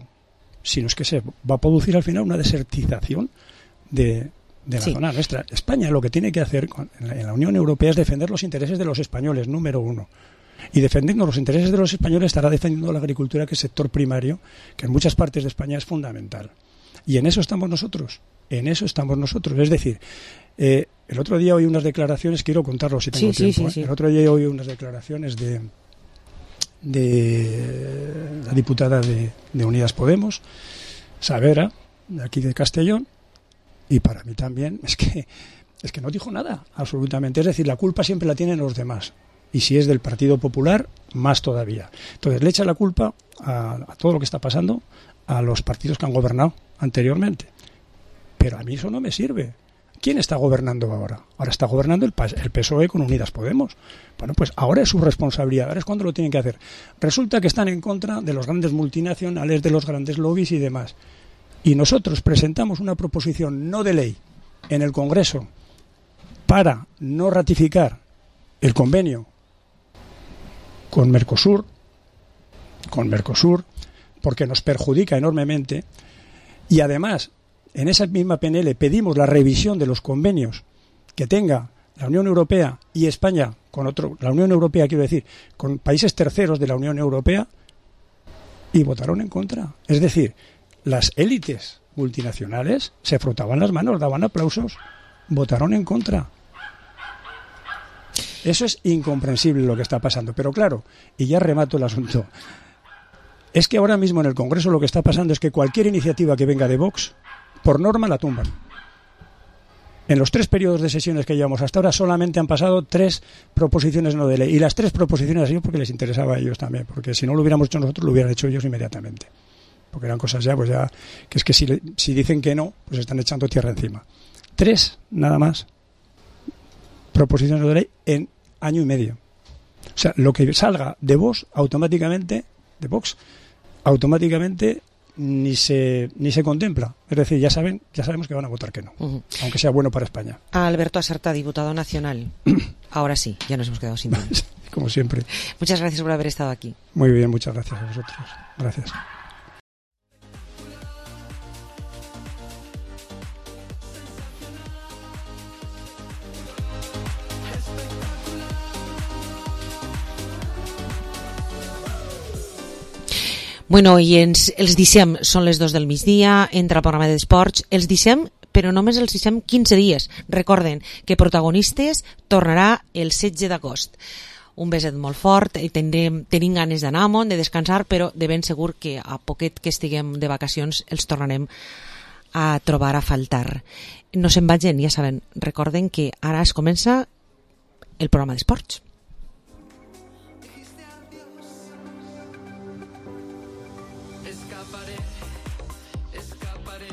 sino es que se va a producir al final una desertización de la zona nuestra. España lo que tiene que hacer en la Unión Europea es defender los intereses de los españoles, número uno. Y defendiendo los intereses de los españoles estará defendiendo la agricultura, que es sector primario, que en muchas partes de España es fundamental. Y en eso estamos nosotros. Es decir, el otro día oí unas declaraciones, quiero contarlo si tengo tiempo. El otro día oí unas declaraciones de la diputada de Unidas Podemos, Savera, de aquí de Castellón, y para mí también es que no dijo nada, absolutamente. Es decir, la culpa siempre la tienen los demás. Y si es del Partido Popular, más todavía. Entonces le echa la culpa a todo lo que está pasando a los partidos que han gobernado anteriormente. Pero a mí eso no me sirve. ¿Quién está gobernando ahora? Ahora está gobernando el PSOE con Unidas Podemos. Bueno, pues ahora es su responsabilidad, ahora es cuando lo tienen que hacer. Resulta que están en contra de los grandes multinacionales, de los grandes lobbies y demás. y nosotros presentamos una proposición no de ley en el Congreso para no ratificar el convenio con Mercosur, porque nos perjudica enormemente, y además en esa misma PNL pedimos la revisión de los convenios que tenga la Unión Europea y España la Unión Europea, quiero decir, con países terceros de la Unión Europea, y votaron en contra. Es decir, las élites multinacionales se frotaban las manos, daban aplausos, votaron en contra. Eso es incomprensible lo que está pasando. Pero claro, y ya remato el asunto, es que ahora mismo en el Congreso lo que está pasando es que cualquier iniciativa que venga de Vox, por norma la tumban. En los 3 periodos de sesiones que llevamos hasta ahora solamente han pasado 3 proposiciones no de ley. Y las 3 proposiciones han sido porque les interesaba a ellos también. Porque si no lo hubiéramos hecho nosotros, lo hubieran hecho ellos inmediatamente. Porque eran cosas ya, pues ya, que es que si dicen que no, pues están echando tierra encima. 3, nada más, proposiciones no de ley en año y medio. O sea, lo que salga de Vox automáticamente, ni se contempla. Es decir, ya sabemos que van a votar que no, aunque sea bueno para España. Alberto Asarta, diputado nacional. Ahora sí, ya nos hemos quedado sin tiempo. Como siempre. Muchas gracias por haber estado aquí. Muy bien, muchas gracias a vosotros. Gracias. Bueno, i els deixem, són les 2 del migdia, entra el programa d'esports, els deixem, però només els deixem 15 dies. Recorden que Protagonistes tornarà el 16 d'agost. Un beset molt fort, tenim ganes d'anar a Mont, de descansar, però de ben segur que a poquet que estiguem de vacacions els tornarem a trobar a faltar. No se'n vagin, ja saben, recorden que ara es comença el programa d'esports. Escaparé